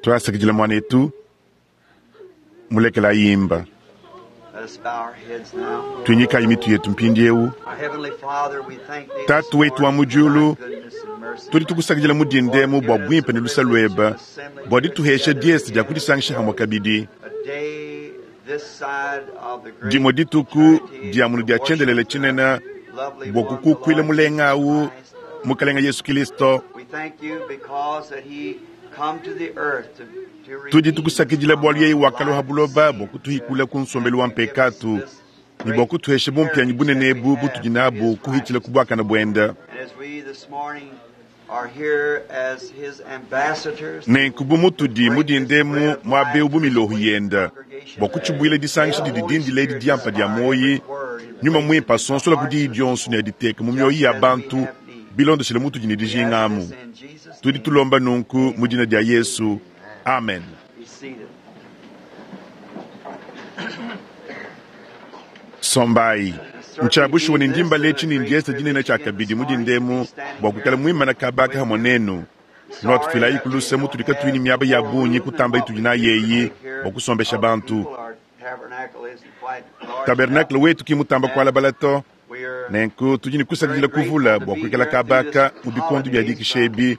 Tuasakidila muanetu, mulekela imba. Tuinyikayi mitu yetu mpindieu. Tatu wetu wa mu diulu, tudi tukusakidila mu dindemu bua buimpe ne luse luebe, bua dituhesha diese dia kudisangisha hamue kabidi. Dimue dituku dia munu dia tshiendelele tshinene bua kukukuila mulenga awu, Mukalenga Yesu Kilisto. Tudi tukusakidila bualu yeye wakalua ha buloba bua kutuhikula ku nsombelu wa mpekatu ne bua kutuhesha bumpianyi bunene ebu butudi nabu kuhitshila ku buakane buende. Nenku bu mutudi mu dinda emu muaba eu bu miloho yende bua kutshibuila disangisha didi dindila edi diampa dia muoyi, Nyuma Muimpe asonsola ku diyi dionso ne aditeke mu mioyo ya bantu bilondeshile mutudi ne dijinga amu. Tudi tulomba nunku mu dina dia Yesu. Amen. Sombayi. Ntshia bushuwa ne ndi mbala etshi ne ndiesa dinene tshiakabidi mu dinda emu bua kuikala muimana kaba aka hamue nenu. Nuatufilayiku luse mutudi katuyi ne miaba ya bungi kutamba itudi nayi eyi bua kusombesha bantu. Tabernacle wetu ki mutamba kualabala to, nenku tudi ne kusakidila kuvula bua kuikala kaba aka mu bikondo bia dikisha ebi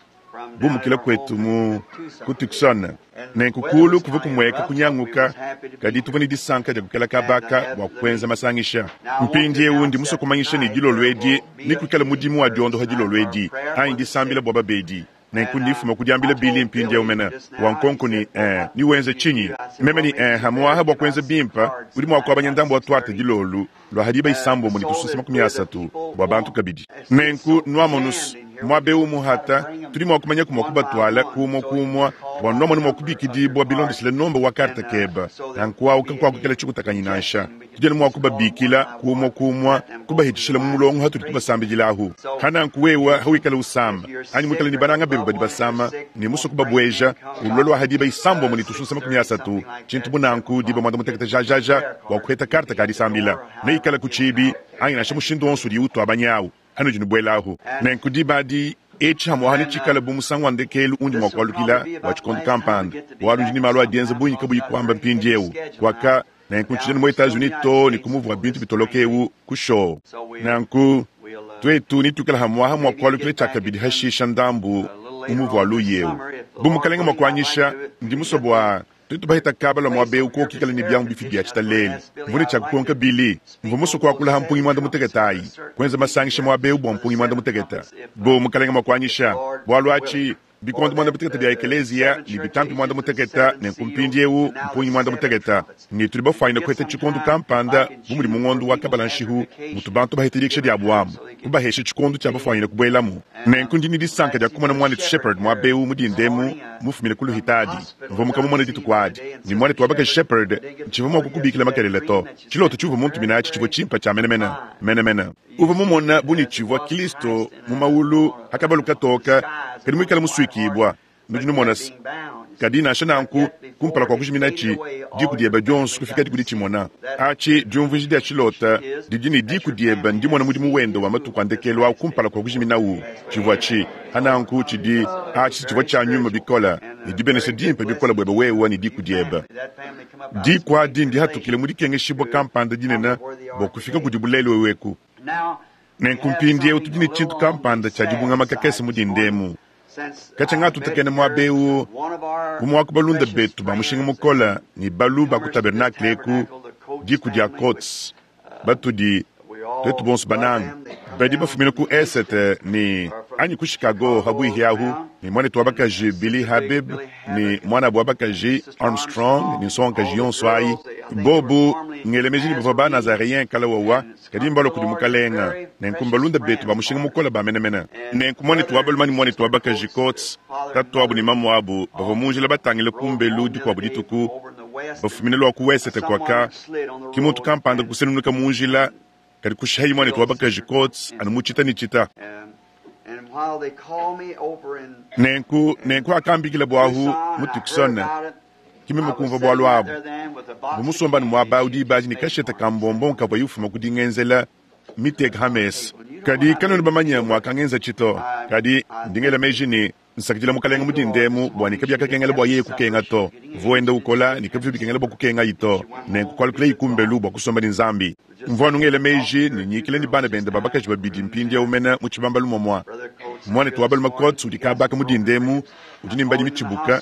bumukila kuetu mu ku Tucson. Nenku kuulu kuvua kumueka kunyanguka, kadi tuvua ne disanka dia kuikala kaba aka bua kuenza masangisha. Mpindieu ndi musue kumanyisha ne dilolo edi nekuikale mudimu wa diondoha dilolo edi, anyi disambila bua babedi. Nenku ndi mfuma ku diambila Billy mpindieu mene wa nkonko ne, Ee, newenze tshinyi? Meme ne, Ee, hamuaha bua kuenza bimpe, udi mua kuabanya ndambu wa tuarte dilolo lua ha diba isambombo ne tusunsa 30 bua bantu kabidi. Nenku nuamonus, muaba eu muhata, tudi mua kumanyaku mua kubatuala ku umua ku umua bua nuamone mua kubikidibua bilondeshile nomba wa karte keba. Nanku au kakuakukela tshikutakanyi nansha. Tudi anu mua kubabikila ku umua ku umua, kubahitshishila mu mulongo hatudi tubasambidilahu. Hananku wewa hawikala usama, anyi muikale ne bananga bebe badi basama, ne musue kubabueja, ulua lua ha diba isambombo ne tusunsa 30, tshintu bu nanku, diba muanda mutekete jajaja, bua kuheta karte ka disambila. Neikale ku tshibi, anyi nansha mushindu wonso udiyi utuabanyawu, hanudi nubuelahu. Nenku diba adi, etshi hamuaha netshikale bu musangu wa ndekelu undi mua kualukila bua tshikondo kampanda, bualu ndi ne malu a dienza bungi kabuyi kuamba mpindieu. Kuaka Nenku ntshidi mu Etats-Unis too ne ku muvua bintu bitoloka eu ku shoo. Nanku tuetu netuikale hamuaha mua kualukila tshiakabidi hashisha ndambu mu muvu wa luya eu. Bu Mukalenge mua kuanyisha, ndi musue bua tuetu baheta kaba lua muaba eu kuoku ikale ne biamu bifi bia tshitalele. Mvua ne tshia kukonka Billy. Mvua musue kuakula ha mpungi muanda-mutekete ayi, kuenza masangisha muaba eu bua mpungi muanda-mutekete. Bu Mukalenge mua kuanyisha, bualu atshi Bikondo muanda-mutekete bia ekeleziya ne bitampi muanda-mutekete, nenku mpindieu mpungi muanda-mutekete, ne tudi bafuanyine kuheta tshikondo kampanda bu mudi mu ngondo wa kabala-nshihu mutu bantu baheta dikisha diabu amu, kubahesha tshikondo tshia bafuanyine kubuelamu. Nenku ndi ne disanka dia kumona muanetu Shepherd muaba eu mu dinda emu, mufumine ku luhitadi. Mvua mukamumone dituku adi. Ne muanetu wa bakaji Shepherd, ntshivua mua kukubikila makelela to. Tshilota tshiuvua muntumine atshi tshivua tshimpe tshia menemene, menemene. Uvua mumona bu ne tshivua Kilisto mu mawulu ha kabalu katoka, kadi muikale musuikibua. Nudi numona se, kadi nansha nanku, kumpala kua kujiminatshi, diku diebe dionso kufikadi ku ditshimona. Atshi diumvuija dia tshilota didi ne diku diebe ndimona mudimu wende wa matuku a ndekelu au kumpala kua kujiminawu. Tshivua tshi, ha nanku tshidi atshi tshivua tshia nyuma bikole ne dibenesha dimpe bikole buebe wewe ne diku diebe. Diku adi ndihatukile mu dikengeshibua kampanda dinene bua kufika kudibu lelu eu eku. Nenku mpindieu tudi ne tshintu kampanda tshia dibungama kakese mu dinda emu. Katshia ngatutakena muaba eu, umue wa ku balunda betu ba mushinga mukole ne balu ba ku tabernakle eku, diku dia Coats, batudi tuetu bonso banange, badi bafumina ku esete ne anyi ku Chicago habuihi ahu, ne muanetu wa bakaji Billy Habib ne muanabu wa bakaji Armstrong ne nsongakaji yonso ayi, bobu ngela meji ne bavua ba Nazareens kala wawa, kadi mbalua kudi Mukalenga, nenku mbalunda betu ba mushinga mukole ba menemene. Nenku muanetu wa balume ne muanetu wa bakaji Coats, tatuabu ne mamuabu, bavua mu njila batangile kumbelu dikuabu dituku, bafumine lua ku wesete kuaka, ki muntu kampanda kusenunuka mu njila, kadi kushihayi muanetu wa bakaji Coats anu mu tshita ne tshita. Nenku, nenku akambikila buahu mu Tucson, ki meme kumvua bualu abu. Mvua musomba anu muaba au diba adi ne kashete ka mbombon kavuaye ufuma ku dingenzela miteka ha mesa. Kadi kanuena bamanye muakangenzatshi to. Kadi ndi ngela meji ne. Nsakidila Mukalenga mu dinda emu bua ne kabiakakengela bua yeye kukenga to. Uvua wenda ukola ne kabivua bikengela bua kukengayi to. Nenku kualukilayi kumbelu bua kusomba ne Nzambi. Mvua anu ngela meji ne nyikila ne bana bende ba bakaji babidi mpindieu mene mu tshibambalu muamua. Muanetu wa balume Coats udi kaba aka mu dinda emu, udi ne mbadi mitshibuka.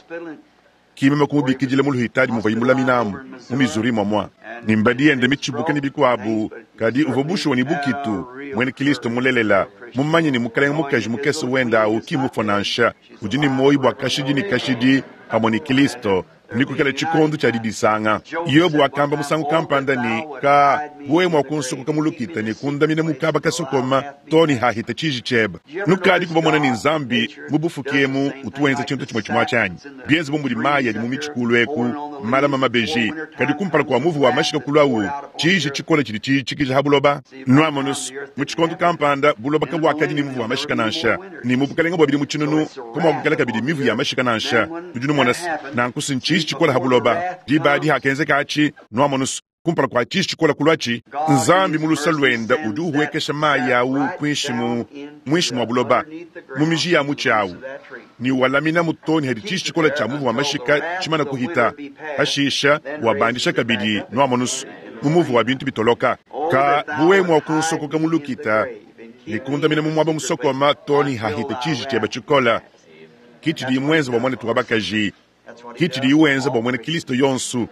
Ki meme kumubikidila mu luhitadi muvuaye mulaminamu, mu Missouri muamua, ne mbadi yende mitshibuke ne bikuabu, kadi uvua bushuwa ne bukitu, muena Kilisto mulelela, mumanye ne mukalenge-mukaji mukese wende au ki mmufue nansha, udi ne muoyo bua kashidi ne kashidi pamue ne Kilisto. Nekuikale tshikondo tshia didisanga. Yobo wakamba musangu kampanda ne, Ka, bu wewe mua kunsokoka mu lukita ne kundamina mu kaba kasokoma too ne hahita tshiji tshiebe. Nukadiku bamona ne Nzambi mu bufuki emu utu wenza tshintu tshimue tshimue atshi anyi? Bienze bu mudi mayi adi mu mitshi kulu eku malama mabeji, kadi kumpala kua muvu wa mashika kuluawu, tshiji tshikole tshidi tshitshikija ha buloba. Nuamonus, mu tshikondo kampanda buloba kabuakadi ne muvu wa mashika nansha, ne mu bukalenge bua bidimu tshinunu kamuakukala kabidi mivu ya mashika nansha. Nudi numona se, nanku si ntshiji tshikole ha buloba. Diba adi hakenzeka atshi, nuamonus, kumpala kua tshiji tshikole kuluatshi, Nzambi mu luse luende udi uhuekesha mayi au kuinshi mu muinshi mua buloba, mu miji ya mutshi au, ne ualaminamu too ne hadi tshiji tshikole tshia muvu wa mashika tshimana kuhita. Hashisha uabandisha kabidi, nuamonus, mu muvu wa bintu bitoloka. Ka bu wewe mua kunsokoka mu lukita ne kundamina mu muaba musokoma too ne hahita tshiji tshiebe tshikole. Ke tshidiye muenze bua muanetu wa bakaji. Ke tshidiye wenza bua muena Kristo yonso.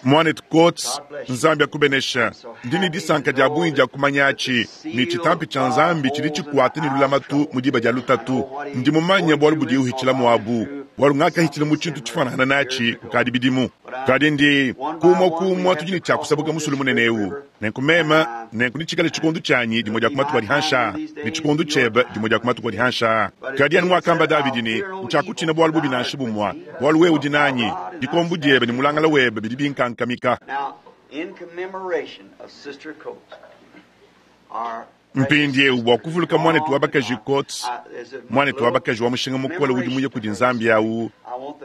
Muanetu Coats, Nzambi akubenesha. Ndi ne disanka dia bungi dia kumanya atshi, ne tshitampi tshia Nzambi tshidi tshikuata ne lulamatu mu diba dia lutatu. Ndi mumanye bualu budiye uhitshilamu abu, bualu ngakahitshila mu tshintu tshifuanangana natshi kukadi bidimu. Kadi ndi, kumue kumue tudi ne tshia kusabuka musulu munene eu. Nenku meme, nenku netshikale tshikondo tshianyi dimue dia ku matuku adi hanshi aa, ne tshikondo tshiebe dimue dia ku matuku adi hanshi aa. Kadi anu muakamba Davidi ne, Ntshiakutshina bualu bubi nansha bumue, bualu wewe udi nanyi, dikombo diebe ne mulangala webe bidi binkankamika. Mpindieu bua kuvuluka muanetu wa bakaji Coats, muanetu wa bakaji wa mushinga mukole udi muye kudi Nzambi au,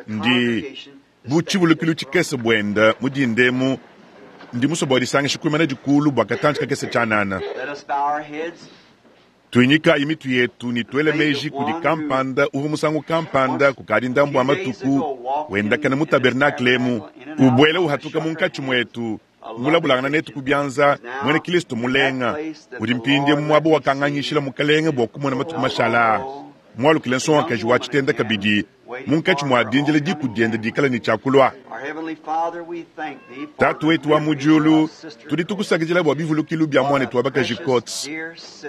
ndi bu tshivulukilu tshikese buende mu dinda emu. Ndi musue bua disangisha kuimana dikulu bua katantshi kakese tshianana. Tuinyikayi mitu yetu ne tuele meji kudi kampanda uvua musangu kampanda kukadi ndambu wa matuku wendakana mu tabernakle emu, ubuela uhatuka munkatshi muetu, mulabulangana netu ku bianza, muena Kilisto mulenga, udi mpindieu mu muaba wakanganyishila Mukalenge bua kumona matuku mashala aa, mualukile nsongakaji wa tshitenda kabidi munkatshi mua dindila diku diende dikale ne tshia kulua. Tatu wetu wa mu diulu, tudi tukusakidila bua bivulukilu bia muanetu wa bakaji Coats,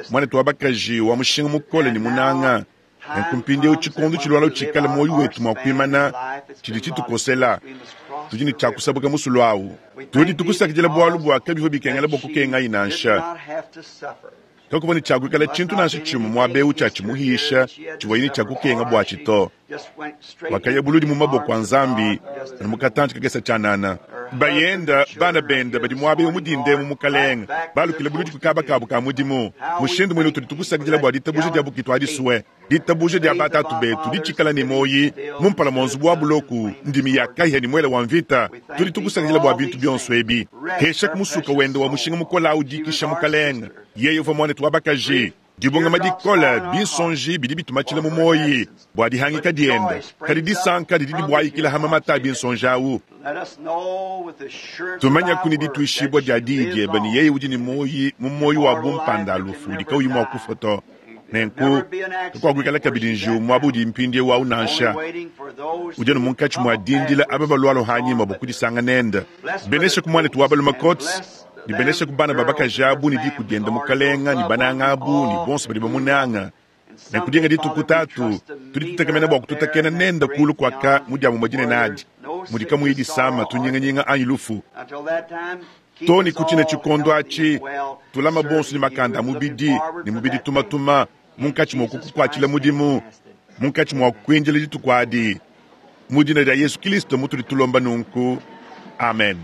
muanetu wa bakaji wa mushinga mukole ne munanga. Nenku mpindieu tshikondo tshilualua tshikale muoyo wetu mua kuimana tshidi tshitukosela, tudi ne tshia kusabuka musulu au. Tudi tukusakidila bualu bua kabivua bikengela bua kukengayi nansha. Kakuvua ne tshia kuikala tshintu nansha tshimue muaba eu tshia tshimuhisha tshivuaye ne tshia kukenga buatshi to. Wakaya buludi mu maboko a Nzambi anu mu katantshi kakese tshianana. Bayenda, bana bende badi muaba eu mu dinda emu, Mukalenge, balukile buludi ku kaba kabu ka mudimu. Mushindu muine utudi tukusakidila bua ditabuja dia bukitu adi sue, ditabuja dia batatu betu ditshikala ne muoyi mu mpala mua nzubu wa buloku, ndimi ya kahia ne muele wa mvita. Tudi tukusakidila bua bintu bionso ebi. Hesha ku musuka wende wa mushinga mukole au dikisha, Mukalenge. Yeye uvua muanetu wa bakaji. Dibungama dikole, binsonji bidi bitumatshila mu muoyi bua dihangika diende, kadi disanka didi dibuayikila ha mamata a binsonji au. Tumanyaku ne dituishibua dia diyi diebe ne yeye udi ne muoyi mu muoyi wa bumpanda lufu udi kauyi mua kufua to. Nenku kakuakuikala kabidi njiwu muaba udi mpindieu au nansha. Udi anu munkatshi mua dindila aba balualua hanyima bua kudisanga nende. Benesha ku muanetu wa balume Coats, ne benesha ku bana ba bakaji abu ne diku diende, Mukalenga, ne bananga abu ne bonso badi bamunanga. Nenku dinga dituku, Tatu, tudi tutekemena bua kututakena nende kulu kuaka mu diamumue dinene adi, mudi kamuyi disama, tunyinganyinga anyi lufu. Too ne ku tshine tshikondo atshi, tulama bonso ne makanda a mubidi ne mubidi tumatuma munkatshi mua kukukuatshila mudimu, munkatshi mua kuindila dituku adi. Mu dina dia Yesu Kilisto mutudi tulomba nunku. Amen.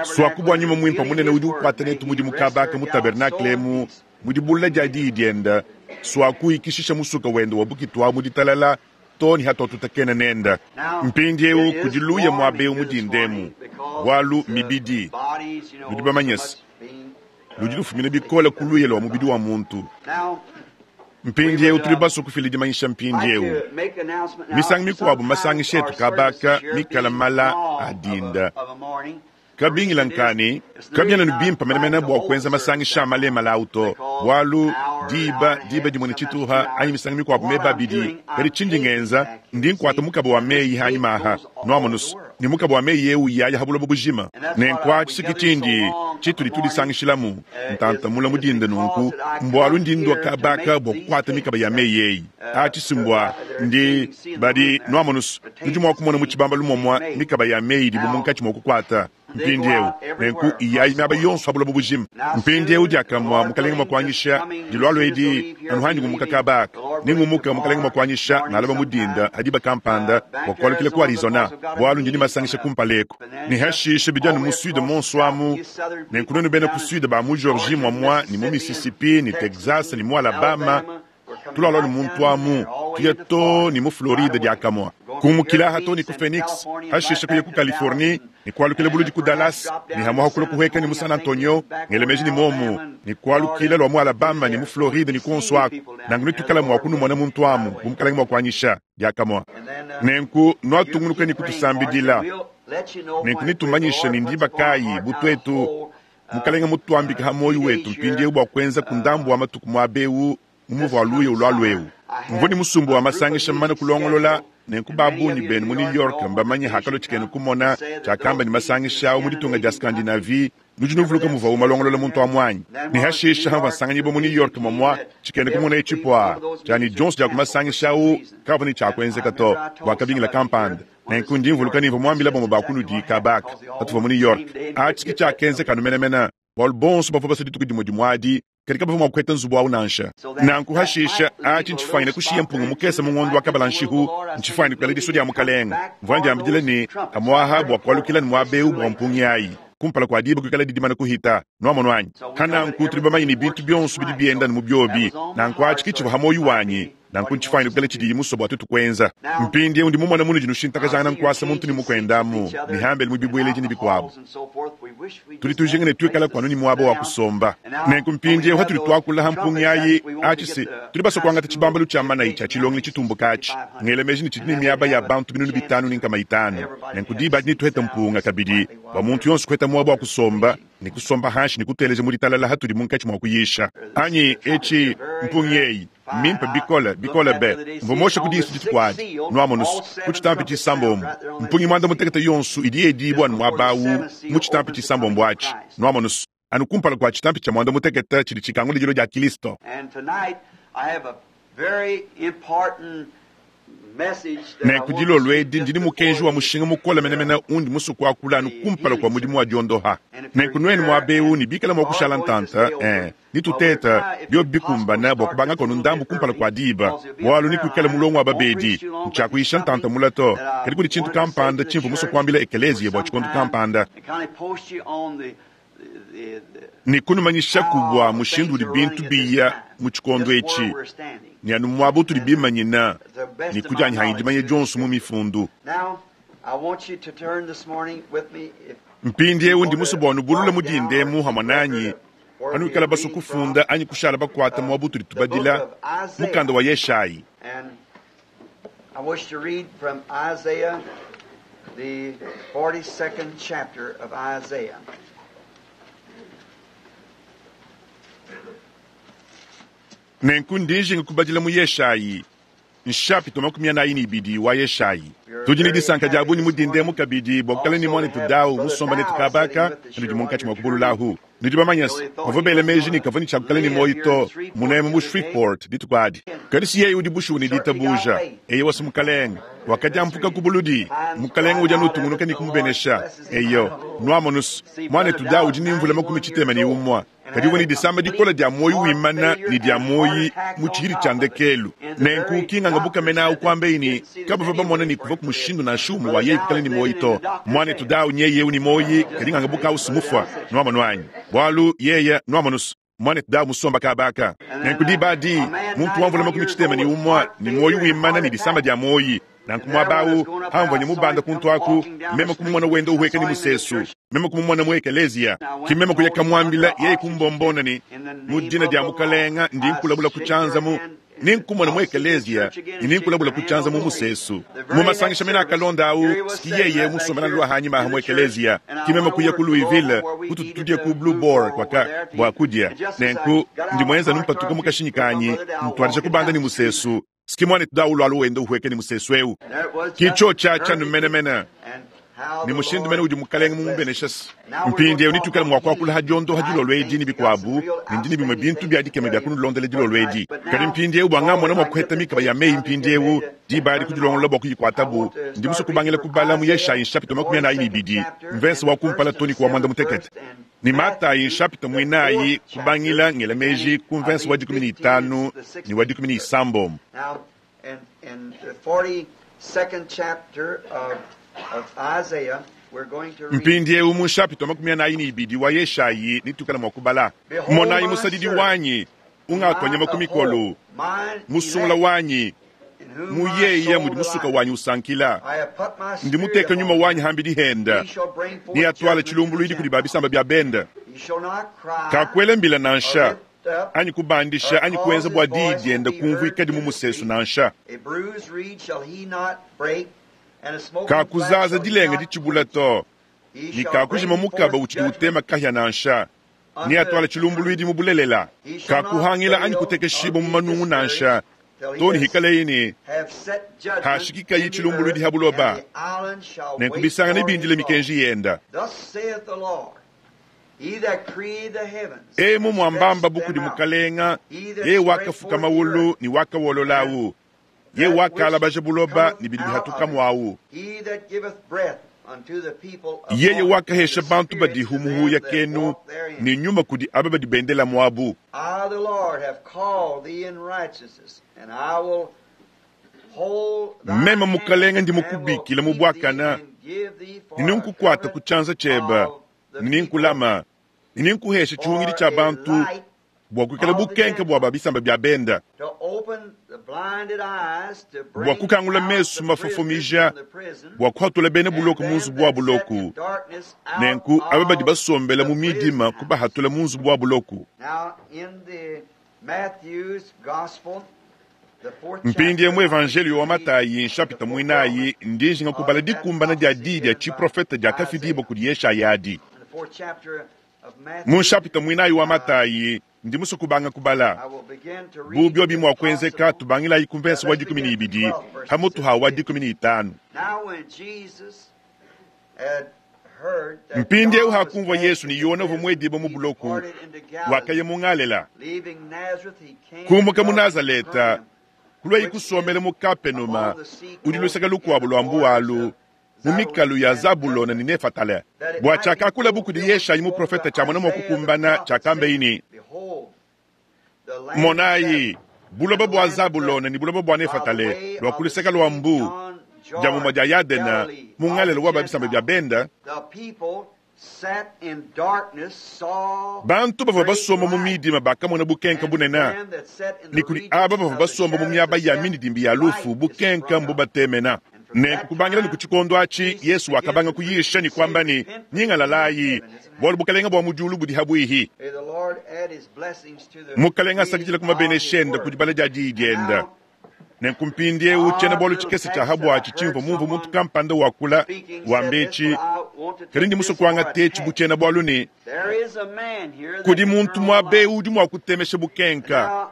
Suaku bua Nyuma Muimpe munene udi ukuata netu mudimu kaba aka mu tabernakle emu, mu dibulula dia Diyi diende, suaku ikishisha musuka wende wa bukitu awu mu ditalala too ne hatuatutakena nende. Mpindieu kudi luya muaba eu mu dinda emu, bualu mibidi, nudi bamanye se, Ludi lufumina bikole ku luya lua mubidi wa muntu. Mpindieu tudi basue kufila dimanyisha mpindieu. Misangu mikuabu masangisha etu kaba aka mikale mala a dinda. Kabingila nka ne, kabiena anu bimpe menemene bua kuenza masangisha a malemale au to, bualu diba, diba dimue ne tshituha anyi misangu mikuabu meba abidi. Kadi tshindi ngenza, ndi nkuata mukaba wa meyi hanyima aha, nuamonus, ne mukaba wa meyi eu yaya ha buloba bujima. Nenku atshi ki tshindi tshitudi tudisangishilamu ntanta mula mu dinda nunku, mbualu ndi ndua kaba aka bua kukuata mikaba ya meyi eyi. Atshi si mbua ndi, badi, nuamonus, nudi mua kumona mu tshibambalu muomua mikaba ya meyi idibu munkatshi mua kukuata. Mpindieu, nenku iyayi miaba yonso pa buloba bujima. Mpindieu diakamue Mukalenge mua kuanyisha dilualua edi, anu handi ngumuka kaba aka, ne ngumuka Mukalenge mua kuanyisha ngalaba mu dinda ha diba kampanda bua kualukila ku Arizona, bualu ndi ne masangisha kumpala eku. Ne hashishe bidi anu mu Sud monso amu, nenku nuenu bena ku Sud ba mu Georgie muamua ne mu Mississippi ne Texas ne mu Alabama, Tulualua ne muntu amu, tuya too ne mu Floride diakamue, kumukila aha too ne ku Phoenix, hashishe kuya ku Californie, ne kualukila buludi ku Dallas, ne hamuha kulua kuhueka ne mu San Antonio, ngela meji ne muomu, ne kualukila lua mu Alabama ne mu Floride ne kuonso aku. Nanku netuikale mua kunumona muntu amu, bu Mukalenge mua kuanyisha, diakamue. Nenku nuatungunuka ne kutusambidila. Nenku netumanyishe ne ndiba kayi, bu tuetu, Mukalenge mutuambike ha muoyo wetu mpindieu bua kuenza ku ndambu wa matuku muaba eu mu muvu wa luya ulualua eu. Mvua ne musumba wa masangisha mumane kulongolola, nenku ba bungi benu mu New York mbamanye hakalua tshikena kumona tshiakamba ne masangisha au mu ditunga dia Scandinavie. Nudi nuvuluka muvuawu malongolola muntu amu anyi? Ne hashishe hamvua nsanganyibua mu New York momua tshikena kumona etshi pua tshia ne dionso dia ku masangisha au kaavua ne tshia kuenzeka to bua kabingila kampanda. Nenku ndi mvuluka ne mvua muambile bamue ba kunudi kaba aka patuvua mu New York. Atshi ke tshiakenzeka anu menemene, bualu bonso bavua basue dituku dimue dimue adi, kadi kabavua mua kupeta nzubu au nansha. Nanku hashishe, atshi ntshifuanyine kushiya mpunga mukese mu ngondo wa kabala-nshihu, ntshifuanyine kuikala disua dia Mukalenge. Mvua ndiambidila ne, pamu'aha bua kualukila ne muaba eu bua mpungi ayi kumpala kua diba kuikala didimane kuhita. Nuamonu anyi? Ha nanku tudi bamanye ne bintu bionso bidi bienda anu mu biobi. Nanku atshi ke tshivua ha muoyo wanyi. Nanku ntshifuanyine kuikala tshidiyi musue bua tuetu kuenza. Mpindieu ndi mumone munudi nushintakajangana nkuasa muntu ne mukuende amu ne hambelu mu bibueledi ne bikuabu. Tudi tujinga ne tuikalaku anu ne muaba wa kusomba. Nenku mpindieu hatudi tuakula ha mpungi ayi, atshi se tudi basue kuangata tshibambalu tshia manayi tshia tshilongelu tshitumbuka atshi. Ngela meji ne tshidi ne miaba ya bantu 5500. Nenku diba adi netuhete mpunga kabidi bua muntu yonso kuheta muaba wa kusomba ne kusomba hanshi ne kuteleja mu ditalala hatudi munkatshi mua kuyisha. Anyi etshi mpungi eyi. Mmimpe bikole, bikole be! Mvua muoshe ku disu dituku adi. Nuamonus, ku tshitampi tshisambombo, mpungi muanda-mutekete yonso idi yedibua anu muaba awu mu tshitampi tshisambombo atshi. Nuamonus, anu kumpala kua tshitampi tshia muanda-mutekete tshidi tshikangula dilua dia Kilisto. Nenku dilolo edi ndi ne mukenji wa mushinga mukole menemene undi musue kuakula anu kumpala kua mudimu wa diondoha. Nenku nuenu muaba eu ne bikala mua kushala ntanta, ee, netuteta biobi bikumbana bua kubangako anu ndambu kumpala kua diba, bualu nekuikale mulongo wa babedi. Ntshiakuyisha ntanta mula to, kadi kudi tshintu kampanda tshimvua musue kuambila ekeleziya bua tshikondo kampanda. Ne kunumanyishaku bua mushindu udi bintu biya mu tshikondo etshi, ne anu muaba utudi bimanyina, ne ku dianyi hanyi dimanya dionso mu mifundu. Mpindieu ndi musue bua nubulule mu dinda emu hamue nanyi, panuikala basue kufunda anyi kushala bakuate muaba utudi tubadila mukanda wa Yeshayi. I wish to read from Isaiah, the 42nd chapter of Isaiah. Nenku ndi njinga kubadila mu Yeshayi, nshapita 42 wa Yeshayi. Tudi ne disanka dia bungi mu dinda emu kabidi bua kuikala ne muanetu Dow musomba netu kaba aka, nudi munkatshi mua kubululahu. Nudi bamanye se, bavua bela meji ne kavua ne tshia kuikala ne muoyo to, munemu mu Shreveport dituku adi. Kadi si yeye udi bushuwa ne ditabuja. Eyowa, si Mukalenge. Wakadiampuka ku buludi. Mukalenge udi anu utungunuka ne kumubenesha. Eyo, nuamonus, muanetu Dow udi ne mvula 61. Kadi uvua ne disama dikole dia muoyo wimana ne dia muoyo mu tshihidi tshia ndekelu. Nenku ki nganga bukamena au kuambaye ne, kabavua bamona ne kuvua mushindu nansha umue wa yeye kuikala ne muoyo to. Muanetu Dow nyeye eu ne muoyo, kadi nganga buka au si mufua. Nuamonu anyi? Bualu yeye, nuamonus, muanetu Dow musomba kaba aka. Nenku diba adi, muntu wa mvula 61 ne muoyo wimana ne disama dia muoyo. Nanku muaba awu, pamvua ne mubanda kuntu aku, meme kumumona wenda uhueka ne musesu, meme kumumona mu ekeleziya. Ke meme kuya kamuambila, yeye kumbombona ne, Mu dina dia Mukalenga ndi nkulabula ku tshianza mu, ne nkumona mu ekeleziya ne ninkulabula ku tshianza mu musesu. Mu masangisha mene akalonda awu, ski yeye musombela lua hanyima aha mu ekeleziya. Ke meme kuya ku Louisville, kututu tudia ku Blue Boar kuaka bua kudia. Nenku ndi muenza anu mpatuka mu kashinyi kanyi, ntuadija kubanda ne musesu. Ski muanetu Daulo alu wenda uhueka ne musesu eu. Ki tshiotshi atshi anu menemene. Ne mushindu mene udi Mukalenge mumubenesha. Mpindieu netuikale mua kuakula ha diondoha dilolo edi ne bikuabu, ne ndi ne bimue bintu bia dikema bia kunulondela dilolo edi. Kadi mpindieu bua ngamona mua kuheta mikaba ya meyi mpindieu, diba adi kudilongolola bua kuyikuatabu, ndi musue kubangila kubala mu Yeshayi nshapita 42, mvese wa kumpala too ne ku wa muanda-mutekete, ne Matayi nshapita muinayi, kubangila ngela meji ku mvese wa 15 ne wa 16. Now, in the 42nd chapter of Isaiah, we're going to read. Mpindieu mu nshapita 42 wa Yeshayi netuikale mua kubala, Monayi musadidi wanyi, ungatuanya ku mikolo, musungula wanyi, mu yeye mudi musuka wanyi usankila. Ndi muteka nyuma wanyi hambidi henda, ne atuala tshilumbuluidi kudi ba bisamba bia benda. Kakuela mbila nansha, anyi kubandisha, anyi kuenza bua diyi dienda kumvuikadi mu musesu nansha. Kakuzaza dilenga ditshibula to, ne kakujima mukaba utshidi utema kahia nansha. Ne atuala tshilumbuluidi mu bulelela. Kakuhangila anyi kutekeshibua mu manungu nansha, to ne hikaleyi ne hashikikayi tshilumbuluidi ha buloba. Nenku bisanga nebindile mikenji yenda. Emu muambamba bu kudi Mukalenga, yeye wakafuka mawulu ne wakawololawu, yeye wakalabaja buloba ne bidi bihatuka muawu. Yeye wakahesha bantu badihu muhuya kenu ne nyuma kudi aba badi bendela muabu. I, the Lord, have called thee in righteousness, and I will hold thy Meme hand Mukalenga ndi and will mukubikila mu keep buakana, thee and give thee for ne a ninkukuata ku covenant tshianza tshiebe, of the ne ninkulama, ne ninkuhesha people, tshihungidi for tshia a bantu light bua kuikala bukenke bua ba bisamba bia benda, to open the blinded eyes, to bua bring kukangula out mesu the prisoners mafofomija, from the prison, bua kuhatula bena and buloko mu them nzubu wa that sat in buloko. darkness out Nenku aba badi of basombela the mu midima prison house. kubahatula mu nzubu wa buloko. Now, in the Matthew's Gospel, the fourth Mpindieu mu chapter, Evangelio wa I read Matayi the nshapita muinayi ndijinga fulfillment kubala of that dikumbana dia prophecy diyi dia given by tshiprofete diakafidibua Isaiah. kudi Yeshaya adi. In the fourth chapter of Mu Matthew, nshapita muinayi wa Matayi ndi musue kubanga kubala. I will begin to Bu read biobi if mua kuenzeka possible. tubangilayi ku mvese wa Let's begin 12 at the 12th verse hamutu ha wa 15. 15. Now when Jesus had heard that Mpindieu John was hakumvua cast Yesu ne into Yona uvua prison, muedibue mu he buloko, departed into Galilee. wakaya mu Ngalela. Leaving Nazareth, he came to Kumuka mu dwell in Nazaleta, Capernaum, kulwayi which kusomela is mu Kapenuma, upon the sea udi coast luseke in the lukuabu lua borders mbuwalu, of mu Zabulon mikalu ya and Zabulona ne Nephtali, Nefatale. that it Bua might be tshiakakula bu kudi fulfilled Yeshayi spoken muprofete by tshiamona mua Isaiah the kukumbana prophet, tshiakambayi saying, ne, Behold, the land of Monayi, Zabulon buloba and the bua land of Zabulona ne buloba bua Nephtali, by the Nefatale way lua of ku the luseke lua sea mbu, beyond dia mumue Jordan, dia Yadena, Galilee mu of Ngalela the wa ba bisamba bia Gentiles. benda, The people sat in darkness saw bantu bavua great basomba mu light, midima bakamona bukenka and bunene. them that sat in Ne the kudi aba regions bavua of the basomba mu shadows miaba of ya death, mindidimbi ya lufu light is bukenka sprung up. mbubatemena. And from Nenku that kubangila ne time ku tshikondo atshi Jesus Yesu began wakabanga to preach kuyisha and ne say, kuamba ne, Repent, for the kingdom of nyingalalayi, heaven is at bualu hand. bukalenga bua mu diulu budi habuihi. May the Lord add his blessings to the Mukalenga reading asakidile ku of his mabenesha ende ku word. dibala dia diyi dienda. Now, Nenku mpindieu tshiena odd bualu little tshikese tshia text that I habuatshi heard tshimvua mumvue muntu someone kampanda wakula speaking said wamba this, etshi, but I want to kadi take ndi musue this for a kuangata etshi bu text. tshiena bualu ne, There is a man here that kudi can muntu turn on muaba the light. eu udi mua kutemesha bukenka. Now,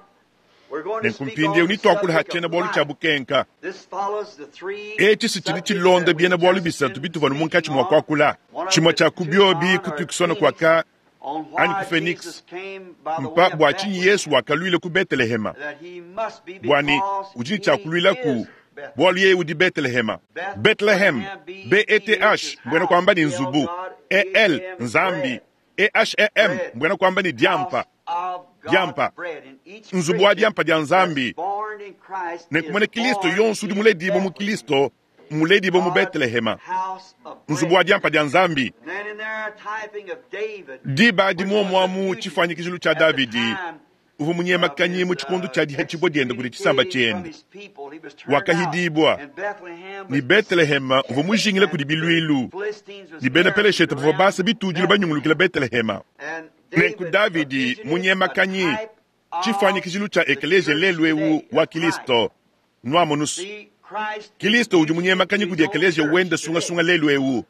we're going to Nenku speak mpindieu on the nituakula ha subject tshiena of bualu tshia light. bukenka. This follows the three Etshi si tshidi subjects tshilonda that biena we've bualu just bisatu been bituvua munkatshi speaking mua on. kuakula. One of Tshimue the tshia ku biobi Tucson ku or Tucson Phoenix kuaka on anyi ku why Phoenix, Jesus came by the way mpa of bua tshinyi Bethlehem, Yesu wakaluila ku Betelehema. that he must be Bua ne because udi ne he tshiakuluilaku, is Bethlehem. bualu yeye udi Betelehema. Bethlehem, Bethlehem, B-E-T-H, B-E-T-H is mbuena house, kuamba ni L nzubu, God, E-L, E-M, Nzambi, bread, E-H-E-M, bread, mbuena kuamba ni diampa, house of God's diampa, bread. And each nzubu wa Christian diampa dia that's Nzambi. born in Christ Nenku is muena Kristo born yonso udi in muledibue mu Bethlehem, Kristo, muledibue mu God's Betelehema, house of nzubu wa bread. diampa dia Nzambi. Then in there a typing of David, Diba adi which was a muomuamu fugitive tshifuanyikijilu tshia at the Davidi, time uvua munyemakanyi mu tshikondo tshia dihatshibua diende kudi tshisamba tshiende. Wakahidibua, ne Betelehema uvua mujingila kudi biluilu, ne bena Peleshete bavua basa bitudilu banyungulukila Betelehema. Nenku Davidi munyemakanyi, tshifuanyikijilu tshia ekeleziya lelu eu wa Kilisto, nuamonu's. Kilisto udi munyemakanyi kudi ekeleziya wende sungasunga lelu eu.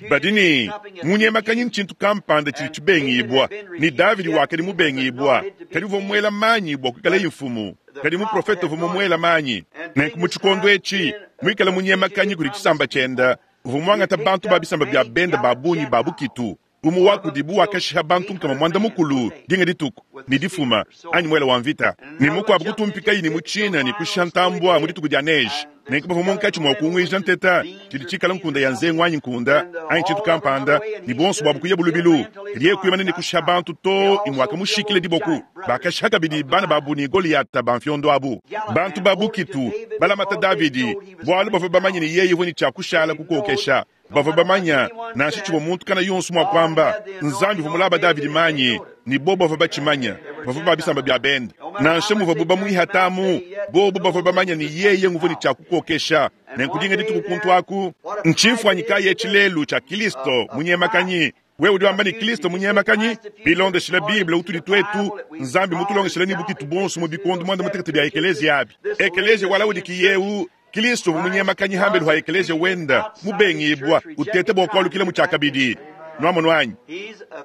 Badi ne munyemakanyi ntshintu kampanda tshidi tshibengibua, ne Davidi wakadi mubengibua, kadi uvua muela manyi bua kuikalaye mfumu, kadi muprofete uvua mumuela manyi. Nenku mu tshikondo etshi, muikale munyemakanyi kudi tshisamba tshiende, uvua muangata bantu ba bisamba bia bende ba bungi ba bukitu. Umue wa kudibu wakashiha bantu 40 dinga dituku ne difuma anyi muele wa mvita, ne mukuabu kutumpikayi ne mutshina ne kushiha ntambua mu dituku dia neige. Nenku bavua munkatshi mua kunguija nteta tshidi tshikala nkunda ya nzengu anyi nkunda anyi tshintu kampanda, ne buonso buabu kuya bulubilu. Kadi yeye kuimana ne kushiha bantu too ne muakamushikila diboku. Bakashiha kabidi bana babu ne Goliata ba mfiondo abu. Bantu ba bukitu balamata Davidi bualu bavua bamanye ne yeye uvua ne tshia kushala kukokesha. Bavua bamanya nansha tshivua muntu kana yonso mua kuamba, Nzambi uvua mulaba Davidi manyi, ne bobo bavua batshimanya, bavua ba bisamba bia bende. Nansha muvuabu bamuihatamu, bobo bavua bamanya ne yeye nguvua ne tshia kukokesha. Nenku dinga dituku kuntu aku, ntshimfuanyi kayi etshi lelu tshia Kilisto munyemakanyi? Wewe udi wamba ne Kilisto munyemakanyi? Bilondeshile Bible utudi tuetu, Nzambi mutulongeshile ne bukitu buonso mu bikondo 16 bia ekeleziya abi. Ekeleziya wa Laodikiya eu, Kilisto uvua munyemakanyi hambelu ha ekeleziya wenda, mubengibua, uteta bua kualukila mu tshiakabidi. Nuamonu anyi?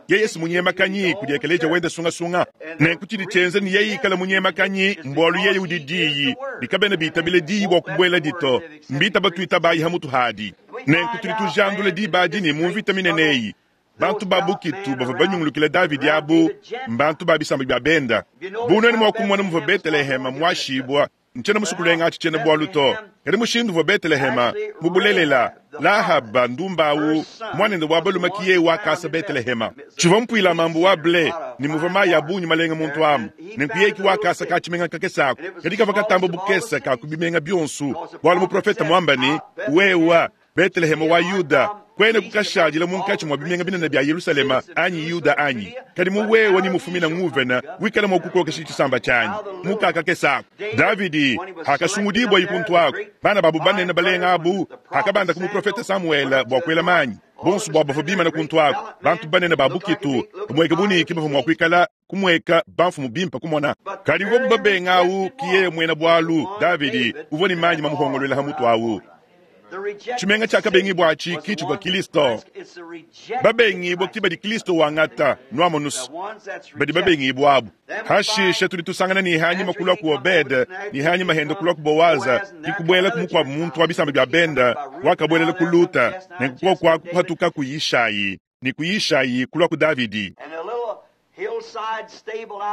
Yeye si munyemakanyi kudi ekeleziya wenda sungasunga. Nenku tshidi tshienza ne yeye ikala munyemakanyi mbualu yeye udi Diyi, ne kabena bitabile Diyi bua kubueladi to, mbitaba tuitabayi ha mutu hadi. Nenku tudi tujandula diba adi ne mu mvita minene eyi, bantu ba bukitu bavua banyungulukila Davidi abu mbantu ba bisamba bia benda. Bu nuenu mua kumona muvua Betelehema muashibua, ntshiena musue kulenga atshi tshiena bualu to, kadi mushindu uvua Betelehema mu bulelela, Lahaba ndumba au muanende wa balume ki yeye wakasa Betelehema. Tshivua mpuilamambu wa ble ne muvua mayi a bungi malenga muntu amu, nenku yeye ki wakasa ka tshimenga kakese aku, kadi kavua katamba bukese ka ku bimenga bionso, bualu muprofete muamba ne, Wewa, Betelehema wa Yuda, kuena kukashadila munkatshi mua bimenga binene bia Yelushalema anyi Yuda anyi, kadi mu wewe ne mufumina nguvena wikala mua kukokesha tshisamba tshianyi mu kakakese aku. Davidi hakasungudibua ikuntu aku, bana babu banene balenga abu hakabanda ku muprofete Samuele bua kuela manyi, bonso buabu bavua bimana kuntu aku, bantu banene ba bukitu, bamueka buniki bavua mua kuikala kumueka bamfumu bimpe kumona. Kadi bobu babenga au ki yeye muena bualu, Davidi uvua ne manyi mamuhongoluela ha mutu au. Tshimenga tshiakabengibua atshi ki tshivua Kilisto. Babengibua ki badi Kilisto wangata, nuamonus, badi babengibua abu. Hashishe tudi tusangana ne hanyima kulua ku Obede, ne hanyima hende kulua ku Boaza, ki kubuela ku mukuabu muntu wa bisamba bia benda, wakabuelela ku Luta, nenku kuoku aku kuhatuka ku Yishayi, ne ku Yishayi kulua ku Davidi.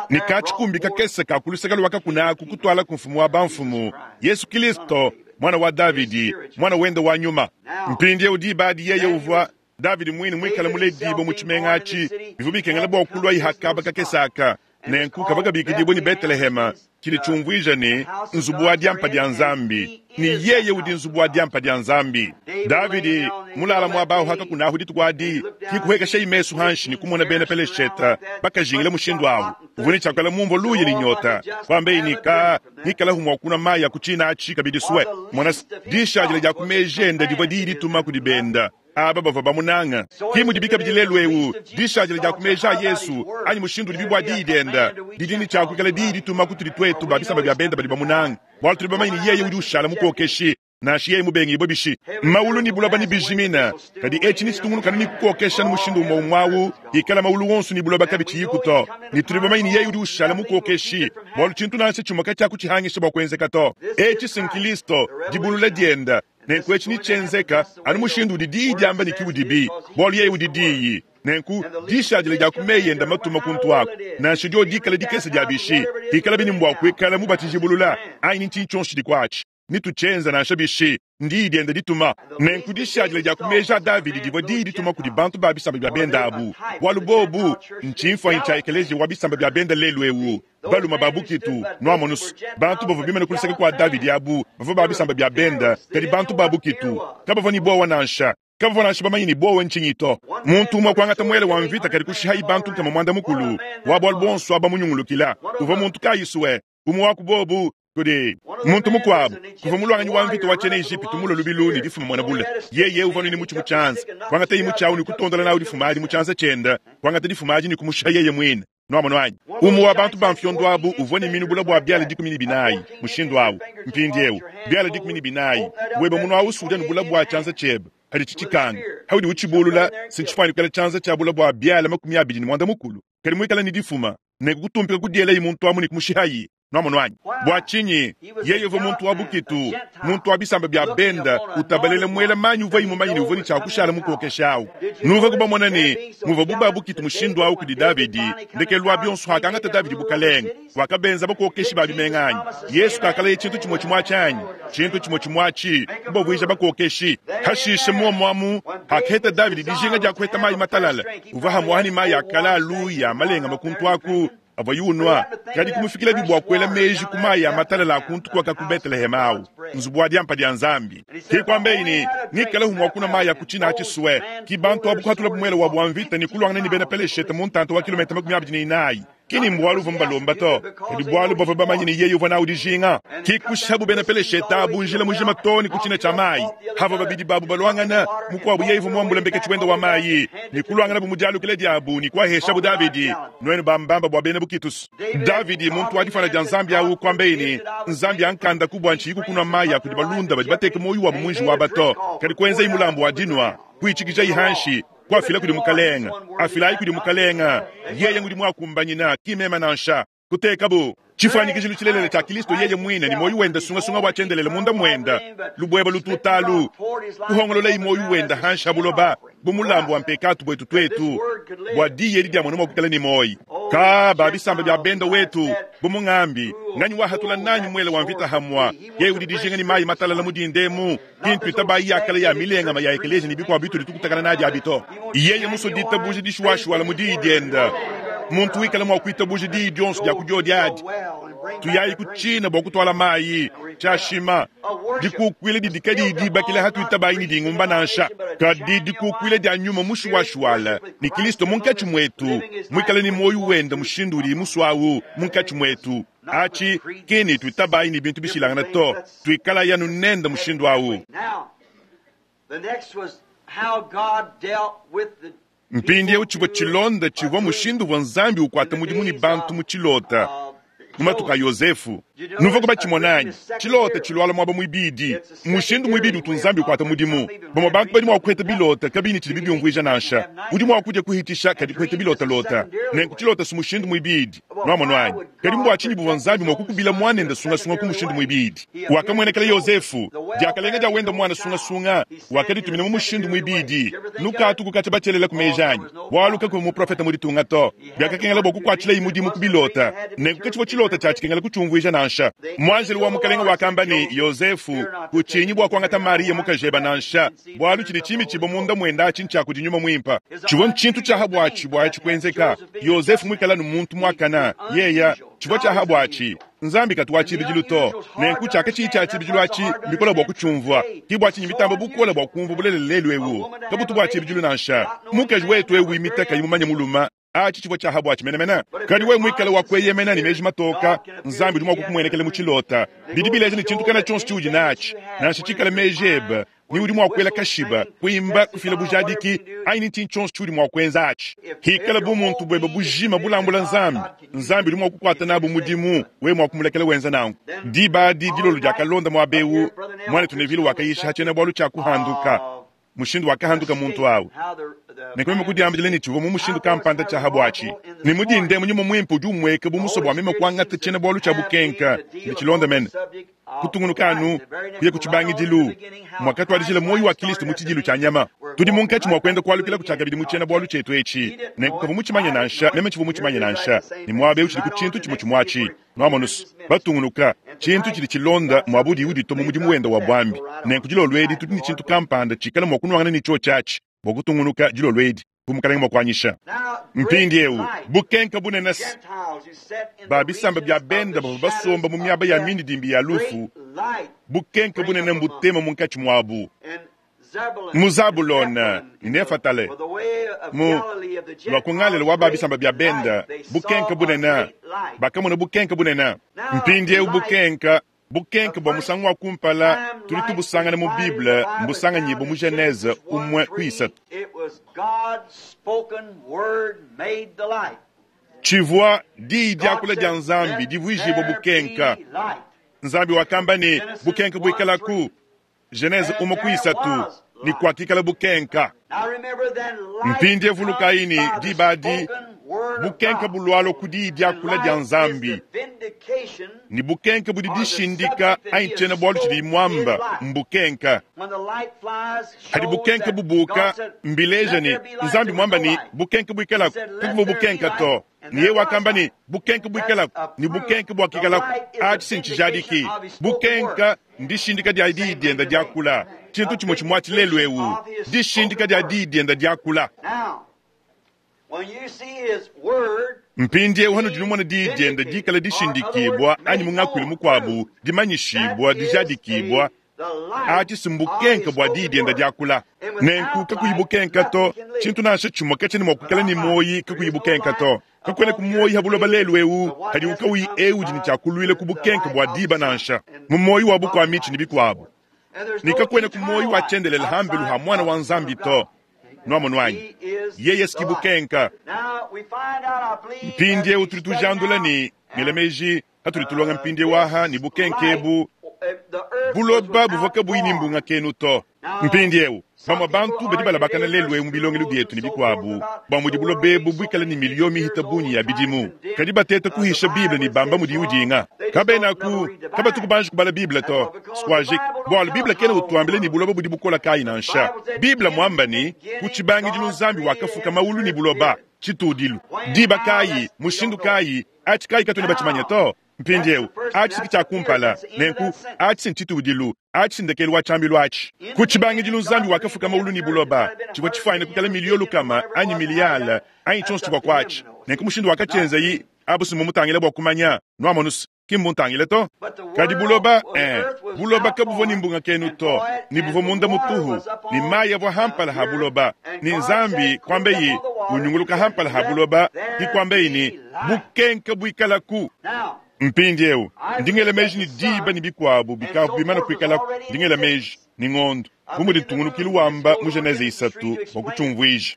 Ne ka tshikumbi kakese ka ku luseke lua kakuna aku kutuala ku mfumu wa bamfumu, Yesu Kilisto, muana wa Davidi, muana wende wa nyuma. Mpindieu diba adi yeye uvua Davidi muine muikale muledibue mu tshimenga atshi, bivua bikengela bua kuluaye ha kaba kakese aka, nenku kavua kabikidibue ne Betelehema, tshidi tshiumvuija ne, Nzubu wa diampa dia Nzambi, ne yeye udi nzubu wa diampa dia Nzambi. Davidi mulala muaba au hakakunahu dituku adi, ki kuhekeshayi mesu hanshi ne kumona bena Pelesheta bakajingila mushindu au. Uvua ne tshiakuela mumvua luya ne nyota, kuambeyi ne ka ngikalahu mua kunua mayi a ku tshina atshi kabidi sue. Mona, dishadila dia ku meji ende divua diyi dituma kudi benda aba bavua bamunanga. Ki mudibi kabidi lelu eu, dishadila dia ku meji a Yesu anyi mushindu udibi bua diyi dienda didi ne tshia kuikala diyi dituma kutudi tuetu ba bisamba bia benda badi bamunanga, bualu tudi bamanye ne yeye udi ushala mukokeshi nansha yeye mubengibue bishi. Maulu ne buloba nebijimine, kadi etshi netshitungunukane ne kukokesha ne mushindu umue umue au ikala maulu wonso ne buloba kabitshiyiku to. Ne tudi bamanye ne yeye udi ushala mukokeshi, bualu tshintu nansha tshimue katshiakutshihangisha bua kuenzeka to. Etshi si n'Kilisto, dibulula dienda. Nenku etshi netshienzeka anu mushindu udi Diyi diamba ne ki udibi, bualu yeye udi Diyi. Nenku dishadila dia ku meyi ende matuma kuntu aku, nansha dio dikale dikese dia bishi, hikalabi ne mbua kuikala mubatijibulula anyi ne ntshinyi tshionso tshidi kuatshi, netutshienze nansha bishi, ndiyi diende dituma. Nenku dishadila dia ku meji a Davidi divua diyi dituma kudi bantu ba bisamba bia bende abu, bualu bobu ntshimfuanyi tshia ekeleziya wa bisamba bia bende lelu eu. Balume ba bukitu, nuamonus, bantu bavua bimane ku luseke kua Davidi abu bavua ba bisamba bia bende, kadi bantu ba bukitu kabavua ne buowa nansha. Kabavua nansha bamanye ne buowa ntshinyi to. Muntu umue kuangata muele wa mvita kadi kushihayi bantu nkama muanda mukulu wa bualu buonso aba munyungulukila. Uvua muntu kayi sue umue wa ku bobu kudi muntu mukuabu. Kuvua muluanganyi wa mvita wa tshiena Ejipitu mulue lubilu ne difuma muena bule. Yeye uvua ne mutshi mu tshianza, kuangataye mutshi awu ne kutondola nawu difuma adi mu tshianza tshiende, kuangata difuma adi ne kumushiha yeye muine. Nuamonu anyi? Umue wa bantu ba mfiondo abu uvua ne minu bule bua biala 14, mushindu awu. Mpindiewu, biala 14, webe munu awu usudia ne bule bua tshianza tshiebe paditshi tshikanga. Paudi utshibulula, si ntshifuane kuikala tshianza tshia bule bua biala 28, kadi muikale ne difuma. Nenku kutumpika kudielayi muntu amu ne kumushihayi. Nuamonu anyi? Bua tshinyi? Yeye uvua muntu wa bukitu, muntu wa bisamba bia benda, utabalela muela manyi uvuaye mumanye ne uvua ne tshia kushala mukokeshi awu. Nuvuaku bamona ne, muvuabu ba bukitu mushindu awu kudi Davidi, ndekelu wa bionso hakangata Davidi bukalenge, wakabenza bakokeshi ba bimenga anyi? Yesu kakalaya tshintu tshimue tshimue atshi anyi? Tshintu tshimue tshimue atshi, kubavuija bakokeshi. Hashishe muomu amu, hakaheta Davidi dijinga dia kuheta mayi matalale, uvua hamuaha ne mayi a kale a luya malengame kuntu aku, avuaye unua. Kadi kumufikilabi bua kuela meji ku mayi a matalala a kuntu kuaka ku Beteleheme awu, nzubu wa diampa dia Nzambi. Ke kuambeyi ne, Ngikalehu mua kunua mayi a ku tshina atshi sue. Ki bantu abu kuhatulabu muele wabu wa mvita ne kuluangana ne bena Peleshete mu ntanta wa kilometa 24. Ki ni mbualu uvua mubalomba to, kadi bualu bavua bamanye ne yeye uvua nawu dijinga. Ki kushihabu bena Peleshete abu njila mujima too ne ku tshina tshia mayi. Havua babidi babu baluangana, mukuabu yeye uvua muambule mbeketshi wende wa mayi, ne kuluanganabu mu dialukila diabu ne kuaheshabu Davidi. Nuenu bambamba bua bena bukitus. Davidi, muntu wa difuana dia Nzambi awu, kuambeyi ne, Nzambi ankandaku bua ntshiyi kukunua mayi a kudi balunda badi bateke muoyo wabu mu njiwu aba to. Kadi kuenzayi mulambu wa dinua, kuitshikijayi hanshi, kuafila kudi Mukalenga. Afilayi kudi Mukalenga, yeye ngudi muakumbanyina, ki meme nansha. Kutekabu tshifuanyikijilu tshilelela tshia Kilisto yeye muine ne muoyo wende sungasunga wa tshiendelele munda muende, lubueba lututalu, kuhongololayi muoyo wende hanshi ha buloba bu mulambu wa mpekatu buetu tuetu, bua diyi edi diamona mua kuikala ne muoyo. Ka ba bisamba bia benda wetu, bu mungambi, nganyi wahatula nanyi muele wa mvita hamua? Yeye udi dijinga ne mayi matalala mu dinda emu, ki ntuitabayi ya kale ya milengama ya ekeleziya ne bikuabu bitudi tukutakana nadi abi to. Yeye musue ditabuja dishuwashuwala mu diyi diende, muntu wikala mua kuitabuja diyi dionso dia ku diodi adi. Tuyayi ku tshina bua kutuala mayi, tshiashima, dikukuila didi kadiyi dibakila hatuitabayi ne dingumba nansha, kadi dikukuila dia nyuma mushuwashuwala ne Kilisto munkatshi muetu, muikale ne muoyo wende mushindu udiye musuawu munkatshi muetu. Atshi ki ne tuitabayi ne bintu bishilangane to, tuikalayi anu nende mushindu awu. Mpindieu tshivua tshilonda tshivua mushindu uvua Nzambi ukuata mudimu ne bantu mu tshilota mu matuku a Yozefu. Nuvuaku batshimona anyi? Tshilota tshilualua muaba muibidi, mushindu muibidi utu Nzambi ukuata mudimu. Bamue bantu badi mua kuheta bilota kabiyi ne tshidibi biumvuija nansha. Udi mua kudia kuhitisha kadi kuheta bilotalota. Nenku tshilota si mushindu muibidi. Nuamonu anyi? Kadi mbua tshinyi buvua Nzambi mua kukubila muanende sungasunga ku mushindu muibidi? Wakamuenekela Yozefu. Diakalenga dia wende muana sungasunga, wakaditumina mu mushindu muibidi. Nukatu kukatshia batshielelaku meji anyi? Bualu kakuvua muprofete mu ditunga to. Biakakengela bua kukuatshilayi mudimu ku bilota. Nenku katshivua tshilota tshia tshikengela kutshiumvuija nansha. Muanjelu wa Mukalenge wakamba ne, Yozefu, kutshinyi bua kuangata Mariya mukajebe nansha, bualu tshidi tshimitshibua munda muende atshi ntshia kudi Nyuma Muimpe. Tshivua ntshintu tshia ha buatshi bua atshi kuenzeka, Yozefu muikale anu muntu muakane, yeya, tshivua tshia ha buatshi. Nzambi katu wa tshibidilu to, nenku tshiakatshiyi tshia tshibidilu atshi mbikole bua kutshiumvua. Ke bua tshinyi mbitamba bukole bua kumvua bulelela lelu eu. Kabutu bua tshibidilu nansha. Mukaji wetu eu wimita kayi mumanye mulume, atshi tshivua tshia ha buatshi menemene. Kadi wewe muikale wa kueyemena ne meji matoka, Nzambi udi mua kukumuenekela mu tshilota. Bidi bileja ne tshintu kana tshionso tshiudi natshi, nansha tshikale meji ebe, ne udi mua kuela kashiba, kuimba, kufila bujadiki, anyi ne tshintu tshionso tshiudi mua kuenza atshi. Hikala bumuntu buebe bujima bulambula Nzambi, Nzambi udi mua kukuata nabu mudimu, wewe mua kumulekela wenza nanku. Diba adi dilolo diakalonda muaba eu, muanetu Neville wakayisha ha tshiena-bualu tshia kuhanduka, mushindu wakahanduka muntu au. Nenku meme kudiambila ne tshivua mu mushindu kampanda tshia ha buatshi, ne mu dinda emu nyuma muimpe udi umueka bu musue bua meme kuangata tshiena-bualu tshia bukenka ne tshilonda mene. Kutungunuka anu kuya ku tshibangidilu muakatuadijila muoyo wa Kilisto mu tshidilu tshia nyama. Tudi munkatshi mua kuenda kualukilaku tshiakabidi mu tshiena-bualu tshietu etshi. Nenku kavua mutshimanye nansha, meme tshivua mutshimanye nansha, ne muaba eu tshidi ku tshintu tshimue tshimue atshi. Nuamonus, batungunuka, tshintu tshidi tshilonda muaba udiye uditua mu mudimu wende wa buambi. Nenku dilolo edi tudi ne tshintu kampanda tshikala mua kunuangana ne tshiotshi atshi bua kutungunuka dilolo edi, bu Mukalenge mua kuanyisha. Mpindieu, bukenka bunene se, ba bisamba bia bende bavua basomba mu miaba ya mindidimbi ya lufu, bukenka bunene mbutema munkatshi muabu. Mu Zabulona ne Nefatale, mu lua ku Ngalela wa ba bisamba bia benda, bukenka bunene, bakamona bukenka bunene. Mpindieu bukenka, bukenka bua musangu wa kumpala tudi tubusangana mu Bible mbusanganyibue mu Genese umue ku isatu. Tshivua diyi diakula dia Nzambi divuijibua bukenka. Nzambi wakamba ne, bukenka buikalaku. Genese umue ku isatu, ne kuakikala bukenka. Mpindie vulukayi ne, diba adi bukenka bulualua ku diyi diakula dia Nzambi, ne bukenka budi dishindika anyi tshiena-bualu tshidiyi muamba mbukenka. Hadi bukenka bubuka, mbileja ne, Nzambi muamba ne, bukenka buikalaku, kakuvua bukenka to. Ne yeye wakamba ne, bukenka buikalaku, ne bukenka buakikalaku. Atshi si ntshijadiki. Bukenka ndishindika dia diyi dienda diakula. Tshintu tshimue tshimue atshi lelu eu, dishindika dia diyi dienda diakula. Mpindieu hanudi numona diyi dienda dikala dishindikibua, anyi mu ngakuilu mukuabu dimanyishibua, dijadikibua, atshi si mbukenka bua diyi dienda diakula. Nenku kakuyi bukenka to, tshintu nansha tshimue katshiena mua kuikala ne muoyi kakuyi bukenka to. Kakuena ku muoyi ha buloba lelu eu hadiwu kauyi eu udi ne tshia kuluila ku bukenka bua diba nansha, mu muoyi wa bukua mitshi ne bikuabu. Ne kakuena ku muoyi wa tshiendelele ha mbelu ha Muana wa Nzambi to. Nuamonu anyi? Yeye si bukenka. Mpindieu tudi tujandula ne ngela meji hatudi tulonga mpindieu aha ne bukenka ebu buloba buvua kabuyi ne mbunga kenu to. Mpindieu bamue bantu badi balabakana lelu eu mu bilongelu bietu ne bikuabu bua mudi buloba ebu buikale ne miliyo mihita bungi ya bidimu, kadi bateta kuhisha Bible ne bamba mudiyi udinga. Kabenaku kabatu kubanji kubala Bible to. Squajik, bualu Bible kena utuambila ne buloba budi bukola kayi nansha. Bible muamba ne, ku tshibangidilu Nzambi wakafuka maulu ne buloba, tshitudilu. Diba kayi, mushindu kayi, atshi kayi katuena batshimanye to. Mpindieu, atshi ki tshia kumpala, nenku atshi ntshitudilu, atshi ndekelu wa tshiambilu atshi. Ku tshibangidilu Nzambi wakafuka maulu ne buloba, tshivua tshifuanyine kuikala miliyo lukama anyi miliyale anyi tshionso tshivua kuatshi. Nenku mushindu wakatshienzayi abu si mmumutangile bua kumanya, nuamonu se, ki mmuntangile to. Kadi buloba, buloba kabuvua ne mbunga kenu to, ne buvua munda mutuhu, ne mayi avua hampala ha buloba, ne Nzambi kuambeyi unyunguluka hampala ha buloba, ki kuambeyi ne, bukenka buikalaku. Mpindieu ndi ngela meji ne diba ne bikuabu bikavua bimane kuikalaku, ndi ngela meji ne ngondo, bu mudi ntungunukilu wamba mu Genese isatu bua kutshiumvuija.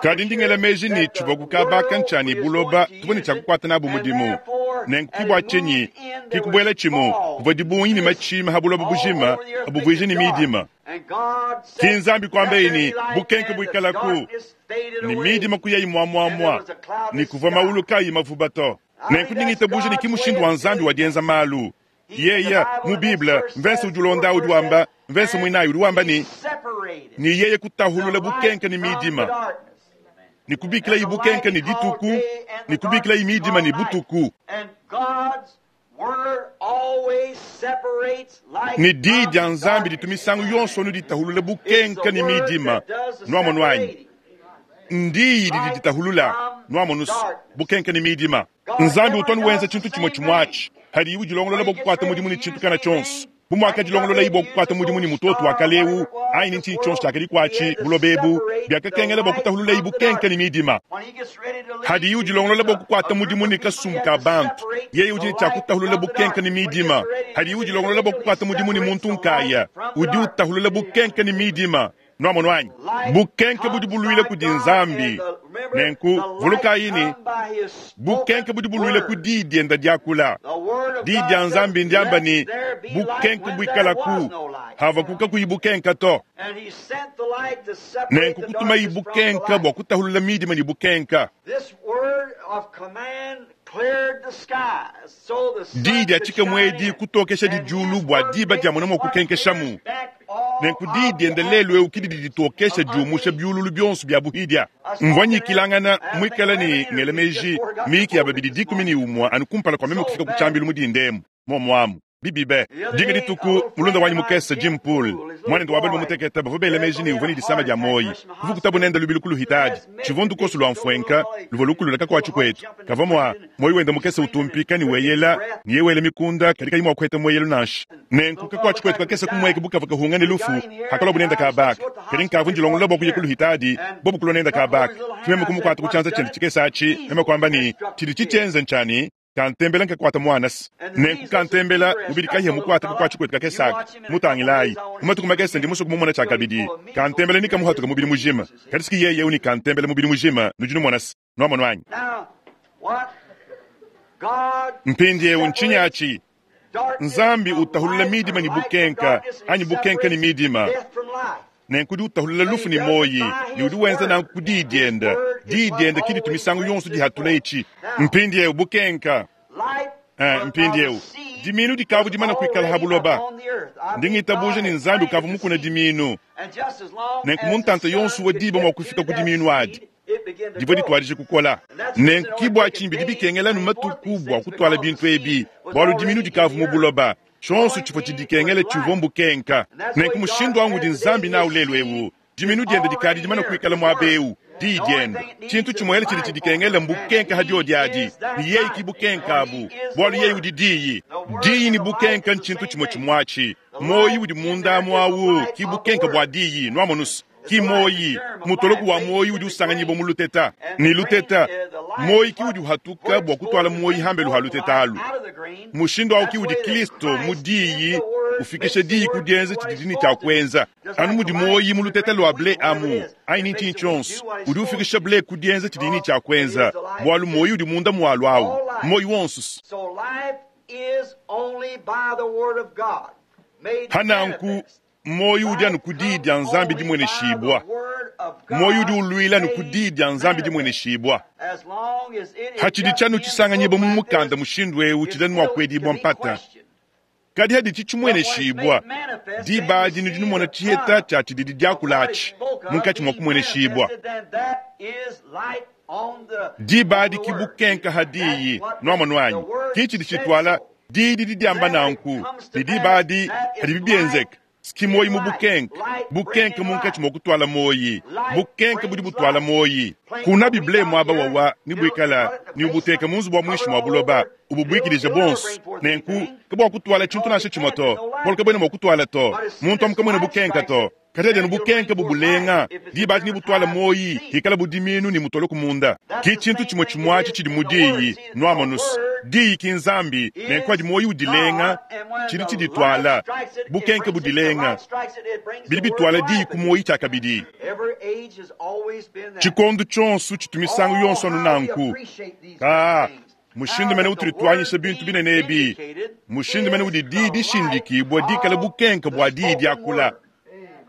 Kadi ndi ngela meji ne tshivua kukabaka ntshia ne buloba tuvua ne tshia kukuata nabu mudimu. Nenku ki bua tshinyi ki kubuela tshimu kuvua dibungi ne matshima ha buloba bujima abuvuije ne midima. Ki Nzambi kuambeyi ne bukenke buikalaku, ne midima kuyayi muamuamua, ne kuvua maulu kayi mavuba to. Nenku ndi ngitabuja ne ki mushindu wa Nzambi wa dienza malu. Yeye mu Bible, mvese udi ulonda udi wamba, mvese muinayi udi wamba ne, ne yeye kutahulula bukenke ne midima, ne kubikilayi bukenke ne dituku, ne kubikilayi midima ne butuku. Ne diyi dia Nzambi ditu misangu yonso anu ditahulula bukenke ne midima. Nuamonu anyi? Ndiyi didi ditahulula, nuamonu bukenke ne midima. Nzambi utu anu wenza tshintu tshimue tshimue atshi hadiyi udilongolola bua kukuata mudimu ne tshintu kana tshionso. Bu muakadilongololayi bua kukuata mudimu ne mutoto wa kale eu anyi ne ntshinyi tshionso tshiakadi kuatshi buloba ebu, biakakengela bua kutahululayi bukenke ne midima. Hadiyi udilongolola bua kukuata mudimu ne kasumbu ka bantu, yeye udi ne tshia kutahulula bukenke ne midima. Hadiyi udilongolola bua kukuata mudimu ne muntu nkaya, udi utahulula bukenke ne midima. Nuamonu anyi? Bukenke budi buluila kudi Nzambi. Nenku vulukayi ne, bukenke budi buluila ku diyi dienda diakula. Diyi dia Nzambi ndiamba ne, bukenke buikalaku, havaku kakuyi bukenka to. Nenku kutumayi bukenka bua kutahulula midima ne bukenka. Diyi dia tshikemu edi kutokesha didiulu bua diba diamona mua kukenkeshamu. Nenku diyi diende lelu eu ke didi ditokesha diumusha biululu bionso bia buhidia. Mvua nyikilangana muikale ne ngela meji miyiki ya babidi 11 anu kumpala kua meme kufika ku tshiambilu mu dinda emu. Muomu amu. Bibi be! Dinga dituku, mulunda wanyi mukese Jim Poole, muanende wa balume mutekete, bavua bela meji ne, uvua ne disama dia muoyi. Kuvukutabu nende lubilu ku luhitadi. Tshivua ndukoso lua mfuenka luvua lukulula kakuatshi kuetu. Kavua mua muoyi wende mukese utumpika ne weyela ne yeye wela mikunda, kadi kayi mua kuheta mueyelu nansha. Nenku kakuatshi kuetu kakese kumueka bu kavua kahunga ne lufu hakaluabu nende kaba aka. Kadi nkavua ndilongolola bua kuya ku luhitadi, bobu kulua nende kaba aka. Ke meme kumukuata ku tshianza tshiende tshikese atshi, meme kuamba ne, Tshidi tshitshienze ntshianyi. Kantembela nkakuata muanase. Nenku kantembela mubidi kahia mukuate kakuatshi kuetu kakese aka. Mutangilayi, mu matuku makese ndi musue kumumona tshiakabidi. Kantembela nekamuhatuke mubidi mujima. Kadi siki yeye eu ne kantembela mubidi mujima, nudi numona se. Nuamonu anyi? Mpindieu ntshinyi atshi? Nzambi utahulula midima ne bukenka, anyi bukenka ne midima. Nenku udi utahulula lufu ne muoyi, ne udi wenza nanku ku Diyi diende. Diyi diende ki ditu misangu yonso dihatula etshi. Mpindieu bukenka. Eh, mpindieu dimiinu dikavu dimana kuikala ha buloba. Ndi ngitabuja ne Nzambi ukavu mukuna dimiinu. Nenku mu ntanta yonso wa diba mua kufika ku dimiinu adi, divua dituadije kukola. Nenku ki bua tshinyi bidi bikengela anu matuku bua kutuala bintu ebi, bualu dimiinu dikavu mu buloba. Tshionso tshivua tshidikengela tshivua mbukenka. Nenku mushindu au ngudi Nzambi nawu lelu eu. Dimiinu diende dikadi dimane kuikala muaba eu, Diyi diende. Tshintu tshimuele tshidi tshidikengela mbukenka ha diodi adi, ne yeye ki bukenka abu, bualu yeye udi Diyi. Diyi ne bukenka ntshintu tshimue tshimue atshi. Muoyo udi munda amu au ki bukenka bua Diyi. Nuamonus? Ki muoyi, mutoloku wa muoyi udi usanganyibua mu luteta. Ne luteta, muoyi ki udi uhatuka bua kutuala muoyi hambelu ha luteta alu. Mushindu au ki udi Kristo mu Diyi ufikisha Diyi ku dienza tshididi ne tshia kuenza. Anu mudi muoyi mu luteta lua ble amu, anyi ne ntshinyi tshionso, udi ufikisha ble ku dienza tshidiyi ne tshia kuenza, bualu muoyi udi munda mualu au, muoyi wonso. Pa nanku, Muoyo udi anu ku Diyi dia Nzambi dimueneshibua. Muoyo udi uluila anu ku Diyi dia Nzambi dimueneshibua. Hatshidi tshianu tshisanganyibua mu mukanda mushindu eu tshidi anu mua kuedibua mpata. Kadi haditshi tshimueneshibua, diba adi nudi numona tshiheta tshia tshididi diakula atshi munkatshi mua kumueneshibua. Diba adi ki bukenka ha Diyi, nuamonu anyi? Ki tshidi tshituala Diyi didi diamba nanku, ne diba adi padibi bienzeka, ski muoyi mu bukenke, bukenke munkatshi mua kutuala muoyi, bukenke budi butuala muoyi. Kuna ble muaba wawa ne buikala ne ubuteka mu nzubu wa muinshi mua buloba, ububuikidija buonso. Nenku kabuakutuala tshintu nansha tshimue to, bualu kabuena mua kutuala to. Muntu amu kamuena bukenka to. Kadi adi anu bukenke bubulenga, diba adi nebutuale muoyi, hikala bu dimiinu ne mutole ku munda. Ki tshintu tshimue tshimue atshi tshidi mu Diyi, nuamonus. Diyi ki Nzambi, nenku adi muoyi udilenga, tshidi tshidituala, bukenke budilenga, bidi bituala Diyi ku muoyi tshiakabidi. Tshikondu tshionso tshitu misangu yonso anu nanku. Kaa, mushindu mene utudi tuanyisha bintu binene ebi, mushindu mene udi Diyi dishindikibua dikale bukenke bua Diyi diakula.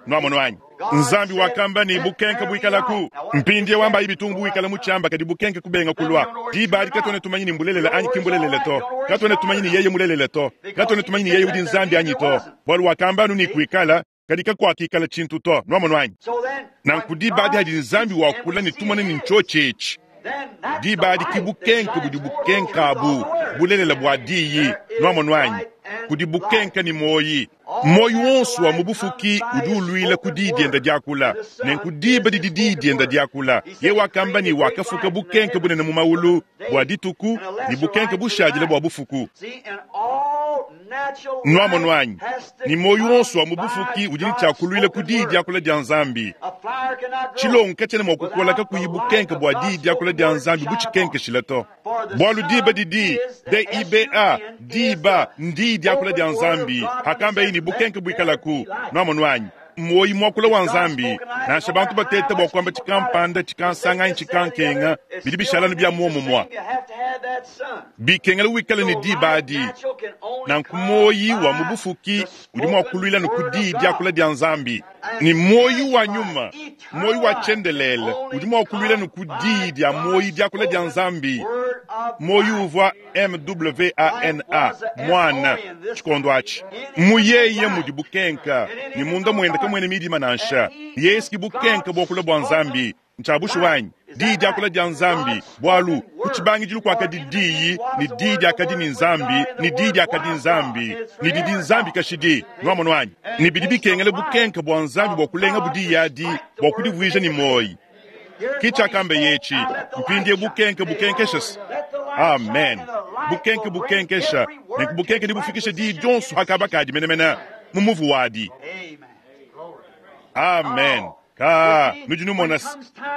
Nuamonu anyi? Nzambi wakamba ne, Bukenke buikalaku. Mpindieu ambayi bitungu buikala mu tshiamba, kadi bukenke kubenga kulua. Diba adi katuena tumanya ni mbulelela anyi ki mbulelela to. Katuena tumanya ni yeye mulelela to. Katuena tumanya ni yeye udi Nzambi anyi to. Bualu wakamba anu ne, kuikala, kadi kakuakikala tshintu to. Nuamonu anyi? Nanku diba adi adi Nzambi wakula ne tumona ne ntshiotshi etshi. Diba adi ki bukenke budi bukenka abu, bulelela bua Diyi. Nuamonu anyi? Kudi bukenke ne muoyi. Muoyi wonso wa mu bufuki udi uluila ku Diyi dienda diakula. Nenku diba didi Diyi dienda diakula, Yeye wakamba ne wakafuka bukenke bunene mu maulu bua dituku ne bukenke bushadile bua bufuku. Nuamonu anyi? Ne muoyi wonso wa mu bufuki udi ne tshia kuluila ku Diyi diakula dia Nzambi. Tshilongo katshiena mua kukola kakuyi bukenke bua Diyi diakula dia Nzambi butshikenkeshila to. Bualu diba didi, D-I-B-A, diba, n'Diyi diakula dia Nzambi, hakambaye ne bukenke buikalaku. Nuamonu anyi? Muoyi muakula wa Nzambi. Nansha bantu bateta bua kuamba tshikampanda, tshikansanga anyi tshikankenga, bidi bishala anu bia muomumue. Bikengela wikale ne diba adi. Nanku muoyi wa mu bufuki udi mua kuluila anu ku Diyi diakula dia Nzambi. Ne muoyi wa nyuma, muoyi wa tshiendelele, udi mua kuluila anu ku Diyi dia muoyi diakula dia Nzambi. Muoyi uvua M-w-a-n-a, Muana, tshikondo atshi. Mu Yeye mudi bukenka, ne munda muende kamuena midima nansha. Yesu ki bukenka buakula bua Nzambi. Ntshia bushuwa anyi? Diyi diakula dia Nzambi, bwalu ku tshibangidilu kwakadi Diyi, ne Diyi diakadi ne Nzambi, ne Diyi diakadi Nzambi, ne didi Nzambi kashidi. Nwamonu anyi? Ne bidi bikengela bukenke bwa Nzambi bwa kulengabu Diyi adi, bwa kudivwija ne mwoyi. Ke tshiakambeye etshi, Mpindiewu bukenke bukenkesha. Amen. Bukenke bukenkesha. Nenku bukenke nebufikishe Diyi dionso ha kaba kadi menemene, mu muvu wadi. Amen. Kaa, nudi numona se,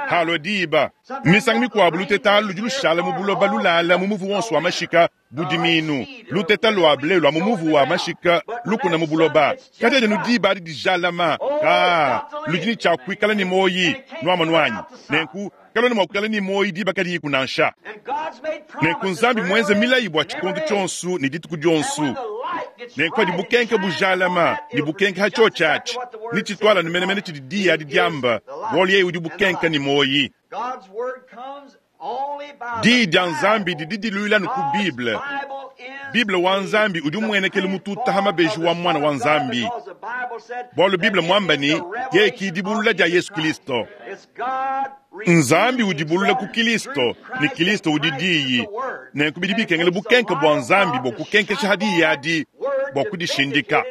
halua diba. Misangu mikuabu luteta alu ludi lushala mu buloba lulala mu muvu wonso wa mashika bu diminu. Luteta lua ble lua mu muvu wa mashika lukuna mu buloba. Kadi anu diba adi dijalama, kaa, ludi ne tshia kuikala ne muoyi. Nuamonu anyi? Nenku, kaluena mua kuikala ne muoyi diba kadiyiku nansha. Nenku Nzambi mmuenze milayi bua tshikondo tshionso ne dituku dionso. Nenku padi bukenke bujalama ne bukenke ha tshiotshi atshi, netshituale anu menemene tshidi diyi adi diamba, bualu yeye udi bukenke ne muoyi. Diyi dia Nzambi didi diluila anu ku Bible. Bible wa Nzambi udi umuenekela mututa ha mabeji wa Muana wa Nzambi, bualu Bible muamba ne, yeye ki dibulula dia Yesu Kilisto. Nzambi udi bulula ku Kilisto, ne Kilisto udi Diyi. Nenku bidi bikengela bukenke bua Nzambi bua kukenkesha ha Diyi adi, bua kudishindika,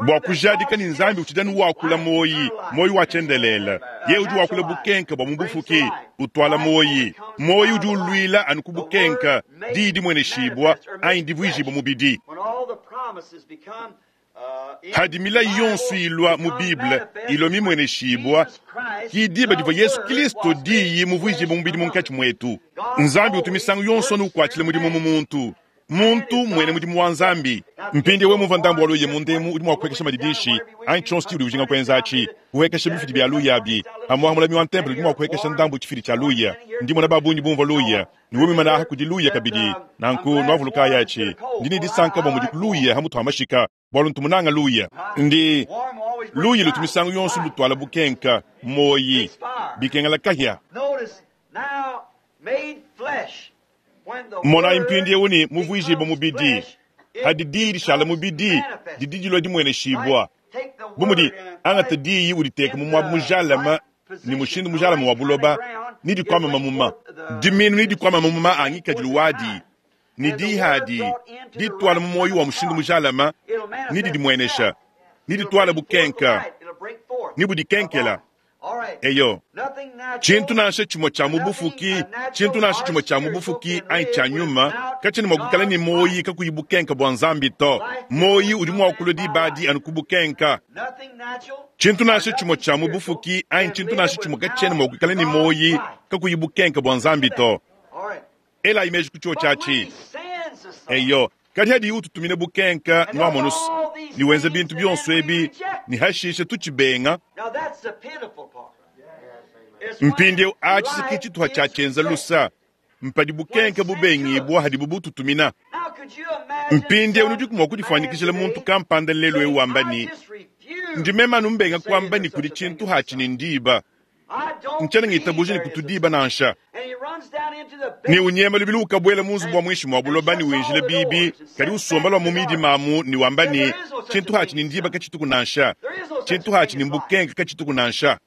bua kujadika ne Nzambi utshidi anu wakula muoyi, muoyi wa tshiendelele. Yeye udi wakula bukenke bua mu bufuki, utuala muoyi. Muoyi udi uluila anu ku bukenke, Diyi dimueneshibua anyi divuijibua mubidi. Hadi milayi yonso ilua mu Bible ilua mimueneshibua, ki diba divua Yesu Kilisto Diyi muvuijibua mubidi munkatshi muetu. Nzambi utu misangu yonso anu ukuatshila mudimu mu muntu. Muntu mmuena mudimu wa Nzambi. Mpindieu wewe mumvua ndambu wa luya munda emu, udi mua kupuekesha madidishi anyi tshionso tshiudi ujinga kuenza atshi, kuhuekesha bifidi bia luya abi. Pamuapa mulami wa ntempelo udi mua kuhuekesha ndambu tshifidi tshia luya. Ndi mmona ba bungi bumvua luya. Ne wewe muimane aha kudi luya kabidi. Nanku nuavulukayi atshi. Ndi ne disanka bua mudi luya ha mutu ha mashika, bualu ntu munanga luya. Ndi luya lutu misangu yonso lutuala bukenka, muoyi, bikengela kahia. Monayi mpindieu ne muvuijibua mubidi. Hadi diyi dishala mubidi, didi dilua dimueneshibua. Bu mudi, angata diyi uditeke mu muaba mujalame ne mushindu mujalame wa buloba, ne dikuama mamuma. Diminu nedikuame mamuma a ngikadilu wadi, ne diyi adi dituala mu muoyo wa mushindu mujalame ne didimuenesha, ne dituala bukenka ne budikenkela. Eyo, tshintu nansha tshimue tshia mu bufuki, tshintu nansha tshimue tshia mu bufuki anyi tshia nyuma katshiena mua kuikala ne muoyi kakuyi bukenka bua Nzambi to. Muoyi udi mua kulua diba adi anu ku bukenka. Tshintu nansha tshimue tshia mu bufuki anyi tshintu nansha tshimue katshiena mua kuikala ne muoyi kakuyi bukenka bua Nzambi to. Elayi meji ku tshiotshi atshi. Eyo, kadi hadiyi ututumina bukenka, nuamonu's, ne wenza bintu bionso ebi, ne hashishe tutshibenga. Mpindieu atshi se ke tshituha tshia tshienza lusa, mpadi bukenka bubengibua hadibu bututumina. Mpindieu nudiku mua kudifuanyikijila muntu kampanda lelu eu wamba ne, Ndi meme anu mbenga kuamba ne kudi tshintu hatshi ne ndiba. Ntshiena ngitabuja ne kutu diba nansha. Ne unyema lubilu ukabuela mu nzubu wa muinshi mua buloba ne winjila bibi, kadi usomba lua mu midima amu ne wamba ne, Tshintu hatshi ne ndiba katshituku nansha. Tshintu hatshi ne mbukenka katshituku nansha.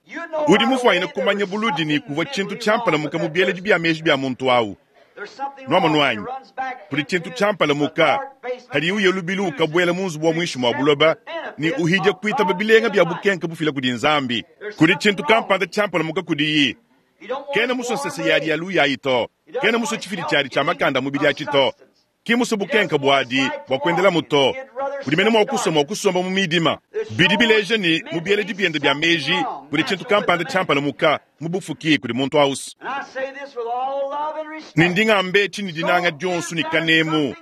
Udi mufuanyine kumanya buludi ne kuvua tshintu tshiampalamuka mu bieledi bia meji bia muntu au. Nuamonu anyi? Kudi tshintu tshiampalamuka hadiye uya lubilu ukabuela mu nzubu wa muinshi mua buloba ne uhidia kuitaba bilenga bia bukenke bufila kudi Nzambi. Kudi tshintu kampanda tshiampalamuka kudiyi. Kena musue nsese yadi ya luyayi to. Kena musue tshifidi tshiadi tshia makanda a mubidi atshi to. Ki musue bukenke buadi bua kuendelamu to. Udi mene mua kusua mua kusomba mu midima. Bidi bileja ne, mu bieledi biende bia meji kudi tshintu kampanda tshiampalamuka mu bufuki kudi muntu ausu. Ne ndi ngamba etshi ne dinanga dionso ne kanemu.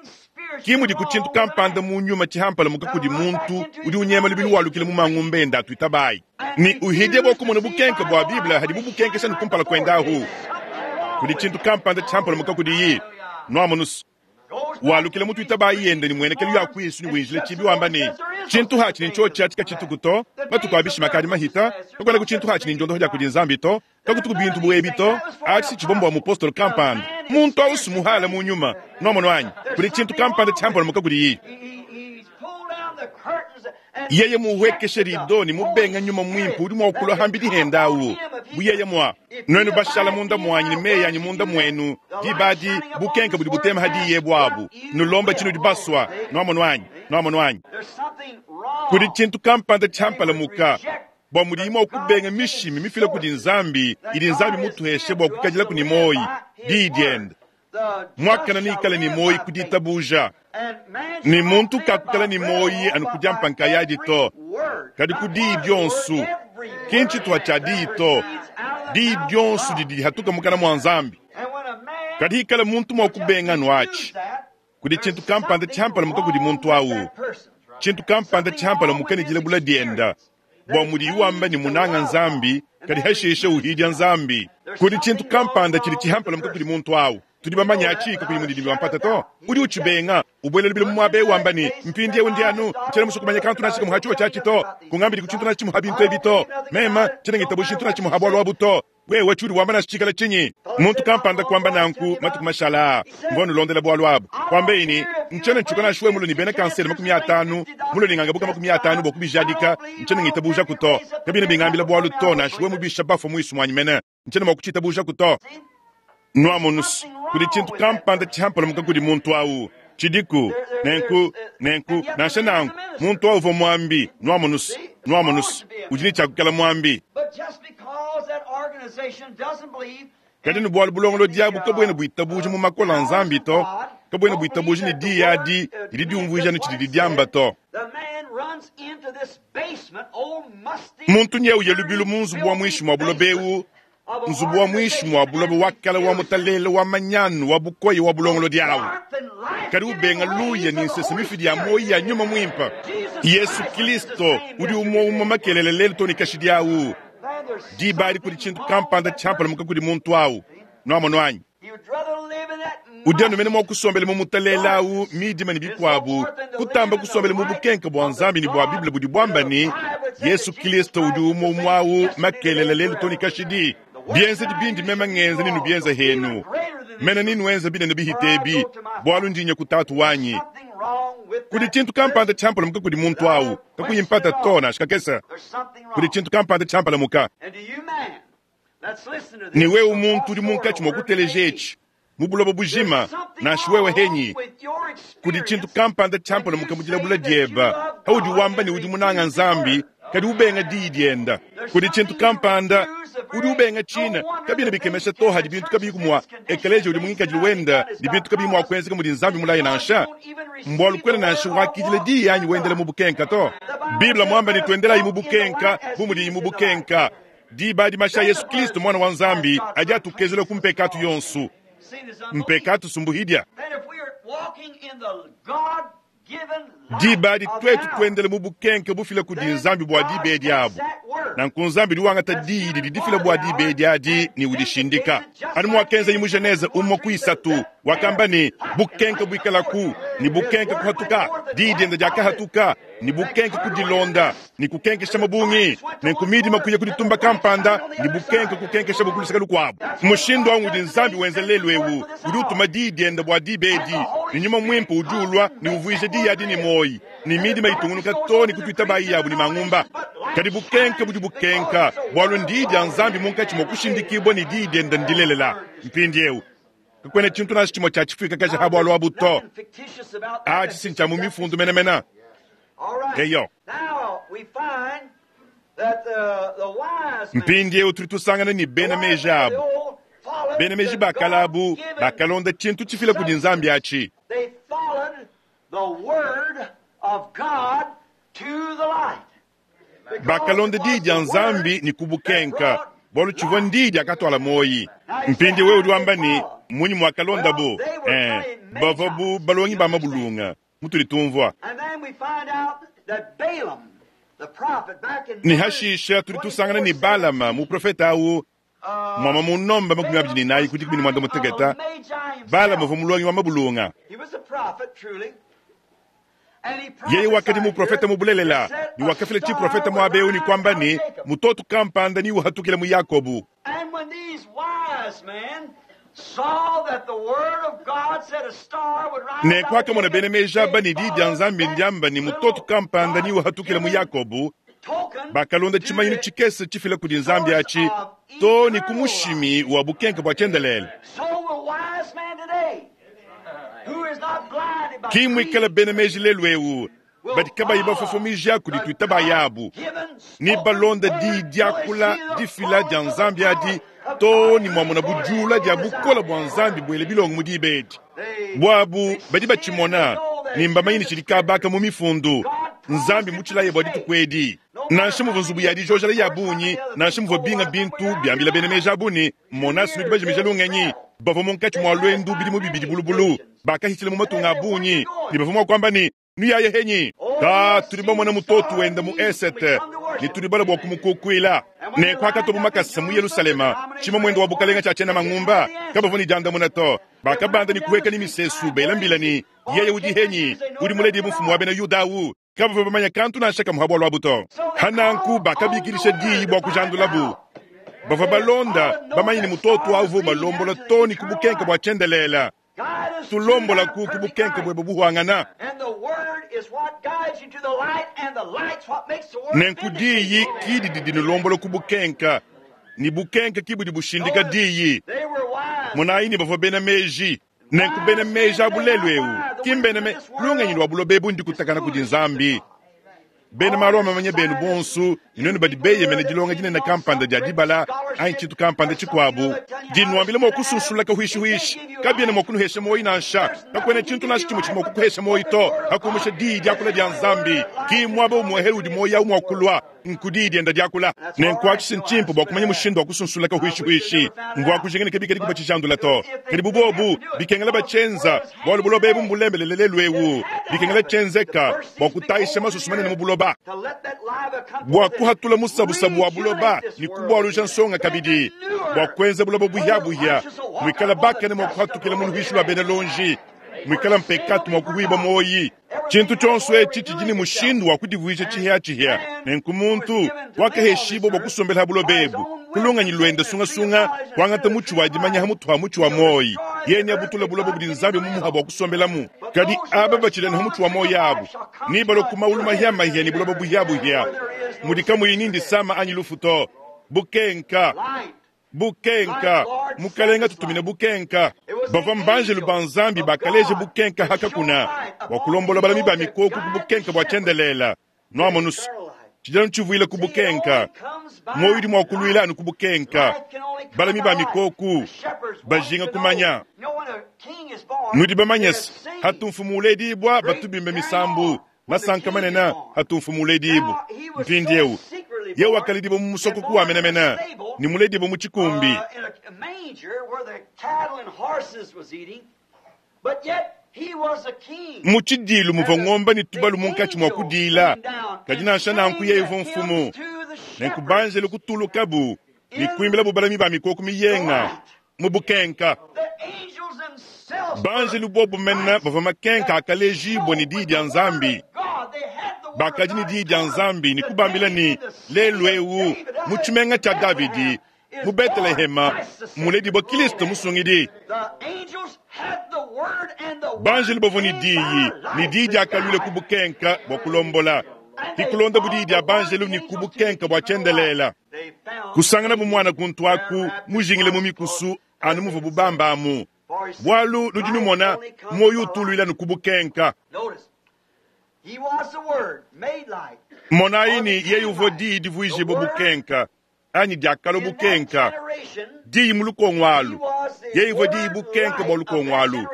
Ki mudiku tshintu kampanda mu nyuma tshihampalamuka kudi muntu udi unyema lubilu walukila mu mangumba ende atuitabayi ne uhidia bua kumona bukenke bua Bible hadibu bukenkesha ne kumpala kuende ahu. Kudi tshintu kampanda tshihampalamuka kudiyi. Nuamonus, walukila mu tuitabayi yende ne muenekelu ya kuisu ne winjila tshibi wamba ne, Tshintu hatshi ne ntshiotshi atshi katshituku to, matuku a bishima akadi mahita, kakuenaku tshintu hatshi ne ndiondoho dia kudi Nzambi to, kakutuku bintu bu ebi to, atshi si tshivua mbua mupostolo kampanda. Muntu au si muhala mu nyuma. Nuamonu anyi? Kudi tshintu kampanda tshiampalamuka kudiyi. Yeye muhuekeshe rido ne mubenga Nyuma Muimpe udi mua kulua hambidi henda awu, bu yeye mua nuenu bashala munda muanyi ne meyi anyi munda muenu, diba adi bukenke budi butema ha diyi ebu abu, nulomba tshinudi basua. Nuamonu anyi? Nuamonu anyi? Kudi tshintu kampanda tshiampalamuka bua mudiyi mua kubenga mishimi mifila kudi Nzambi idi Nzambi mutuheshe bua kukadilaku ne muoyi, diyi diende. Muakane neikale ne muoyi ku ditabuja, ne muntu kakukala ne muoyi anu ku diampa nkayadi to, kadi ku diyi dionso. Ki ntshituha tshia diyi to, diyi dionso didi dihatuka mukana mua Nzambi. Kadi hikala muntu mua kubenga anu atshi, kudi tshintu kampanda tshiampalamuka kudi muntu awu, tshintu kampanda tshiampalamuka ne dilabula dienda, bua mudiyi wamba ne munanga Nzambi, kadi hashishe uhidia Nzambi. Kudi tshintu kampanda tshidi tshihampalamuka kudi muntu awu. Tudi bamanye atshi kakuyi mundidimbi wa mpata to. Udi utshibenga, ubuela lubila mu muaba eu wamba ne, Mpindieu ndi anu, tshiena musue kumanya kantu nansha kamue ha tshiwa tshiatshi to. Kungambidi ku tshintu nansha tshimue ha bintu ebi to. Mema tshiena ngitabuja tshintu nansha tshimue ha bualu abu to. Wewe tshiudi wamba nansha tshikala tshinyi? Muntu kampanda kuamba nanku matuku mashala aa, mvua nulondela bualu abu. Kuambeyi ne, Ntshiena ntshuka nansha wewe mulue ne bena kansere 50, mulue ne ngangabuka 50 bua kubijadika, ntshiena ngitabujaku to. Kabiena bingambila bualu to, nansha wewe mubisha bafue muisu muanyi mene, ntshiena mua kutshitabujaku to. Nuamonus, kudi tshintu kampanda tshihampalamuka kudi muntu awu. Tshidiku. Nenku, nenku, nansha nanku, muntu awu uvua muambi. Nuamonus, nuamonus, udi ne tshia kuikala muambi. Kadi ne bualu bulongolodi abu kabuena buitabuja mu makole a Nzambi to, kabuena buitabuja ne diyi adi didi diumvuija anu tshididi diamba to. Muntu nyewu ya lubilu mu nzubu wa muinshi mua buloba eu, nzubu wa muinshi mua buloba wa kale wa mutalele wa manyanu wa bukoya wa bulongolodi awu, kadi ubenga luya ne nsese mifidi ya muoyo ya Nyuma Muimpe. Yesu Kilisto udi umue umue makelela lelu too ne kashidi awu. Diba adi kudi tshintu kampanda tshiampalamuka kudi muntu awu. Nuamonu anyi? Udi anu mene mua kusombela mu mutalele awu, midima ne bikuabu, kutamba kusombela mu bukenke bua Nzambi ne bua Bible budi buamba ne, Yesu Kilisto udi umue umue awu makelela lelu too ne kashidi. Bienzedi bindi meme ngenza nenubienze henu, mene nenuenze binene bihite ebi, bualu ndi nya ku Tatu wanyi. Kudi tshintu kampanda tshiampalamuka kudi muntu awu, kakuyi mpata to nansha kakese. Kudi tshintu kampanda tshiampalamuka. Ne wewe muntu udi munkatshi mua kuteleja etshi mu buloba bujima, nansha wewe henyi, kudi tshintu kampanda tshiampalamuka mu dilabula dieba paudi wamba ne udi munanga Nzambi, kadi ubenga diyi dienda. Kudi tshintu kampanda udi ubenga tshina. Kabiena bikemesha to hadi bintu kabiyi mua ekeleziya udi mu ngikadilu wenda ne bintu kabiyi mua kuenzeka mudi Nzambi mulaye nansha. Mbualu kuena nansha wakidila diyi anyi wendela mu bukenka to. Bible muamba ne tuendelayi mu bukenka bu mudiyi mu bukenka. Diba adi mashi a Yesu Kristo Muana wa Nzambi adi atukezula ku mpekatu yonso. Mpekatu sumbuhidia. Diba adi tuetu tuendela mu bukenke bufila kudi Nzambi bua diba edi abu. Nanku Nzambi udi wangata diyi didi difila bua diba edi adi ne udishindika. Anu muakenzaye mu Genese umue ku isatu, wakamba ne, Bukenke buikalaku, ne bukenke kuhatuka. Diyi diende diakahatuka, ne bukenke kudilonda, ne kukenkesha mabungi. Nenku midima kuya ku ditumba kampanda, ne bukenke kukenkesha ku luseke lukuabu. Mushindu au ngudi Nzambi wenza lelu eu. Udi utuma diyi diende bua diba edi, ne Nyuma Muimpe udi ulua ne uvuija diyi adi ne muoyo, ne midima itungunuka too ne kutuitabayi yabu ne mangumba. Kadi bukenke budi bukenka, bualu ndiyi dia Nzambi munkatshi mua kushindikibua ne diyi diende ndilelela. Mpindieu kakuena tshintu nansha tshimue tshia tshifuikakaja ha bualu abu to. Atshi si ntshia mu mifundu menemene. Eyo. Mpindieu tudi tusangana ne bena meji abu, bena meji ba kale abu bakalonda tshintu tshifila kudi Nzambi atshi. Bakalonda diyi dia Nzambi ne kubukenka, bualu tshivua ndiyi diakatuala muoyi. Mpindieu wewe udi wamba ne, Mmunyi muakalondabu? Ee, bavua bu balongi ba mabulunga, mutudi tumvua. Ne hashisha tudi tusangana ne Balama, muprofete au, muama mu nomba 24 ku 15, Balama uvua mulongi wa mabulunga. Yeye wakadi muprofete mu bulelela, ne wakafila tshiprofete muaba eu ne kuamba ne, mutoto kampanda ne uhatukile mu Yakobo. Nenku akamona bena meji aba ne diyi dia Nzambi ndiamba ne mutoto kampanda niwahatukila mu Yakobo, bakalonda tshimanyinu tshikese tshifila kudi Nzambi atshi too ne ku mushimi wa bukenke bua tshiendelele. Ki muikala bena meji lelu eu badi kabayi bafofomija kudi tuitaba yabu ne balonda diyi diakula difila dia Nzambi adi too ne muamona bujula dia bukole bua Nzambi buele bilongo mu diba edi. Buabu badi batshimona ne mbamanye ne tshidi kabaka mu mifundu. Nzambi mutshilaye bua dituku edi. Nansha muvua nzubu ya dijojela ya bungi, nansha muvua binga bintu biambila bena meji abu ne, Mona, nudi bajimija lungenyi. Bavua munkatshi mua luendu bidimu bibidi bulubulu, bakahitshila mu matunga a bungi, ne bavua mua kuamba ne, Nuyaye henyi? Ka tudi bamona mutoto wenda mu esete, ne tudi bala bua kumukukuila. Nenku akatobu makasa mu Yelusalema, tshima muende wa bukalenga tshia tshiena mangumba, kabavua ne diandamuna to. Bakabanda ne kuheka ne misesu, bela mbila ne, Yeye udi henyi? Udi muledibue mfumu wa bena Yuda awu? Kabavua bamanya kantu nansha kamue ha bualu abu to. Hananku bakabikidisha diyi bua kujandulabu. Bavua balonda, bamanye ne mutoto awu uvua ubalombola too ne ku bukenke bua tshiendelele. Tulombolaku ku bukenke buebe buhuangana. Nenku diyi ki didi dinulombola ku bukenka, ne bukenka ki budi bushindika diyi. Monayi ne bavua bena meji. Nenku bena meji abu lelu eu ki mbena me lungenyi lua buloba ebu ndikutakana kudi Nzambi. Bena malu a mamanya benu bonsu ne nuenu badi beyemena dilonga dinene kampanda dia dibala anyi tshintu kampanda tshikuabu, dinuambila mua kusunsula kahuishihuishi, kabiena mua kunuhesha muoyo nansha. Kakuena tshintu nansha tshimue tshidi mua kukuhesha muoyo to, hakumusha diyi diakula dia Nzambi. Ki muaba umuehele udi muoyo au mua kulua, nku diyi dienda diakula. Nenku atshi si ntshimpe bua kumanya mushindu wa kusunsula kahuishihuishi. Mvua kujinga ne kabikadi kubatshijandula to, kadi bu bobu bikengela batshienza, bualu buloba ebu mbulembelele lelu eu, bikengela tshienzeka bua kutayisha masoso manene mu buloba, bua kuhatula musabusabu wa buloba ne kubualuja nsonga kabidi, bua kuenza buloba buhia-buhia, muikala bakane mua kuhatukila mu luhuishi lua bena lonji, muikala mpekatu mua kuhuibua muoyi. Tshintu tshionso etshi tshidi ne mushindu wa kudivuija tshihia-tshihia. Nenku muntu wakaheshibua bua kusombela ha buloba ebu ku lungenyi luende sungasunga, kuangata mutshi wa dimanya ha mutu ha mutshi wa muoyi, yeye neabutule buloba budi Nzambi mumuha bua kusombelamu. Kadi aba batshidi ha mutshi wa muoyi abu nebalue ku maulu mahia-mahia ne buloba buhia-buhia, mudi kamuyi ni ndisama anyi lufu to. Bukenka! Bukenka! Mukalenga tutumine bukenka. Bavua mbanjelu ba Nzambi bakaleja bukenka ha kakuna bua kulombola balami ba mikoko ku bukenka bua tshiendelele. Nuamonusu, tshidi anu tshivuila ku bukenka. Muoyo udi mua kuluila anu ku bukenka. Balami ba mikoko bajinga kumanya. Nudi bamanye se, hatu mfumu uledibua batu bimba misambu. Masanka manene atu mfumu uledibua. Mpindieu yeye wakaledibua mu musokoko wa menemene ne muledibua mu tshikumbi. Mu tshidiilu muvua ngombe ne tubalu munkatshi mua kudiila, kadi nansha nanku yeye uvua mfumu. Nenku banjelu kutulukabu ne kuimbilabu balami ba mikoko miyenga mu bukenka. Banjelu bobu mene bavua makenka akalejibua ne diyi dia Nzambi. Bakadi ne diyi dia Nzambi ne kubambila ne, lelu eu mu tshimenga tshia Davidi mu Betelehema muledibua Kristo Musungidi. Banjelu bavua ne diyi, ne diyi diakaluila ku bukenka bua kulombola, hikulonda bu diyi dia banjelu ne ku bukenka bua tshiendelela. Kusanganabu muana kuntu aku mujingile mu mikusu anu muvuabu bamba amu, bualu nudi numona muoyo utuluila anu ku bukenka. Monayi ne yeye uvua diyi divuijibua bukenka anyi diakalua bukenka, diyi mu lukongo alu, yeye uvua diyi bukenka bua lukongo alu,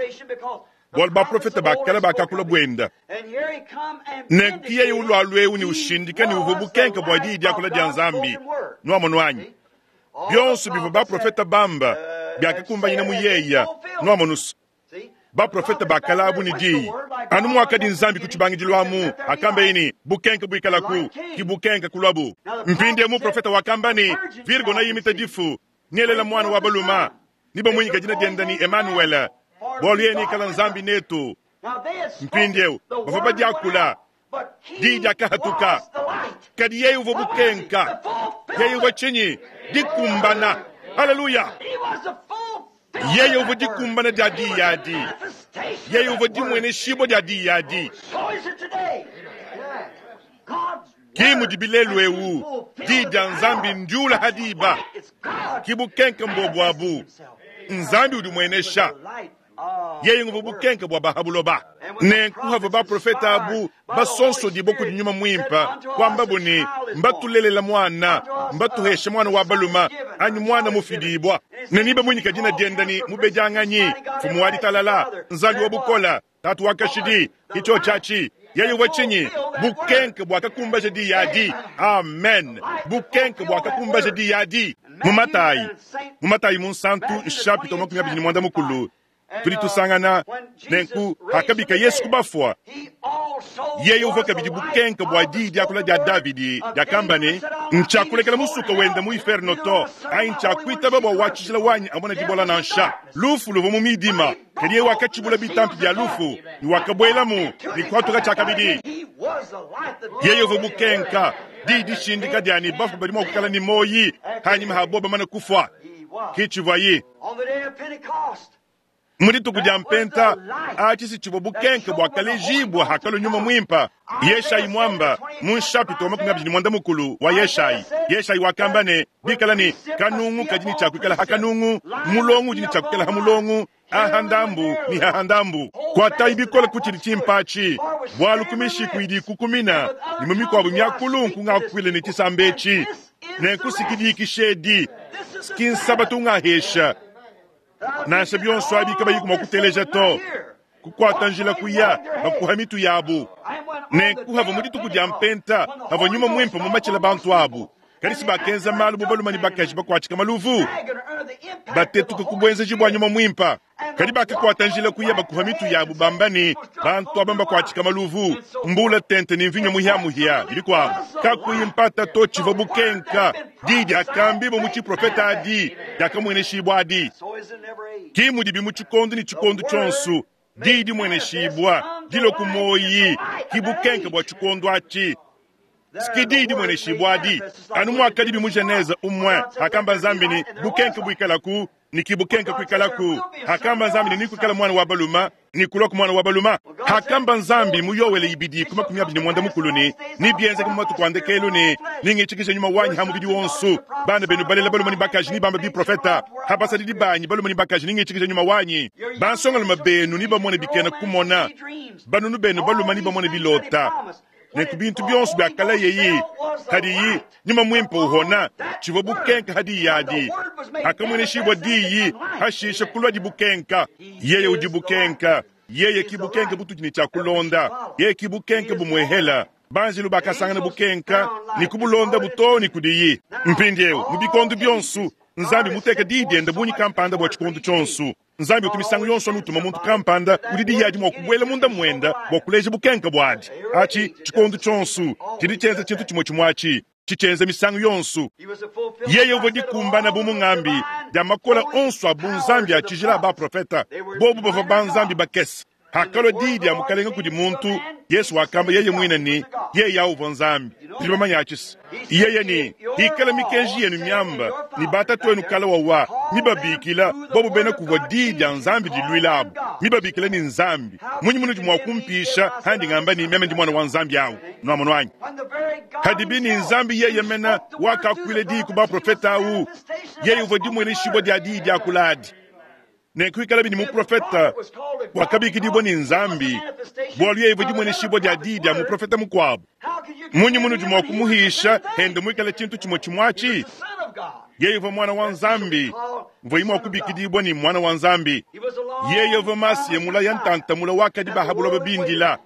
bualu baprofete ba kale bakakula buenda. Nenku yeye ulualu eu ne ushindika ne uvua bukenka bua diyi diakula dia Nzambi. Nuamonu anyi? Bionso bivua baprofete bamba biakakumbanyina mu yeya. Nuamonu se, baprofete ba kale abu ne diyi anu muakadi Nzambi ku tshibangidilu amu, akambeye ne, bukenka buikalaku, ki bukenka kuluabu. Mpindieu muprofete wakamba ne, Virgo neimite difu, nelela muana wa baluma, ne bamuinyika dina diende ne Emanuele, bualu yeye neikala Nzambi netu. Mpindieu bavua badiakula, diyi diakahatuka, kadi yeye uvua bukenka. Yeye uvua tshinyi? Dikumbana. Haleluya! Yeye uvua dikumbana dia diyi adi. Yeye uvua dimueneshibua dia diyi adi. Ki mudibi lelu eu, Diyi dia Nzambi ndiula ha diba. Ki bukenke mbobu abu. Nzambi udi umuenesha. Yeye nguvua bukenke bua ba ha buloba. Nenku havua baprofete abu basonsodibua kudi Nyuma Muimpe, kuambabu ne, Mbatulelela muana, mbatuheshe muana wa balume, anyi muana mufidibua, ne nebamuinyike dina diende ne, Mubedianganyi, Mfumu wa Ditalala, Nzambi wa Bukole, Tatu wa kashidi. Ke tshiotshi atshi. Yeye uvua tshinyi? Bukenke buakakumbaja diyi adi. Amen. Bukenke buakakumbaja diyi adi. Mu Matayi, mu Matayi Munsantu, nshapita wa 25, tudi tusangana nenku, pakabika Yesu ku bafua, yeye uvua kabidi bukenke bua diyi diakula dia Davidi diakamba ne, Ntshiakulekela musuka wende mu iferno to, anyi ntshiakuitaba bua wa tshijila wanyi amone dibola nansha. Lufu luvua mu midima, kadi yeye wakatshibula bitampi bia lufu ne wakabuelamu ne kuhatuka tshiakabidi. Yeye uvua bukenka, diyi dishindika dia ne bafue badi mua kuikala ne muoyi hanyima ha bobo bamane kufua. Ke tshivuaye. Mu dituku dia Mpenta, atshi si tshivua bukenke buakalejibua hakalua Nyuma Muimpe. Yeshayi muamba mu nshapita wa 25 wa Yeshayi. Yeshayi wakamba ne, bikala ne kanungu kadi ne tshia kuikala ha kanungu, mulongo udi ne tshia kuikala ha mulongo, aha ndambu ne haha ndambu. Kuatayi bikole ku tshidi tshimpe atshi, bualu ku mishiku idi ikukumina ne mu mikuabu miakulu nkungakuile ne tshisamba etshi, nenku sikidikisha edi ki nsabatu ngahesha. Nansha bionso abi kabayiku mua kuteleja to, kukuata njila kuya bakuha mitu yabu. Nenku havua mu dituku dia Mpenta havua Nyuma Muimpe mumatshila bantu abu, kadi si bakenza malu bu balume ne bakaji bakuatshika maluvu, batetuka ku buenzeji bua Nyuma Muimpe. Kadi bakakuata njila kuya bakuha mitu yabu bamba ne, bantu aba mbakuatshika maluvu, mbula tente ne mvinyo muhia-muhia ne bikuabu. Kakuyi mpata to tshivua bukenka diyi diakambibua mu tshiprofete adi diakamueneshibua adi. Ki mudibi mu tshikondo ne tshikondo tshionso, diyi dimueneshibua dilua ku muoyi ki bukenke bua tshikondo atshi. Ki diyi dimueneshibua adi, anu muakadibi mu Genese umue, hakamba Nzambi ne, bukenke buikalaku, ne ki bukenke kuikalaku. Hakamba Nzambi ne, nekuikale muana wa balume, ne kuluaku muana wa balume. Hakamba Nzambi mu Yoele ibidi ku 25 ne, nebienzeke mu matuku a ndekelu ne, nengitshikije nyuma wanyi ha mubidi wonso, bana benu balela balume ne bakaji nebambe biprofeta, ha basadidi banyi balume ne bakaji nengitshikije nyuma wanyi, bansongalume benu nebamone bikena kumona, banunu benu balume nebamone bilota. Nenku bintu bionso biakalayeyi hadiyi Nyuma Muimpe uhona, tshivua bukenka hadiyi adi. Hakamueneshibua diyi, hashisha kuluadi bukenka. Yeye udi bukenka. Yeye ki bukenka butudi ne tshia kulonda. Yeye ki bukenka bumuehela. Banjelu bakasangana bukenka ne kubulondabu too ne kudiyi. Mpindieu, mu bikondo bionso, Nzambi muteke diyi diende bungi kampanda bua tshikondo tshionso. Nzambi utu misangu yonso anu utuma muntu kampanda udi diyi adi mua kubuela munda muende bua kuleja bukenke buadi. Atshi tshikondo tshionso tshidi tshienza tshintu tshimue tshimue atshi, tshitshienza misangu yonso. Yeye uvua dikumbana bu mungambi dia makola onso a bunzambi a tshijila a baprofeta, bobu bavua banzambi bakese. Hakalua diyi dia Mukalenge kudi muntu, Yesu wakamba yeye muine ne, yeye au uvua Nzambi. Tudi bamanye atshi se, yeye ne, Hikala mikenji yenu miamba ne batatuenu kala wawa mibabikila bobu bena kuvua diyi dia Nzambi diluila abu, mibabikila ne Nzambi, munyi munudi mua kumpisha handi ngamba ne, meme ndi muana wa Nzambi au? Nuamonu anyi? Hadibi ne Nzambi yeye mena wakakuila diyi ku baprofete au, yeye uvua dimueneshibua dia diyi diakula adi. Nenku ikalabi ne muprofete wakabikidibua ne Nzambi, bualu yeye uvua dimueneshibua dia diyi dia muprofete mukuabu. Munyi munudi mua kumuhisha hende muikale tshintu tshimue tshimue atshi? Yeye uvua muana wa Nzambi, mvuayi mua kubikidibua ne muana wa Nzambi. Yeye uvua Masiya mulaya ntanta mula wakadi ba ha buloba bindila.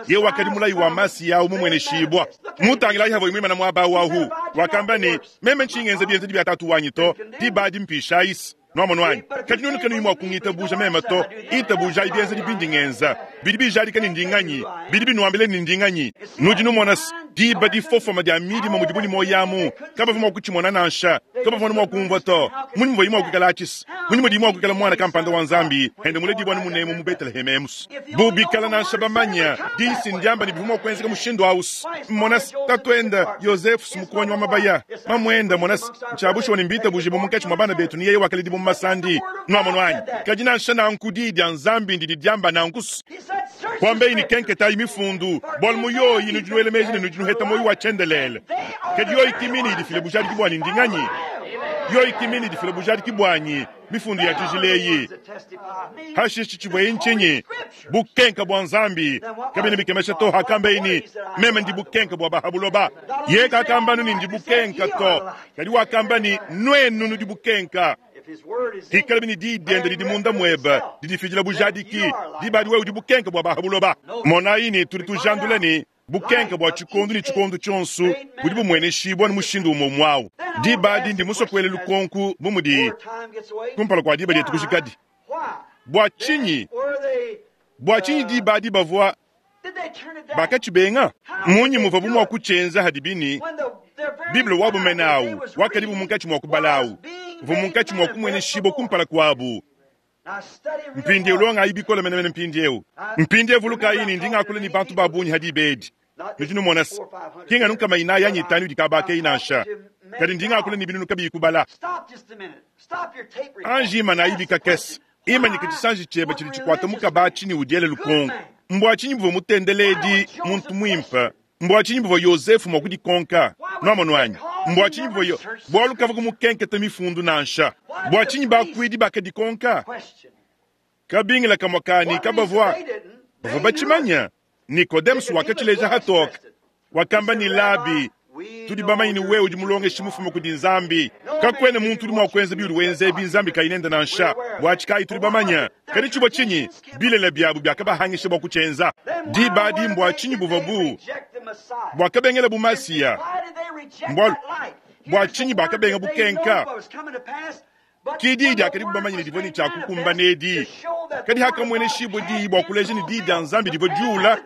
Yeye wakadi mulayi wa Masiya au mumueneshibua. Mutangilayi havua muimana muaba au ahu, wakamba ne, meme ntshingenza bienzedi bia tatu wanyi to, diba adi mpishayisi. Nuamonu anyi? Kadi nuenu kanuyi mua kungitabuja meme to, itabujayi bienzedi bindi ngenza. Bidi bijadika ne ndi nganyi, bidi binuambila ne ndi nganyi. Nudi numona se, Diba difofoma dia midima mudibu ne muoyo amu, kabavua mua kutshimona nansha, kabavua mua kumvua to. Mmunyi muvuaye mua kuikala atshisa? Mmunyi mudiye mua kuikala muana kampanda wa Nzambi ende muledibua anu munemu mu Beteleheme emu's? Bu bikala nansha bamanya, diyi si ndiamba ne bivua mua kuenzeka mushindu au's. Mona-s, tatuende, Yozefu's, mukuonyi wa mabaya, mamuende, mona-s, ntshia bushuwa ne mbitabujibue munkatshi mua bana betu ne yeye wakaledibua mu masandi. Nuamonu anyi? Kadi nansha nanku Diyi dia Nzambi ndidi diamba nanku's. Kuambeyi ne, Kenketayi Mifundu, bualu mu yoyi nudi nuela meji ne nudi nuheta muoyo wa tshiendelele. Kadi yoyi ki mine idi ifila bujadiki buanyi. Ndi nganyi? Yoyi ki mine idi ifila bujadiki buanyi, Mifundu ya tshijila eyi. Hashishe tshivuaye ntshinyi? Bukenka bua Nzambi. Kabiena bikemesha to hakambeyi ne, Meme ndi bukenka bua ba ha buloba. Yeye kakamba anu ne, Ndi bukenka to, kadi wakamba ne, Nuenu nudi bukenka. Pikalabi ne diyi diende didi munda muebe didifidila bujadiki, diba adi wewe udi bukenke bua ba ha buloba. Monayi ne, tudi tujandula ne, bukenke bua tshikondo ne tshikondo tshionso budi bumueneshibua anu mushindu umue umue au. Diba adi ndi musue kuela lukonko bu mudi kumpala kua diba dietu kujikadi. Bua tshinyi? Bua tshinyi diba adi bavua bakatshibenga? Mmunyi muvuabu mua kutshienza hadibi ne Bible wabu mene au wakadibu munkatshi mua kubala au uvua munkatshi mua kumueneshibua kumpala kuabu? Mpindieu longayi bikole menemene mpindieu. Mpindieu vulukayi ne, ndi ngakula ne bantu ba bungi ha diba edi. Nudi numona se, ki nganu nkama inayi anyi itanu idi kaba keyi nansha, kadi ndi ngakula ne binunu kabiyi kubala. Anji imanayi bikakese. Imanyika tshisanji tshiebe tshidi tshikuata mukaba atshi ne udiele lukonko. Mbua tshinyi buvua mutendeledi muntu muimpe? Mbua tshinyi buvua Yozefu mua kudikonka? Nuamonu anyi? Mbua tshinyi buvua yo? Bualu kavua kumukenketa mifundu nansha. Bua tshinyi bakuidi bakadikonka? Kabingila kamue ka ne kabavua bavua batshimanya. Nikodemus wakatshileja hatoke. Wakamba ne, Labi, tudi bamanye ne wewe udi mulongeshi mufume kudi Nzambi. Kakuena muntu udi mua kuenza biudi wenza ebi Nzambi kayi nende nansha. Buatshi kayi tudi bamanye? Kadi tshivua tshinyi? Bilele biabu biakabahangisha bua kutshienza. Diba adi mbua tshinyi buvua bu buakabengela bu Masiya? Mbualu bua tshinyi bakabenga bukenka? Ki diyi diakadibu bamanye ne divua ne tshia kukumbana edi, kadi hakamueneshibua diyi bua kuleja ne diyi dia Nzambi divua diula.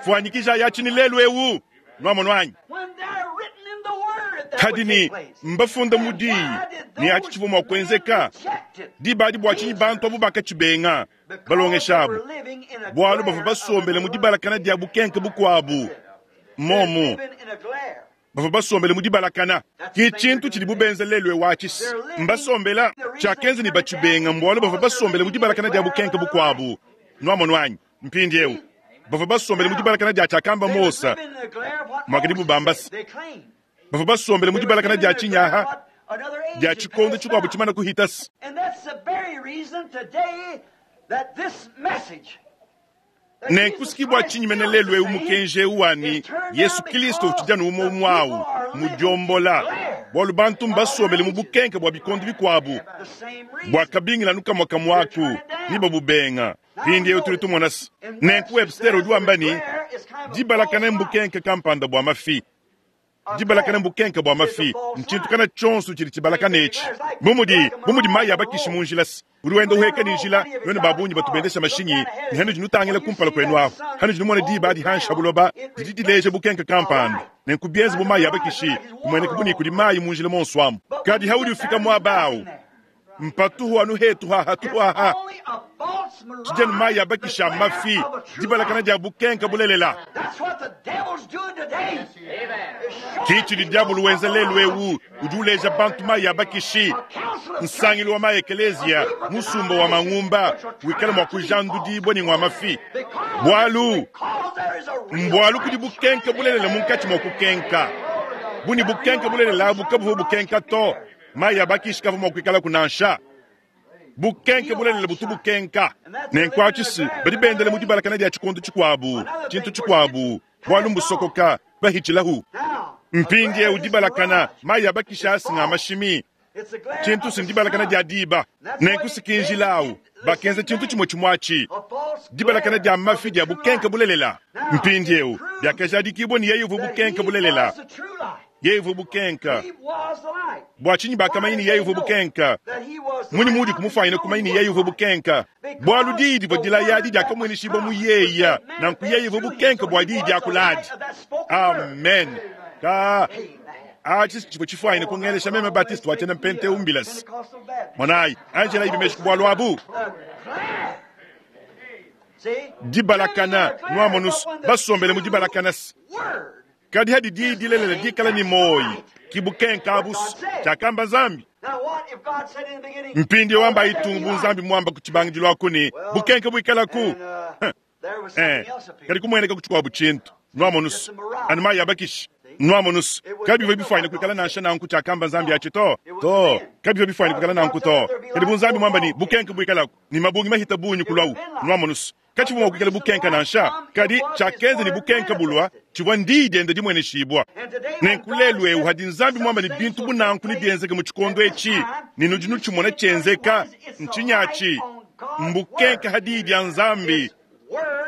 Fuanyikijayi atshi ne lelu eu, nuamonu anyi? Kadi ne mbafunda mu diyi ne atshi tshivua mua kuenzeka. Diba adi bua tshinyi bantu abu bakatshibenga? Balongesha abu, bualu bavua basombele mu dibalakana dia bukenke bukuabu. Momu. Bavua basombele mu dibalakana. Ke tshintu tshidibu benza lelu eu atshi. Mbasombela. Tshiakenza ne batshibenga mbualu bavua basombele mu dibalakana dia bukenke bukuabu. Nuamonu anyi? Mpindieu, bavua basombele mu dibalakana dia tshiakamba Mose, muakadibu bamba se, bavua basombele mu dibalakana dia tshinyaha dia tshikondo tshikuabu tshimana kuhita se. Nenku ki bua tshinyi mene lelu eu mukenji eu wa ne, Yesu Kilisto utshidi anu umue umue au mudiombola, bualu bantu mbasombele mu bukenke bua bikondo bikuabu bua kabingila anu kamue kamue aku ne babubenga. Mpindieu tudi tumona se, nenku Webster udi wamba ne, dibalakana mbukenke kampanda bua mafi. Dibalakana mbukenke bua mafi, ntshintu kana tshionso tshidi tshibalakana etshi. Bu mudi bu mudi mayi abakishi mu njila, se udi wenda uheka ne njila. Nuenu ba bungi batu bendesha mashinyi ne hanudi nutangila kumpala kuenu ahu, hanudi numona diba adi hanshi ha buloba didi dileja bukenke kampanda, nenku bienza bu mayi abakishi, kumueneka bu ne kudi mayi mu njila monso amu. Kadi haudi ufika muaba au, mpatuhu anu hetu haha tuhaha tshidi anu mayi abakisha mafi, dibalakana dia bukenke bulelela. Ki tshidi diabolo wenza lelu eu, udi uleja bantu mayi abakishi, nsangilu wa maekeleziya, musumba wa mangumba wikala mua kujandudibua ne ngua mafi. Bualu mbualu kudi bukenke bulelela munkatshi mua kukenka. Bu ne bukenke bulelela abu kabuvua bukenka to, Mayi a bakishi kavua mua kuikalaku nansha. Bukenke bulelela butu bukenka. Nenku atshi si badi bendela mu dibalakana dia tshikondo tshikuabu, tshintu tshikuabu, bualu mbusokoka, bahitshilahu. Mpindieu dibalakana, mayi a bakishi asi nga mashimi, tshintu si ndibalakana dia diba. Nenku si ki njila au, bakenza tshintu tshimue tshimue atshi, dibalakana dia mafi dia bukenke bulelela. Mpindieu biakajadikibua ne yeye uvua bukenke bulelela. Yeye uvua bukenka. Bua tshinyi bakamanya ne yeye uvua bukenka? Mmunyi muudi kumufwanyina kumanya ne yeye uvua bukenka? Bualu diyi divua dilaya adi diakamueneshibua mu yeya, nanku yeye uvua bukenka bua diyi diakula adi. Amen. Ka atshi tshivua tshifwanyine kungelesha meme Baptiste wa tshiena Mpente umbilasi. Monayi, anjelayi bimeshi ku bualu abu. Dibalakana, nuamonus, basombele mu dibalakana. Kadi hadi diyi dilelela dikala ne muoyi, ki bukenka abu, tshiakamba Nzambi. Mpindieu amba itungu bu Nzambi muamba ku tshibangidilu aku ne, bukenka buikalaku. Eh, kadi kumueneka ku tshikuabu tshintu. Nuamonus, anu mayi abakishi. Nuamonus, kabivua bifuanyine kuikala nansha nanku tshiakamba Nzambi atshi to. To, kabivua bifuanyine kuikala nanku to. Kadi bu Nzambi muamba ne, bukenka buikalaku, ne mabungi mahita bungi kuluawu. Nuamonus, katshivua mua kuikala bukenka nansha, kadi tshiakenza ne bukenka bulua tshivua ndiyi diende dimueneshibua. Nenku lelu eu hadi Nzambi muamba ne bintu bu nanku nebienzeke mu tshikondo etshi, ne nudi nutshimona tshienzeka, ntshinyi atshi? Mbukenka ha diyi dia Nzambi,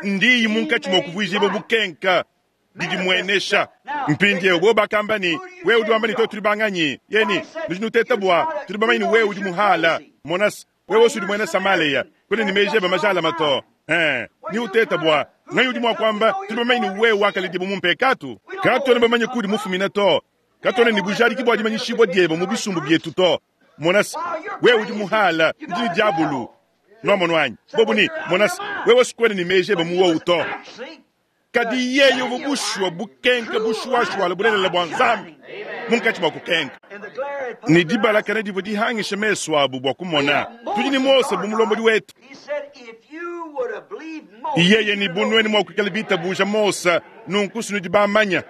ndiyi munkatshi mua kuvuijibua bukenka didimuenesha. Mpindieu bobo bakamba ne, Wewe udi wamba ne tuetu tudi banganyi? Yeni, nudi nuteta bua tudi bamanye ne wewe udi muhala. Monas, wewe udi muena Samalea, kuena ne meji ebe majalama to. Eh, ni uteta bua nganyi udi mua kuamba tudi bamanye ne wewe wakaledibua mu mpekatu? Katuena bamanye kudi mufumina to. Katuena ne bujadiki bua dimanyishibua diebe mu bisumbu bietu to. Monas, wewe udi muhala, udi ne diabulu. Nuamonu anyi? Bobu ne, monas, wewe sikuena ne meji ebe mu wowu to. Kadi yeye uvua bushuwa bukenka bushuwashuwala bulelela bua Nzambi munkatshi mua kukenka. Ne dibalakana divua dihangisha mesu abu bua kumona. Tudi ne Mose bu mulombodi wetu. Yeye ne bu nuenu mua kuikala bitabuja Mose, nunku sinudi bamanya.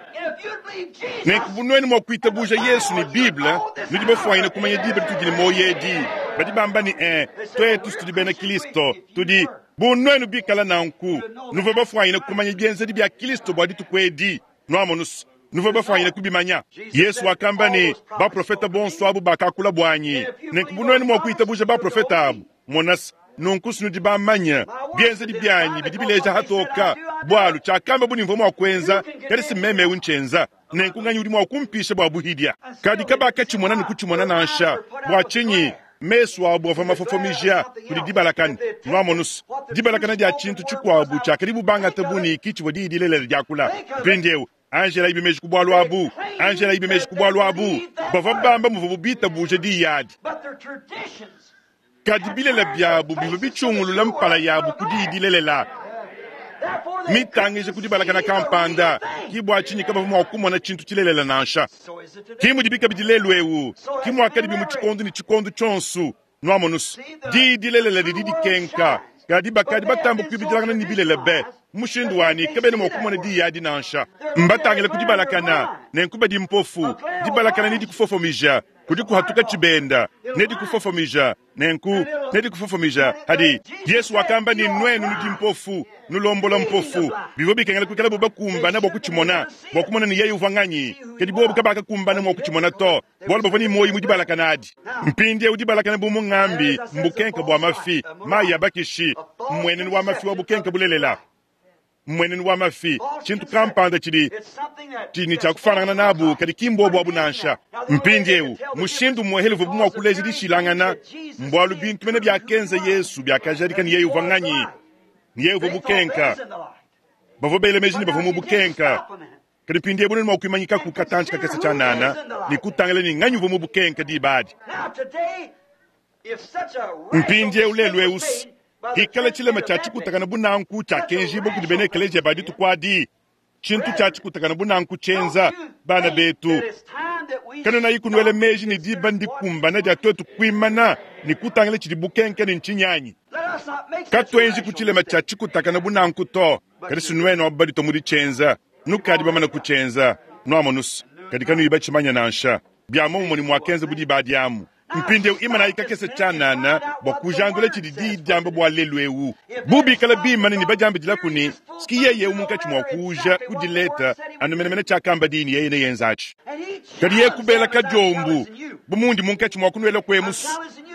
Nenku bu nuenu mua kuitabuja Yesu ne Bible, nudi bafuanyine kumanya diba ditudi ne muoyo edi. Badi bamba ne, eh, tuetu tudi bena Kristo, tudi Bu nuenu bikala nanku, nuvua bafuanyine kumanya bienzedi bia Kristo bua dituku edi. Nuamonus, nuvua bafuanyine kubimanya. Yesu wakamba ne, baprofete bonso abu bakakula buanyi. Nenku bu nuenu mua kuitabuja baprofete abu, monas, nunku sinudi bamanya bienzedi bianyi bidi bileja hatoka, bualu tshiakamba bu ne mvua mua kuenza, kadi si meme eu ntshienza. Nenku nganyi udi mua kumpisha bua buhidia? Kadi kabakatshimona ne kutshimona nansha. Bua tshinyi? Mesu abu avua mafofomija kudi dibalakana. Nuamonus, dibalakana dia tshintu tshikuabu tshiakadibu bangata bu ne ki tshivua diyi dilelela diakula. Mpindieu, anjelayibi meji ku bualu abu. Anjelayibi meji ku bualu abu. Bavua bamba muvuabu bitabuja diyi adi. Kadi bilele biabu bivua bitshiungulula mpala yabu ku diyi dilelela mitangija ku dibalakana kampanda. Ki bua tshinyi kabavua mua kumona tshintu tshilelela nansha. Ki mudibi kabidi lelu eu, ki muakadibi mu tshikondo ne tshikondo tshionso. Nuamonus, diyi dilelela didi dikenka, kadi bakadi batamba kuibidilangana ne bilele be mushindu wani kabena mua kumona diyi adi nansha. Mbatangile ku dibalakana, nenku badi mpofu. Dibalakana nedikufofomija, kudi kuhatuka tshibenda, nedikufofomija, nenku nedikufofomija. Hadi Yesu wakamba ne, nuenu nudi mpofu, nulombola mpofu. Bivua bikengela kuikala bu bakumbana bua kutshimona, bua kumona ne yeye uvua nganyi. Kadi bobu kabakakumbana mua kutshimona to, bualu bavua ne muoyo mu dibalakana adi. Mpindieu dibalakana bu mungambi mbukenke bua mafi, mayi a bakishi, mmuenenu wa mafi wa bukenke bulelela. Mmuenenu wa mafi, tshintu kampanda tshidi tshidi ne tshia kufuanangana nabu, kadi ki mbuobu abu nansha. Mpindieu mushindu umuehele uvuabu mua kuleja dishilangana mbualu bintu mene biakenza Yesu biakajadika ne yeye uvua nganyi, ne yeye uvua bukenka. Bavua bela meji ne bavua mu bukenka, kadi mpindieu nudi mua kuimanyikaku katantshi kakese tshianana ne kutangila ne nganyi uvua mu bukenka diba adi. Mpindieu lelu eu, hikala tshilema tshia tshikutakana bu nanku tshiakenjibua kudi bena ekeleziya ba dituku adi, tshintu tshia tshikutakana bu nanku tshienza bana betu, kanuenayi kunuela meji ne diba ndikumbana dia tuetu kuimana ne kutangila tshidi bukenke ne ntshinyi anyi? Katuenji ku tshilema tshia tshikutakana bu nanku to, kadi si nuenu abu baditua mu ditshienza, nukadi bamane kutshienza, nuamonus, kadi kanuyi batshimanya nansha. Bia muomumue ne muakenza bu diba adi amu. Mpindieu imanayi kakese tshianana bua kujandula tshidi diyi diamba bua lelu eu. Bu bikala bimane ne badiambidilaku ne, Ski yeye eu munkatshi mua kuuja ku dileta anu menemene tshiakamba diyi ne yeye neyenzatshi. Kadi yeye kubela kadiombu bu mundi munkatshi mua kunuela kuemusu.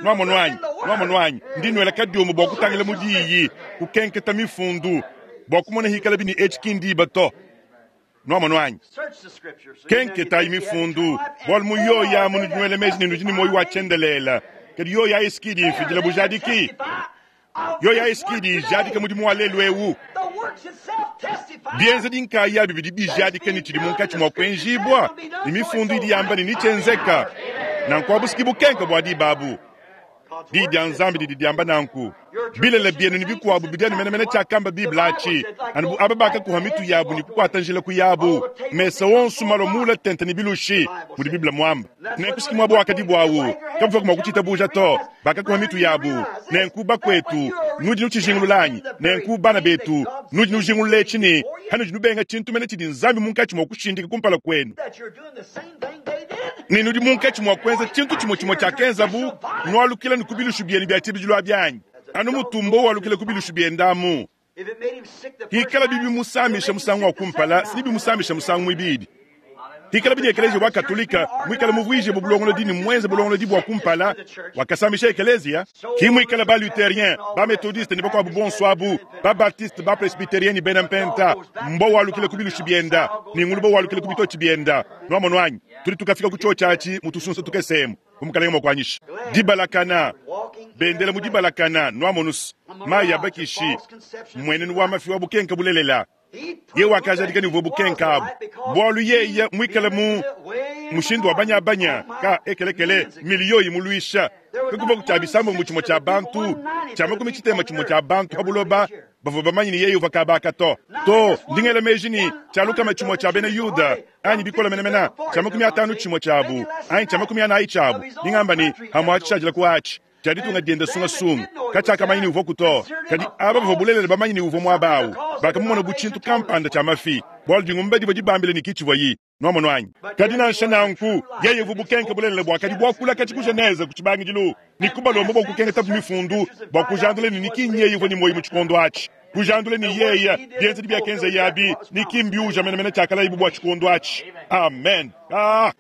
Nuamonu anyi? Nuamonu anyi? Ndi nuela kadiombu bua kutangila mu diyi, kukenketa mifundu, bua kumona hikalabi ne etshi ki ndiba to. Nwamonu anyi? Kenketaayi Mifundu, bwalu mu yoyi amu nudi nwela meeji ne nudi ne mwoyi wa cyendeleela. Kadi yoyi ayi s'ki idi imfidila bujaadiki. Yoyi ayi s'ki idi ijaadika mudimu wa leelu ewu. Byenzedi nkaayabi bidi bijaadika ne cidi munkaci mwa kwenjiibwa, ne Mifundu idi yamba ne necyenzeka. Nanku abu s'ki bukenke bwa diba abu. Diyi dya Nzambi didi dyamba nanku. Bilele byenu ne bikwabo bidi anu menemene cyakamba Bible aci, anu bu aba baakakuha mitu yabo ne kukwata njila kuyabu, mesa onso malwa muule tente ne bilushi, mudi Bible mwambe. Nenku s'ki mwaba wakadibu awu. Kabavwaku mwa kucitabuuja to. Bakakuha mitu yabu. Nenku, bakwetu, nudi nucijingulula anyi? Nenku, bana beetu, nudi nujingulula eci ne, panudi nubenga cintu mene cidi Nzambi munkaci mwa kushindika kumpala kwenu, ne nudi munkaci mwa kwenza cintu cimwe-cimwe cyakenzabu, nwalukila ne ku bilushu byenu bya cibidilu abi anyi? Anu mutu mbwa walukila ku bilushu byende amu. Hikalabi bimusamisha musangu wa kumpala, si bimusamisha musangu mwibidi. Hikalabi ne ekeleziya wa Katolika mwikale muvwijibwe bulongolodi ne mwenze bulongolodi bwa kumpala, wakasamisha ekeleziya, ki mwikale ba-Lutherien, ba-Methodiste ne bakwabo bonso abu, ba-Baptiste, ba-Presbyterien ne bena Mpenta, mbwa walukila ku bilushi byenda ne nguluba walukila ku bitotshi byenda. Nwamonu anyi? Tudi tukafika ku cyoci aci mu tusunsa tukese emu, bu Mukalenge mwa kwanyisha. Dibalakana, bendela mu dibalakana, nwamonu's, mayi a bakishi, mmwenenu wa mafi wa bukenka bulelela. Yeye wakajadika ne uvua bukenka abu, bualu yeye mwikale mu mushindu wa banyabanya ka ekelekele miliyo imuluisha, kakuvua tshia bisambombo tshimue tshia bantu, tshia makumi tshitema tshimue tshia bantu pa buloba bavua bamanye ne yeye uvua kaba aka to. To, ndi ngela meji ne tshia lukama tshimue tshia bena Yuda, anyi bikole menemene, tshia makumi atanu tshimue tshiabu, anyi tshia makumi anayi tshiabu, ndi ngamba ne amue atshishadila ku atshi. tshia ditunga diende sungasunga katshiakamanya ne uvuaku to. Kadi aba bavua bulelela bamanye ne uvua muaba au bakamumona bu tshintu kampanda tshia mafi, bualu dingumba divua dibambile ne ki tshivuayi. Nuamonu anyi? Kadi nansha nanku, yeye uvua bukenke bulelela buakadi buakula katshi ku Genese ku tshibangidilu, ne kubalomba bua kukengetabu Mifundu bua kujandula ne ki nyeye uvua ne muoyo mu tshikondo atshi, kujandula ne yeye bienzedi biakenzaye abi ne ki mbiuja menemene tshiakalayibu bua tshikondo atshi. Amen. Ah!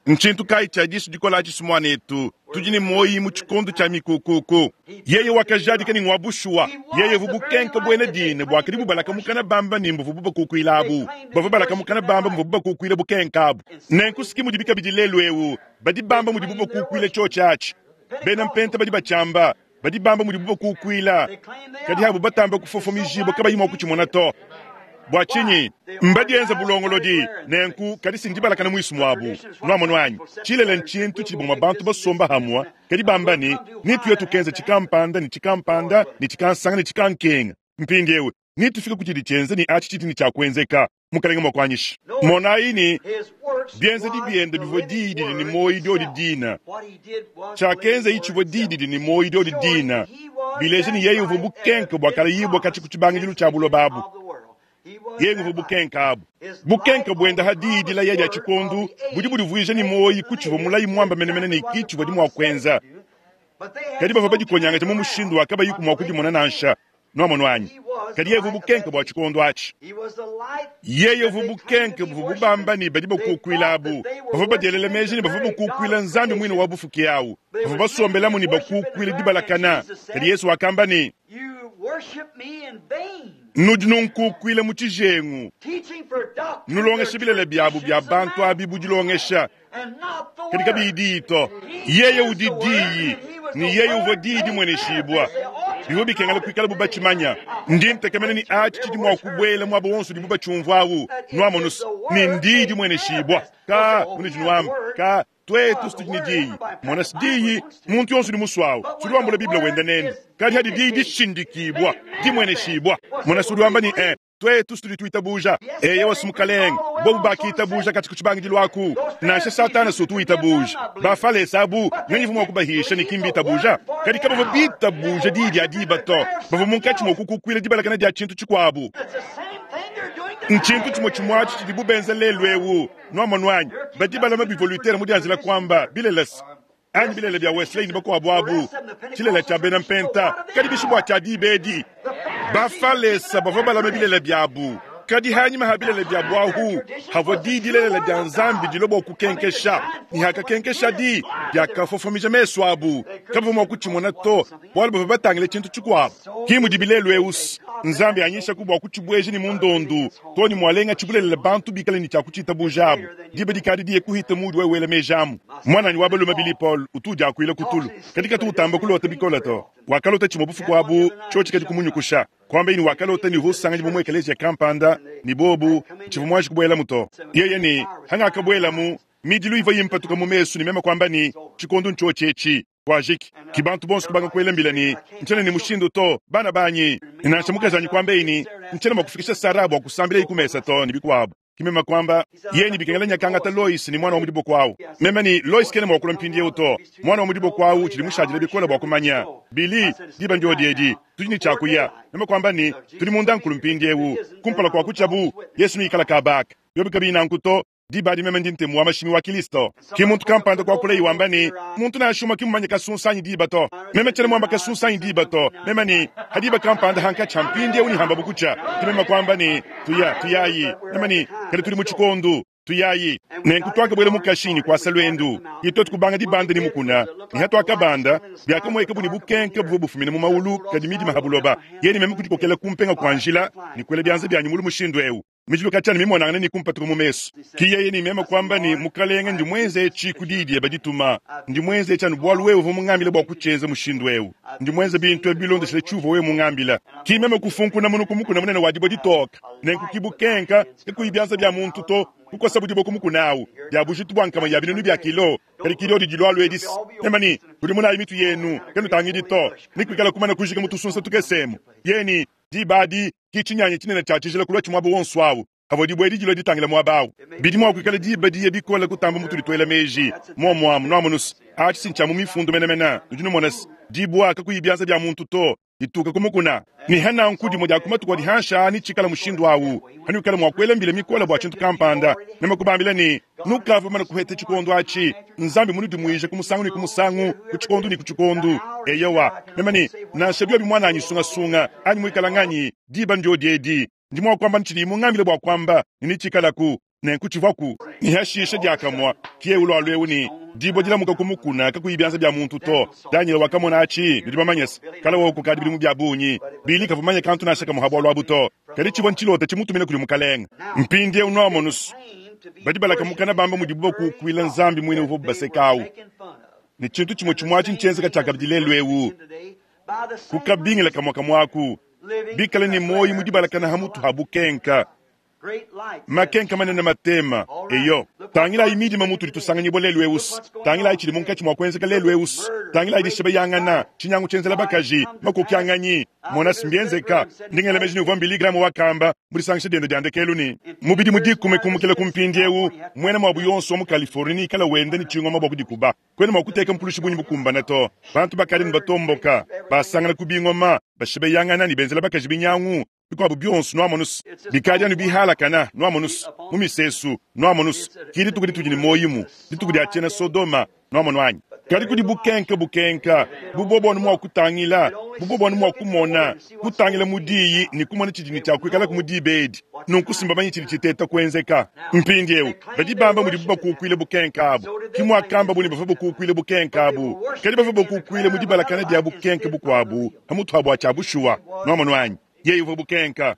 Ntshintu kayi tshia disu dikola atshi, muanetu? Tudi ne muoyi mu tshikondo tshia mikukuku. Yeye wakajadika ne ngua bushuwa. Yeye uvua bukenka buena dine buakadi bubalaka mukana bamba ne mbuvua bubakukuila abu. Bavua balaka mukana bamba muvua bubakukuila bukenka abu. Nenku siki mudibi kabidi lelu eu, badi bamba mudibu bakukuila tshiotshi atshi. Bena Mpenta badi batshiamba, badi bamba mudibu bakukuila, kadi abu batamba kufofomijibua kabayi mua kutshimona to. Bua tshinyi? Mbadienze bulongolodi nenku, kadi si ndibalakana muisu muabu. Nuamonu anyi? Tshilele ntshintu tshidi bamue bantu basomba hamue, kadi bamba ne, Netuye tukenza tshikampanda ne tshikampanda ne tshikansanga ne tshikankenga. Mpindieu netufike ku tshidi tshienza ne atshi tshidi ne tshia kuenzeka. Mukalenge mua kuanyisha. Monayi ne, bienzedi biende bivua diyi didi ne muoyo diodi dina. Tshiakenzayi tshivua diyi didi ne muoyo diodi dina, bileja ne yeye uvua bukenke buakalayibua katshia ku tshibangidilu tshia buloba abu. Yeye uvua bukenke abu. Bukenke buende ha diyi dilaya dia tshikondu budi budivuija ne muoyo ku tshivua mulayi muamba menemene ne ki tshivua di mua kuenza. Kadi bavua badikonyangaja mu mushindu wa kabayiku mua kudimona nansha. Nwamonu anyi? Kadi yeye uvua bukenke bua tshikondo atshi. Yeye uvua bukenke buvua bubamba ne badi bakukuila abu. Bavua badielela meji ne bavua bakukuila Nzambi muine wa bufuki au. Bavua basombelamu ne bakukuila dibalakana. Kadi Yezu wakamba ne, Nudi nunkukuila mu tshijengu, nulongesha bilele biabu bia bantu abi bu dilongesha, kadi kabiyi diyi to. Yeye udi Diyi, ne Yeye uvua Diyi dimueneshibua. Bivua bikengela kuikala bu batshimanya. Ndi ntekemena ne atshi tshidi mua kubuela muaba wonso udibu batshiumvua awu. Nuamonu's, ne n'Diyi dimueneshibua. Ka, munudi nuamba, ka, tuetu s'tudi ne Diyi. Mona-s Diyi, muntu yonso udi musue awu, s'udi wambula Bible wende nende. Kadi hadi Diyi dishindikibua, dimueneshibua, mona-s udi wamba ne, eh, Tuetu tudi tuitabuja. Eyowa, Mukalenge, bobu bakitabuja katshi ku tshibangidilu aku. Nansha Satana si utu witabuja. Bafalese abu, nganyi uvua mua kubahisha ne ki mbitabuja? Kadi kabavua bitabuja diyi dia diba to. Bavua munkatshi mua kukukuila dibalakana dia tshintu tshikuabu. Ntshintu tshimue tshimue atshi tshidibu benza lelu eu. Nuamonu anyi? Badi balama bivua Luther mudianjila kuamba, bilelesa anyi bilele bia Wesley ne bakuabu abu, tshilele tshia bena Mpenta. Kadi bishi bua tshia diba edi? Bafalesa bavua balame bilele biabu, kadi hanyima ha bilele biabu ahu havua di dilelela dia Nzambi dilua bua kukenkesha, ne hakakenkesha di, diakafofomija mesu abu, kabavua mua kutshimona to, bualu bavua batangile tshintu tshikuabu. Ki mudibi lelu eu. Nzambi anyishaku bua kutshibueja ne mu ndondu, too ne mualengatshi bulelela bantu bikale ne tshia kutshiitabuja abu. Diba dikadi diye kuhita muudi wewe wela meji amu. Muananyi wa balume Billy Paul utu udiakuila ku tulu, kadi katu utamba kulota bikole to. Wakalota tshimue bufuku abu, tshiotshi kadi kumunyukusha. Kuambaye ne wakalota ne uvua usanganyibua mu ekeleziya kampanda, ne bobu, tshivua muanji kubuelamu to. Yeye ne, Hangakabuelamu, midilu ivua impatuka mu mesu ne meme kuamba ne, Tshikondo ntshiotshi etshi. Kuajiki. Ki bantu bonso kubanga kuela mbila ne, Ntshiena ne mushindu to, bana banyi. Ne nansha mukajanyi kuambaye ne, Ntshiena mua kufikisha Sarah bua kusambilaye ku mesa to, ne bikuabu. Ki meme kuamba, Yeye ne bikengela nyakangata Lois ne muana wa mu diboko awu. Meme ne, Lois kena mua kulua mpindiewu to. Muana wa mu diboko awu utshidi mushadile bikole bua kumanya. Billy, diba ndiodi edi. Tudi ne tshia kuya. Meme kuamba ne, Tudi mundankulu mpindiewu. Kumpala kua kutshiabu, Yesu neikale kaba aka. Biobi kabiyi nanku to, Diba adi meme ndi ntemu wa mashimi wa Kilisto. Ki muntu kampanda kuakulaye wamba ne, Muntu nansha umue ki mmumanye kasunsa anyi diba to. Meme tshiena muamba kasunsa anyi diba to. Meme ne, Ha diba kampanda hankatshi ha mpindieu ne hambabu kutshia. Ke meme kuamba ne, Tuya, tuyayi. Meme ne, Kadi tudi mu tshikondu. Tuyayi. Nenku tuakabuela mu kashinyi kuasa luendu. Ke tuetu kubanga dibanda ne mukuna. Ne hatuakabanda, biakamueka bu ne bukenke buvua bufumina mu maulu kadi midima ha buloba. Yeye ne meme kudikokela ku mpenga kua njila ne kuela bianza bianyi mulu mushindu eu. Mijilu katshia ne mimonangane ne kumpatuka mu mesu. Ki yeye ne meme kuamba ne, Mukalenge, ndi muenze etshi ku diyi diebe dituma. Ndi muenze etshi anu bualu wewe uvua mungambile bua kutshienza mushindu eu. Ndi muenze bintu ebi bilondeshile tshiuvua wewe mungambile. Ki meme kufunkuna munu ku mukuna munene wa dibue ditoke, nenku ki bukenka, kakuyi bianza bia muntu to, kukosabu dibue ku mukuna au, dia bujitu bua nkama ya binunu bia kilo. Kadi ki diodi dilualua edi se, meme ne, Kudimunayi mitu yenu, kanutangidi to, ne kuikala kumana kujika mu tusunsa tukese emu. Yeye ne, Diba adi, ki tshinyanyi tshinene tshia tshijila kulua tshi muaba wonso awu, pavua dibue edi dilua ditangila muaba awu. Bidi mua kuikala diba diya bikole kutamba mutudi tuela meji. Muomu amu, nuamonu se, atshi si ntshia mu Mifundu menemene. Nudi numona se, dibua, kakuyi bianza bia muntu to, dituka ku mukuna. Ne ha nanku dimue dia ku matuku adi hanshi aa netshikale mushindu awu, hanuikala mua kuela mbila mikole bua tshintu kampanda, meme kubambila ne, Nukavua bamane kuheta tshikondo atshi, Nzambi munudimuije ku musangu ne ku musangu, ku tshikondo ne ku tshikondo. Eyowa, meme ne, nansha biobi muananyi sungasunga anyi muikala nganyi, diba ndiodi edi. Ndi mua kuamba ne tshidiyi mungambile bua kuamba, ne netshikalaku. Nenku tshivuaku. Ne hashishe diakamue, ke ulualua eu ne dibue dilamuka ku mukuna kakuyi bianza bia muntu to. Danyele wakamona atshi, nudi bamanye se, kale wowu kukadi bidimu bia bungi, Billy kavua mumanye kantu nansha kamue ha bualu abu to. Kadi tshivua ntshilota tshimutumina kudi Mukalenge. Mpindieu nuamonu's, badi balaka mukana bamba mudibu bakukuila Nzambi muine uvuabu baseka au. Ne tshintu tshimue tshimue atshi ntshienzeka tshiakabidi lelu eu. Ku kabingila kamue kamue aku, bikale ne muoyo mu dibalakana ha mutu ha bukenka, makenka manene matema. Eyo, tangilayi midima mutudi tusanganyibua lelu eu. Tangilayi tshidi munkatshi mua kuenzeka lelu eu. Tangilayi dishebeyangana, tshinyangu tshienzela bakaji, makokianganyi. Mona, mbienzeka. Ndi ngela meji ne uvua Billy Graham wakamba mu disangisha diende dia ndekelu ne, mu bidimu dikumi kumukila ku mpindieu, muena muabu yonso wa mu Californie neikale wenda ne tshingoma bua kudikuba. Kuena mua kuteka mpulushi bungi bukumbane to. Bantu bakadi ne batomboka, basangana ku bingoma, bashebeyangana ne benzela bakaji binyangu, bikuabu bionso. Nuamonus, bikadi anu bihalakana. Nuamonus, mu misesu. Nuamonus, ki dituku ditudi ne muoyo mu dituku dia tshiena Sodoma. Nuamonu anyi? Kadi kudi bukenka, bukenka, bu bobo anu mua kutangila, bu bobo anu mua kumona, kutangila mu diyi ne kumona tshidi ne tshia kuikalaku mu diba edi. Nunku si mbamanye tshidi tshiteta kuenzeka. Mpindieu badi bamba mudibu bakukuile bukenka abu. Ki muakambabu ne bavua bakukuile bukenka abu, kadi bavua bakukuile mu dibalakana dia bukenka bukuabu pa mutu ha bua tshia bushuwa. Nuamonu anyi? Yeye uvua bukenka.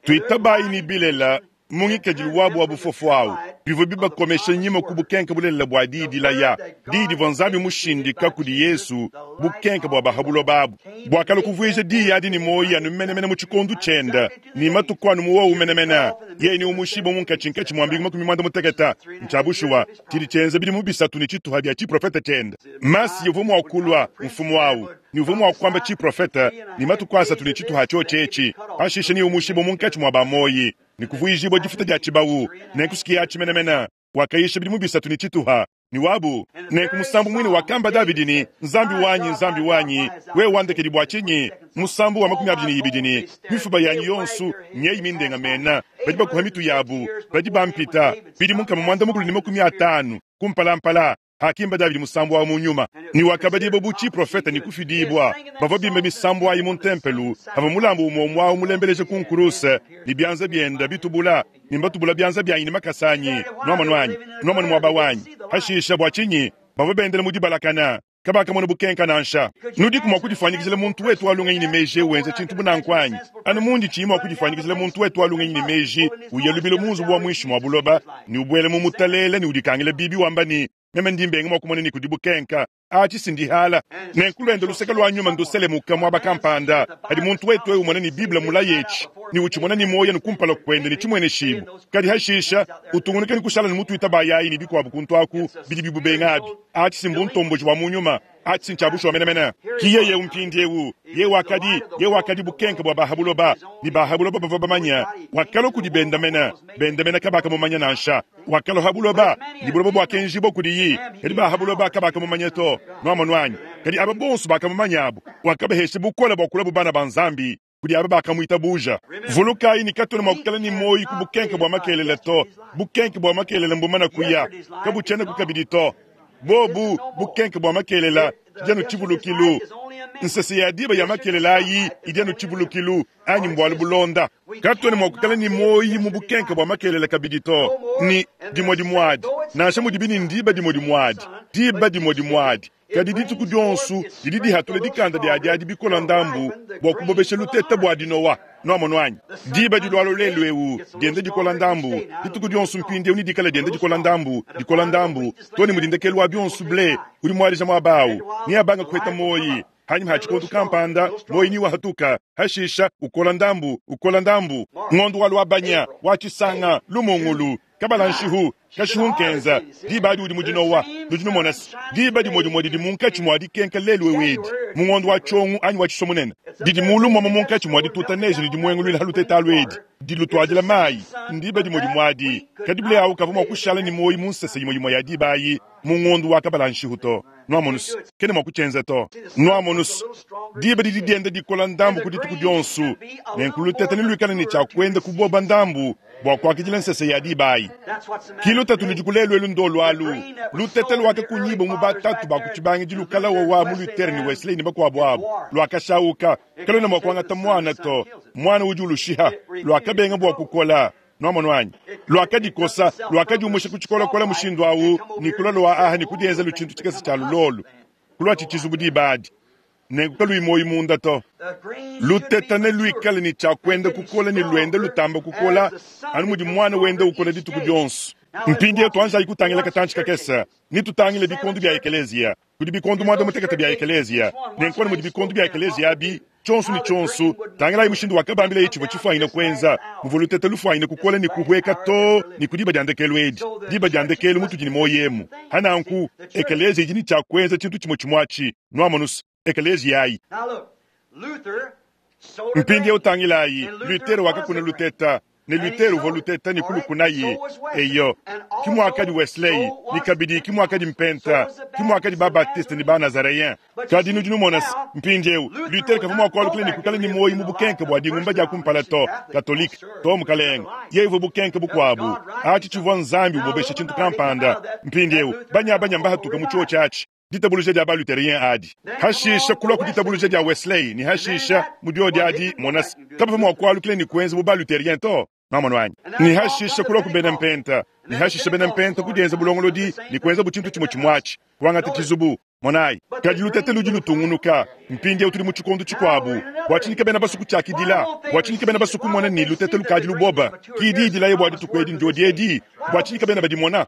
Tuitabayi ne bilela mu ngikadilu wabu wa bufofo awu, bivua bibakomesha nyima ku bukenka bulelela bua diyi dilaya, diyi divua Nzambi mushindika kudi Yesu, bukenka bua ba ha buloba abu buakalua kuvuija diyi adi ne muoyo anu menemene mu tshikondo tshiende ne matuku anu mu wowu menemene. Yeye neumushibue munkatshinkatshi mua mbingu 60. Ntshia bushuwa, tshidi tshienza bidimu bisatu ne tshituha bia tshiprofete tshiende. Masiya uvua mua kulua mfumu awu ne uvua mua kuamba tshiprofete ne matuku asatu ne tshituha tshiotshi etshi, pashishe neumushibue munkatshi mua ba muoyi ne kuvuijibua difuta dia tshibawu. Nenku sikiatshi menemene wakayisha bidimu bisatu ne tshituha ne wabu. Nenku musambu muine wakamba Davidi ne, Nzambi wanyi, Nzambi wanyi, wewe wandekedi bua tshinyi? Musambu wa 22 ne, Mifuba yanyi yonso nyeyi mindengamena, badi bakuha mitu yabu, badi bampita bidimu 350 kumpalampala. Hakimba Davidi musambu awu mu nyuma, ne wakabadibua bu tshiprofete ne kufidibua. Bavua bimba misambu ayi mu ntempelu pavua mulambu umue umue awu mulembeleja ku nkuruse, ne bianza biende bitubula, ne mbatubula bianza bianyi ne makasa anyi. Nuamonu anyi? Nuamonu muaba wanyi? Hashisha, bua tshinyi bavua bendela mu dibalakana? Kabakamona bukenka nansha. Nudiku mua kudifuanyikijila muntu wetu wa lungenyi ne meji eu wenza tshintu bu nanku anyi? Anu mundi tshiyi mua kudifuanyikijila muntu wetu wa lungenyi ne meji uya lubilu mu nzubu wa muinshi mua buloba ne ubuela mu mutalele ne udikangila bibi wamba ne, Meme ndi mbenga mua kumona ne kudi bukenka. Atshi si ndihala. Nenku luende luseke lua nyuma nduselemuka muaba kampanda padi muntu wetu eu umona ne Bible mulaye etshi ne utshimona ne muoyo anu kumpala kuende ne tshimueneshibua. Kadi hashisha utungunuka ne kushala ne mutuita bayayi ne bikuabu kuntu aku bidi bibubenga abi. Atshi si mbuntomboji bua mu nyuma. Atshi si ntshia bushuwa menemene. Ki yeye eu mpindieu. Yeye wakadi, yeye wakadi bukenke bua ba ha buloba, ne ba ha buloba bavua bamanye. Wakalua kudi bende mene, bende mene kabakamumanya nansha. Wakalua ha buloba, ne buloba buakenjibua kudiyi, kadi ba ha buloba kabakamumanya to. Nuamonu anyi? Kadi aba bonso bakamumanya abu, wakabahesha bukole bua kulua bu bana ba Nzambi kudi aba bakamuitabuja. Vulukayi ne, katuena mua kuikala ne muoyo ku bukenke bua makelela to. Bukenke bua makelela mbumana kuya, kabutshienaku kabidi to. Bobu bukenke bua makelela idi anu tshivulukilu. Nsese ya diba ya makelela ayi idi anu tshivulukilu anyi mbualu bulonda. Katuena mua kuikala ne muoyo mu bukenke bua makelela kabidi to, ne dimue dimue adi, nansha mudibi ne ndiba dimue dimue adi, diba dimue dimue adi, kadi dituku dionso didi dihatula dikanda diadi adi bikola ndambu bua kubobesha luteta bua dinowa. Nuamonu anyi? Diba dilualua lelu eu dienda dikola ndambu dituku dionso mpindieu nedikale dienda dikola ndambu, dikola ndambu, too ne mudi ndekelu wa bionso ble udi muadija muaba au neabanga kuheta muoyi. Hanyima ha tshikondo kampanda muoyi niwahatuka, hashisha ukola ndambu, ukola ndambu. Ngondo wa Luabanya, wa Tshisanga, Lumungulu, Kabala nshihu, kashihu nkenza, diba adi udi mu dinowa. Nudi numona se, diba dimue dimue didi munkatshi mua dikenka lelu eu edi, mu ngondo wa Tshiongo anyi wa Tshisomunene, didi mulu muamua munkatshi mua dituta neje ne dimuenguluila ha luteta alu edi, dilutuadila mayi, ndiba dimue dimue adi. Kadi ble au kavua mua kushala ne muoyo mu nsese imue imue ya diba ayi mu ngondo wa kabala nshihu to. Nuamonu se, kena mua kutshienza to. Nuamonu se, diba didi dienda dikola ndambu ku dituku dionso, nenku luteta neluikale ne tshia kuenda kuboba ndambu bua kuakidila nsese ya diba ayi. Ki lutatu ludiku lelu elu ndolu alu, luteta luakakunyibua mu batatu ba ku tshibangidilu kala wowa mu Luther ne Wesley ne bakuabu abu, luakashawuka, kaluena mua kuangata muana to, muana udi ulushiha, luakabenga bua kukola. Nuamonu anyi? Luakadikosa, luakadiumusha ku tshikolakola mushindu awu, ne kulua lua aha ne kudienza lutshintu tshikese tshia lulolu, kuluatshi tshizubu diba adi. Nenku kaluyi muoyo munda to. Luteta neluikale ne tshia kuenda kukola ne luenda lutamba kukola anu mudi muana wenda ukola dituku dionso. Mpindieu tuanjayi kutangila katantshi kakese ne tutangile bikondo bia ekeleziya. Kudi bikondo muanda mutekete bia ekeleziya. Nenku anu mudi bikondo bia ekeleziya abi, tshionso ne tshionso, tangilayi mushindu wakabambilaye tshivua tshifuanyine kuenza, muvua luteta lufuanyine kukola ne kuhueka too ne ku diba dia ndekelu edi, diba dia ndekelu mutudi ne muoyo emu. Ha nanku, ekeleziya idi ne tshia kuenza tshintu tshimue tshimue atshi. Nuamonu's, ekeleziya ayi. Mpindieu tangilayi, Luther wakakuna luteta, ne Luther uvua luteta ne kulukunaye. Eyo, ki muakadi Wesley, ne kabidi ki muakadi Mpenta, ki muakadi ba-Baptiste ne ba-Nazareyen. Kadi nudi numona se, mpindieu, Luther kavua mua kualukila ne kuikala ne muoyo mu bukenke bua dingumba dia kumpala to, Katolike, to, mukalenge. Yeye uvua bukenke bukuabu. Atshi tshivua Nzambi ubobesha tshintu kampanda. Mpindieu, banyabanya mbahatuke mu tshiotshi atshi. Ditabuluja dia ba-Lutherien adi, hashisha kulua ku ditabuluja dia Wesley, ne hashisha mu diodi adi, mona se, kabavua mua kualukila ne kuenza bu ba-Lutherien to. Nwamonu anyi? Ne hashisha kulua ku bena Mpenta, ne hashisha bena Mpenta kudienza bulongolodi ne kuenza bu tshintu tshimue tshimue atshi, kuangata tshizubu. Monayi, kadi lutete ludi lutungunuka. Mpindieu tudi mu tshikondo tshikuabu. Bua tshinyi kabena basue kutshiakidila? Bua tshinyi kabena basue kumona ne, lutete lukadi luboba? Ki diyi dilaya bua dituku edi ndiodi edi. Bua tshinyi kabena badimona?